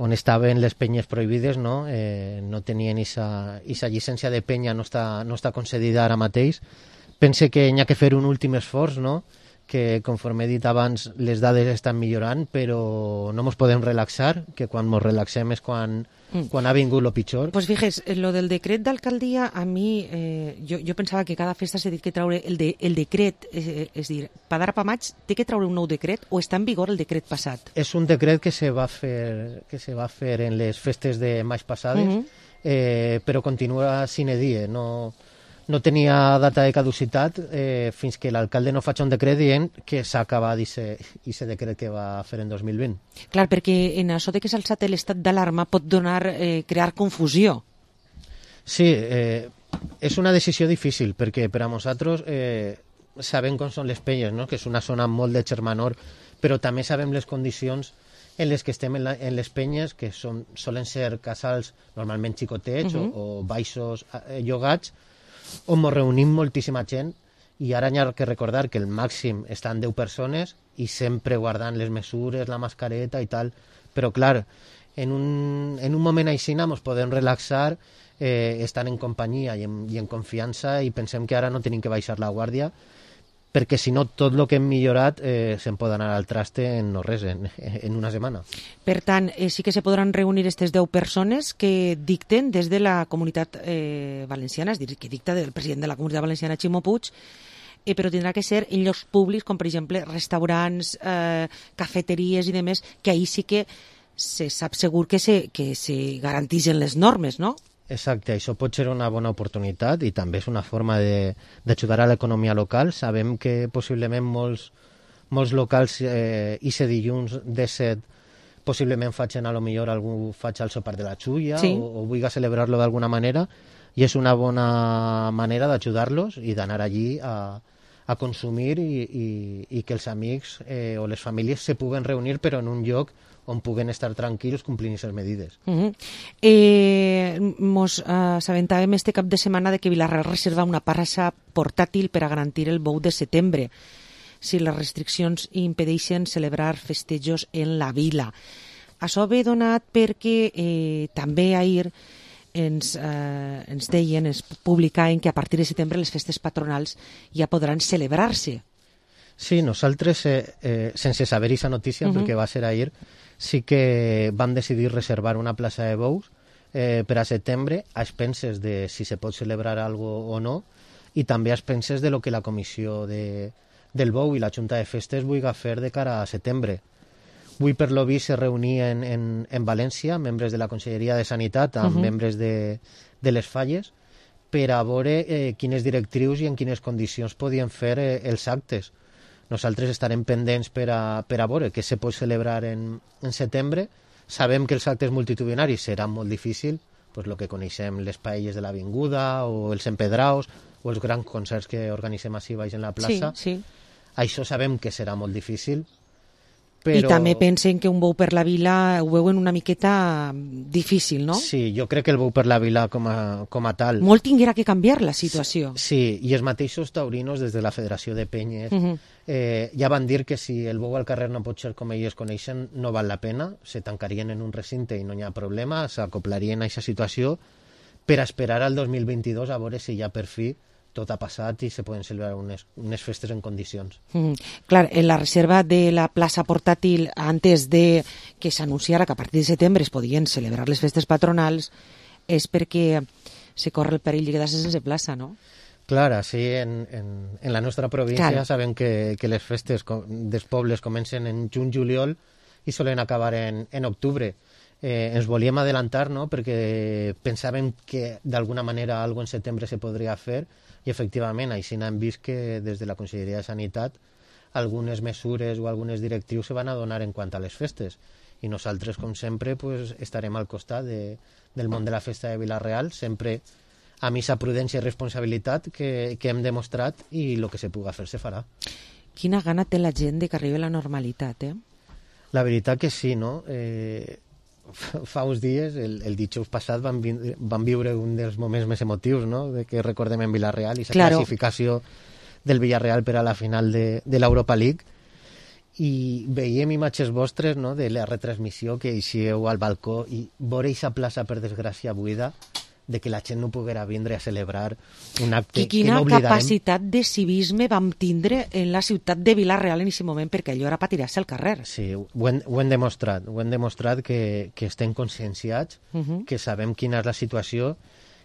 on estaven les penyes prohibides, no, eh, no tenien esa llicència de penya, no està, no està concedida ara mateix. Pense que hi ha que fer un últim esforç, no?, que, conforme he dit abans, les dades estan millorant, però no ens podem relaxar, que quan ens relaxem és quan, mm. quan ha vingut lo pitjor. Pues fíjese, lo del decret d'alcaldia, a mi, eh, jo, jo pensava que cada festa s'ha dit que traure el, de, el decret, eh, és dir, per d'ara pa maig, té que traure un nou decret o està en vigor el decret passat? És un decret que se va fer, que se va fer en les festes de maig passades, mm -hmm. eh, però continua sine die, no... no tenia data de caducitat eh, fins que l'alcalde no faci un decret dient que s'ha acabat aquest decret que va fer en dos mil vint. Clar, perquè en això de que s'ha alçat l'estat d'alarma pot donar, eh, crear confusió. Sí, eh, és una decisió difícil, perquè per a nosaltres eh, sabem com són les penyes, no?, que és una zona molt de germanor, però també sabem les condicions en les que estem en, la, en les penyes, que són, solen ser casals normalment xicotets uh -huh. o, o baixos eh, llogats, on ens reunim moltíssima gent i ara hi ha que recordar que el màxim estan deu persones i sempre guardant les mesures, la mascareta i tal, però clar, en un, en un moment així ens podem relaxar, eh, estan en companyia i en, i en confiança i pensem que ara no tenim que baixar la guàrdia, perquè si no tot el que hem millorat eh, se'n pot anar al traste en no res, en, en una setmana. Per tant, eh, sí que se podran reunir aquestes deu persones que dicten des de la comunitat eh, valenciana, és dir, que dicta el president de la comunitat valenciana, Ximo Puig, eh, però tindrà que ser en llocs públics, com per exemple restaurants, eh, cafeteries i demés, que ahir sí que se sap segur que se, que se garanteixen les normes, no? Exacte, això pot ser una bona oportunitat i també és una forma d'ajudar a l'economia local. Sabem que possiblement molts, molts locals eh, i se dilluns disset possiblement facin a lo millor algú faig el sopar de la xulla Sí. o, o vulgui celebrar-lo d'alguna manera, i és una bona manera d'ajudar-los i d'anar allí a, a consumir i, i, i que els amics eh, o les famílies se puguen reunir però en un lloc on puguen estar tranquils complint aquestes medides. Uh -huh. eh, mos eh, assabentàvem este cap de setmana de que Vilareal reserva una plaça portàtil per a garantir el bou de setembre si les restriccions impedeixen celebrar festejos en la vila. Això ve donat perquè eh, també ahir ens, eh, ens deien, ens publicaven que a partir de setembre les festes patronals ja podran celebrar-se. Sí, nosaltres, eh, eh, sense saber aquesta notícia, uh -huh. perquè va ser ahir, sí que vam decidir reservar una plaça de bous eh, per a setembre a expenses de si se pot celebrar algo o no, i també a expenses de lo que la comissió de, del bou i la Junta de Festes vulgui fer de cara a setembre. Avui, per lo vist, se reunien en, en València membres de la Conselleria de Sanitat amb uh -huh. membres de, de les falles per a veure eh, quines directrius i en quines condicions podien fer eh, els actes. Nosaltres estarem pendents per a, per a veure què se pot celebrar en, en setembre. Sabem que els actes multitudinaris seran molt difícils, pues lo que coneixem, les paelles de l'Avinguda o els empedraos o els grans concerts que organitzem així baix en la plaça. Sí, sí. Això sabem que serà molt difícil. Però... I també pensen que un bou per la vila ho veuen una miqueta difícil, no? Sí, jo crec que el bou per la vila com a, com a tal... Molt tinguera que canviar la situació. Sí, i els mateixos taurinos des de la Federació de Penyes uh -huh. eh, ja van dir que si el bou al carrer no pot ser com ells coneixen, no val la pena, se tancarien en un recinte i no hi ha problema, s'acoplarien a aquesta situació per a esperar al dos mil vint-i-dos a veure si ja per fi tot ha passat i se poden celebrar unes, unes festes en condicions. Mm, clar, en la reserva de la plaça portàtil antes de que s'anunciara que a partir de setembre es podien celebrar les festes patronals és perquè se corre el perill de quedar-se sense plaça, no? Clar, sí, en, en, en la nostra província Clar. sabem que, que les festes dels pobles comencen en juny-juliol i solen acabar en, en octubre. Eh, ens volíem adelantar, no?, perquè pensàvem que d'alguna manera algo en setembre se podria fer i efectivament així hem vist que des de la Conselleria de Sanitat algunes mesures o algunes directrius se van a donar en quant a les festes i nosaltres, com sempre, pues, estarem al costat de, del món de la festa de Vilareal, sempre amb aquesta prudència i responsabilitat que, que hem demostrat i el que se puga fer se farà. Quina gana té la gent de que arribi la normalitat, eh? La veritat que sí, no? Eh, fa uns dies, el, el dijous passat, vam, vi vam viure un dels moments més emotius, no?, de que recordem en Vilareal i la claro. classificació del Villarreal per a la final de, de l'Europa League, i veiem imatges vostres, no?, de la retransmissió, que eixieu al balcó i veure aquesta plaça, per desgràcia, buida, de que la gent no poguera vindre a celebrar un acte I quina que no oblidarem. capacitat de civisme vam tindre en la ciutat de Vilareal en aquest moment, perquè allò era per tirar-se al carrer. Sí, ho hem, ho hem demostrat, ho hem demostrat que, que estem conscienciats, Uh -huh. que sabem quina és la situació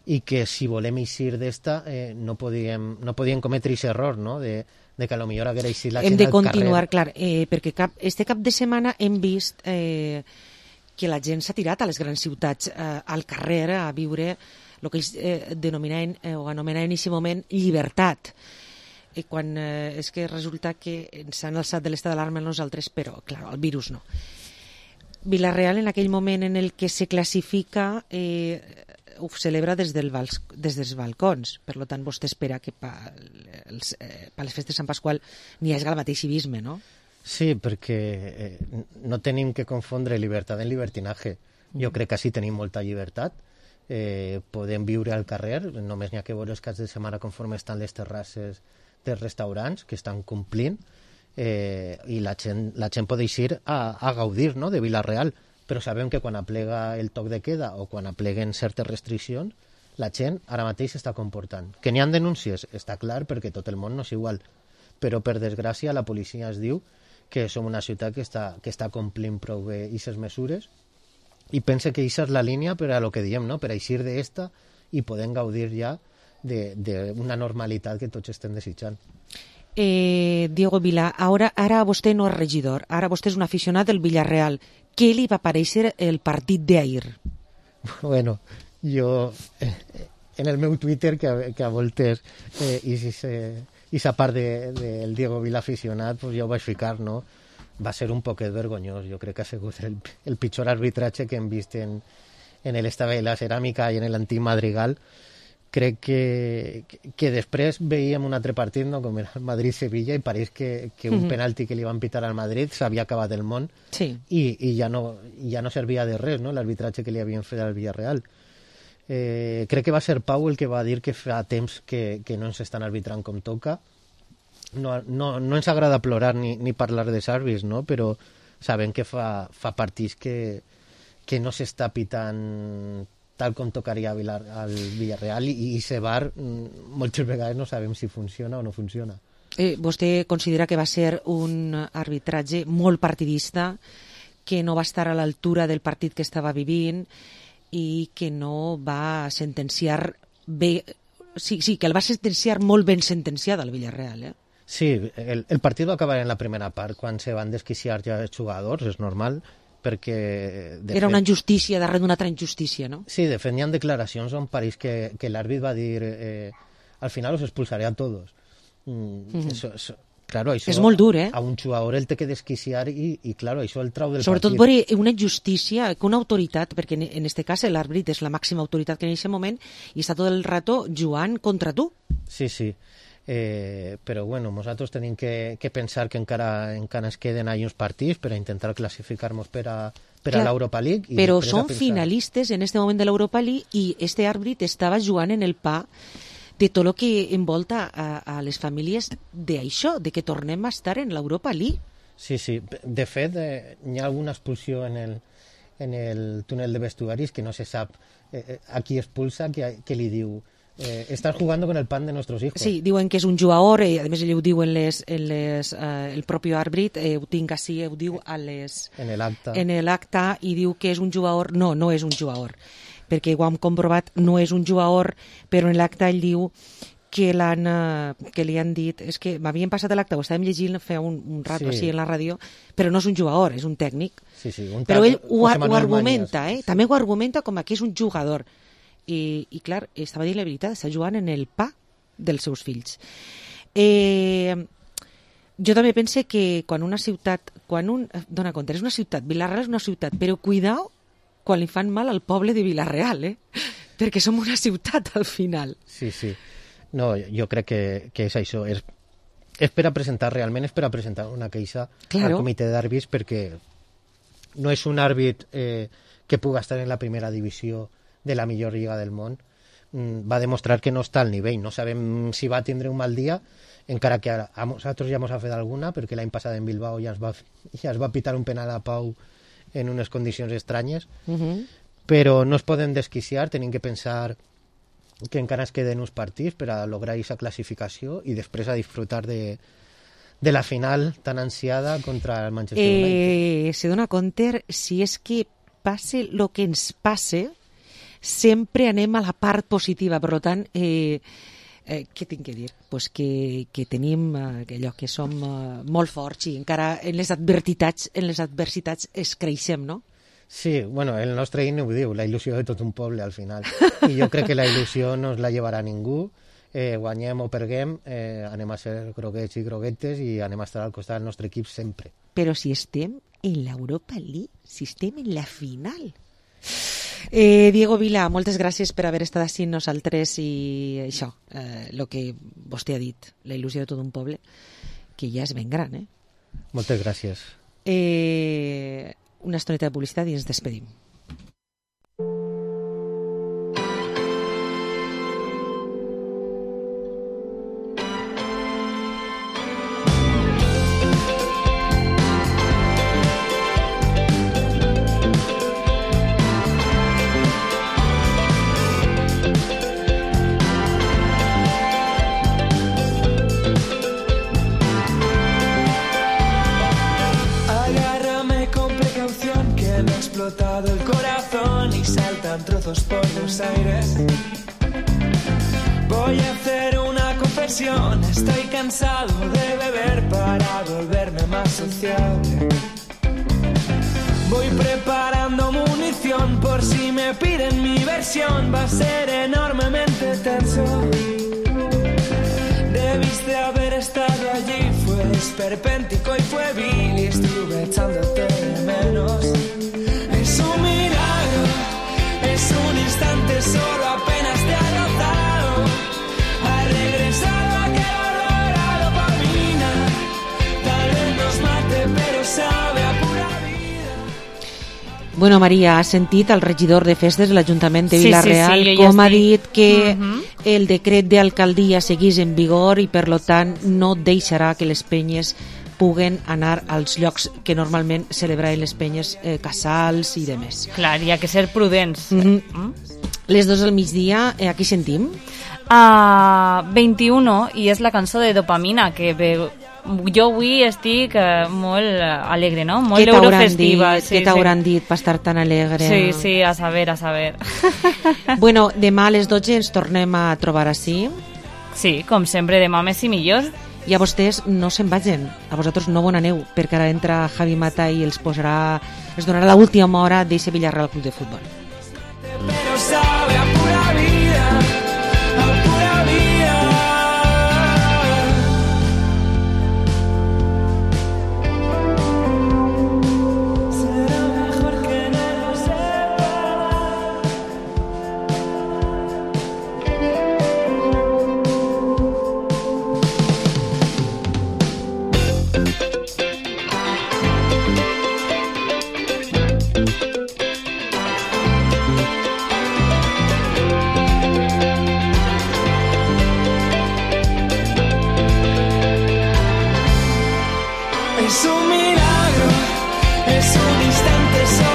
i que si volem eixir d'esta eh, no podíem, no podíem cometre aquest error, no?, de, de que a lo millor haguera eixit la gent Hem de al continuar, carrer. clar, eh, perquè cap, este cap de setmana hem vist eh, que la gent s'ha tirat a les grans ciutats, eh, al carrer, a viure el que ells eh, denominaven eh, o anomenaven en aquest moment llibertat. I quan eh, és que resulta que ens han alçat de l'estat d'alarma nosaltres, però, clar, el virus no. Vilareal, en aquell moment en el que se classifica, eh, ho celebra des, del bals, des dels balcons. Per tant, vostè espera que per eh, les festes de Sant Pasqual n'hi hagi el mateix civisme, no? Sí, perquè eh, no tenim que confondre llibertat en libertinaje. Jo crec que sí tenim molta llibertat. Eh, podem viure al carrer, només n'hi ha que veure els caps de setmana conforme estan les terrasses dels restaurants que estan complint, eh, i la gent, la gent pot eixir a, a gaudir, no?, de Vilareal, però sabem que quan aplega el toc de queda o quan apleguen certes restriccions, la gent ara mateix s'està comportant. Que n'hi ha denúncies, està clar, perquè tot el món no és igual, però per desgràcia la policia es diu que som una ciutat que està, que està complint prou bé aquestes mesures, i pense que aquesta és la línia per a lo que diem, no?, per a eixir d'esta i podem gaudir ja d'una normalitat que tots estem desitjant. Eh, Diego Vila, ara, ara vostè no és regidor, ara vostè és un aficionat del Villarreal. Què li va parèixer el partit d'ahir? Bueno, jo, eh, en el meu Twitter, que a, que a voltes, eh, i si se... i sa part del de, de Diego Vila aficionat, pues ja ho vaig ficar, no? va ser un poquet vergonyós. Jo crec que ha sigut el, el pitjor arbitratge que hem vist en, en l'Estadi de la Ceràmica i en l'antic Madrigal. Crec que, que després veiem un altre partit, no? Com era el Madrid-Sevilla, i pareix que, que un Mhm. penalti que li van pitar al Madrid s'havia acabat el món Sí. i, i ja, no, ja no servia de res, no? L'arbitratge que li havien fet al Villarreal. Eh, crec que va ser Pau el que va dir que fa temps que, que no ens estan arbitrant com toca. No, no, no ens agrada plorar ni, ni parlar de àrbits, no? Però sabem que fa, fa partits que, que no s'està pitant tal com tocaria a Vilar, al Villarreal, i, i ese bar moltes vegades no sabem si funciona o no funciona. Eh, vostè considera que va ser un arbitratge molt partidista, que no va estar a l'altura del partit que estava vivint i que no va sentenciar bé, sí, sí, que el va sentenciar molt ben sentenciat al Villarreal, eh? Sí, el, el partit va acabar en la primera part, quan se van desquiciar ja els jugadors, és normal, perquè... De Era fet, una injustícia darrere d'una altra injustícia, no? Sí, de fet, hi ha declaracions on pareix que, que l'àrbit va dir eh, al final os expulsaré a todos. Mm, Mhm. eso, eso, claro, això És molt dur, eh? A un jugador el té que desquiciar i, i claro, això el trau del Sobretot partit. veure una injustícia, que una autoritat, perquè en, en este cas l'àrbit és la màxima autoritat que en aquest moment i està tot el rato jugant contra tu. Sí, sí. Eh, però bueno, nosaltres tenim que, que pensar que encara, encara ens queden ahí uns partits per a intentar classificar-nos per a, per a Clar, l'Europa League. I però després a són pensar- finalistes en este moment de l'Europa League i este àrbit estava jugant en el pa de tot el que envolta a, a les famílies d'això, de que tornem a estar en l'Europa League. Sí, sí. De fet, eh, hi ha alguna expulsió en el, en el túnel de vestuaris que no se sap eh, eh, a qui expulsa, que, que li diu eh, estás jugando con el pan de nuestros hijos. Sí, diuen que és un jugador, eh, a més ell ho diu en les, en les, eh, el propi àrbit, eh, ho tinc així, ho diu a les, En el acta. en l'acte i diu que és un jugador. No, no és un jugador, perquè ho hem comprovat, no és un jugador, però en l'acte ell diu que, l'han, eh, que li han dit, és que m'havien passat l'acte, ho estàvem llegint fa un, un rato Sí. així en la ràdio, però no és un jugador, és un tècnic. Sí, sí, un Però tal ell ho, José ho Manuel argumenta, Mañas. eh? També ho argumenta com que és un jugador. I, i clar, estava dient la veritat, està jugant en el pa dels seus fills. Eh, jo també pense que quan una ciutat, quan un, dona compte, és una ciutat, Vilareal és una ciutat, però cuidao quan li fan mal al poble de Vilareal, eh? Perquè som una ciutat al final. Sí, sí. No, jo crec que, que és això. És, és per a presentar, realment és per a presentar una queixa Claro. al comitè d'àrbits, perquè no és un àrbit eh, que puga estar en la primera divisió de la millor lliga del món. Mm, va demostrar que no està al nivell. No sabem si va tindre un mal dia, encara que a, a nosaltres ja ens ha fet alguna, perquè l'any passat en Bilbao ja es va, ja es va pitar un penal a Pau en unes condicions estranyes, Uh -huh. però no es poden desquiciar, tenim que pensar que encara es queden uns partits per a lograr aquesta classificació i després a disfrutar de, de la final tan ansiada contra el Manchester United. Eh, se dona compte, si és que passe el que ens passe, sempre anem a la part positiva. Per tant, eh, eh, què tinc que dir? Pues que, que tenim eh, allò que som eh, molt forts i encara en les adversitats, en les adversitats es creixem, no? Sí, bueno, el nostre himne ho diu, la il·lusió de tot un poble al final. I jo crec que la il·lusió no es la llevarà ningú. Eh, guanyem o perguem, eh, anem a ser groguets i groguetes i anem a estar al costat del nostre equip sempre. Però si estem en l'Europa League, si estem en la final. Eh, Diego Vila, moltes gràcies per haver estat així amb nosaltres i això, eh, el que vostè ha dit, la il·lusió de tot un poble, que ja és ben gran, eh? Moltes gràcies. Eh, una estoneta de publicitat i ens despedim. Agárrame con precaución que me ha explotado el corazón y saltan trozos por los aires. Voy a hacer una confesión, estoy cansado de beber para volverme más sociable. Voy preparando munición por si me piden mi versión, va a ser enormemente tenso. Debiste haber estado allí, fue esperpéntico y fue vil y estuve echándote de menos. Es un milagro, es un instante, solo apenas te ha rozado. Ha regresado aquel olor a dopamina. Tal vez nos mate, pero sabe a pura vida. Bueno, Maria, has sentit el regidor de festes de l'Ajuntament de Sí, Vila-real sí, sí, jo com ja ha estic. dit que Mhm. el decret d'alcaldia seguís en vigor i, per lo tant, no deixarà que les penyes puguen anar als llocs que normalment celebraven les penyes, eh, casals i demés. Clar, hi ha que ser prudents. Mm -hmm. Les dos al migdia, eh, aquí sentim? A vint-i-u i és la cançó de Dopamina, que ve... jo avui estic eh, molt alegre, no? Molt Què t'hauran eurofestiva. dit, què t'hauran dit per estar tan alegre? Sí, sí, a saber, a saber. Bueno, demà a les dotze ens tornem a trobar així. Sí, com sempre, demà més i millor. I a vostès no se'n vagin, a vosaltres no bon aneu, perquè ara entra Javi Mata i els posarà, els donarà l'última hora d'eixe Villarreal Club de Futbol. Pero sabe a pura vida, a pura vida. Será mejor que no lo sepa. Es un milagro, es un instante solo.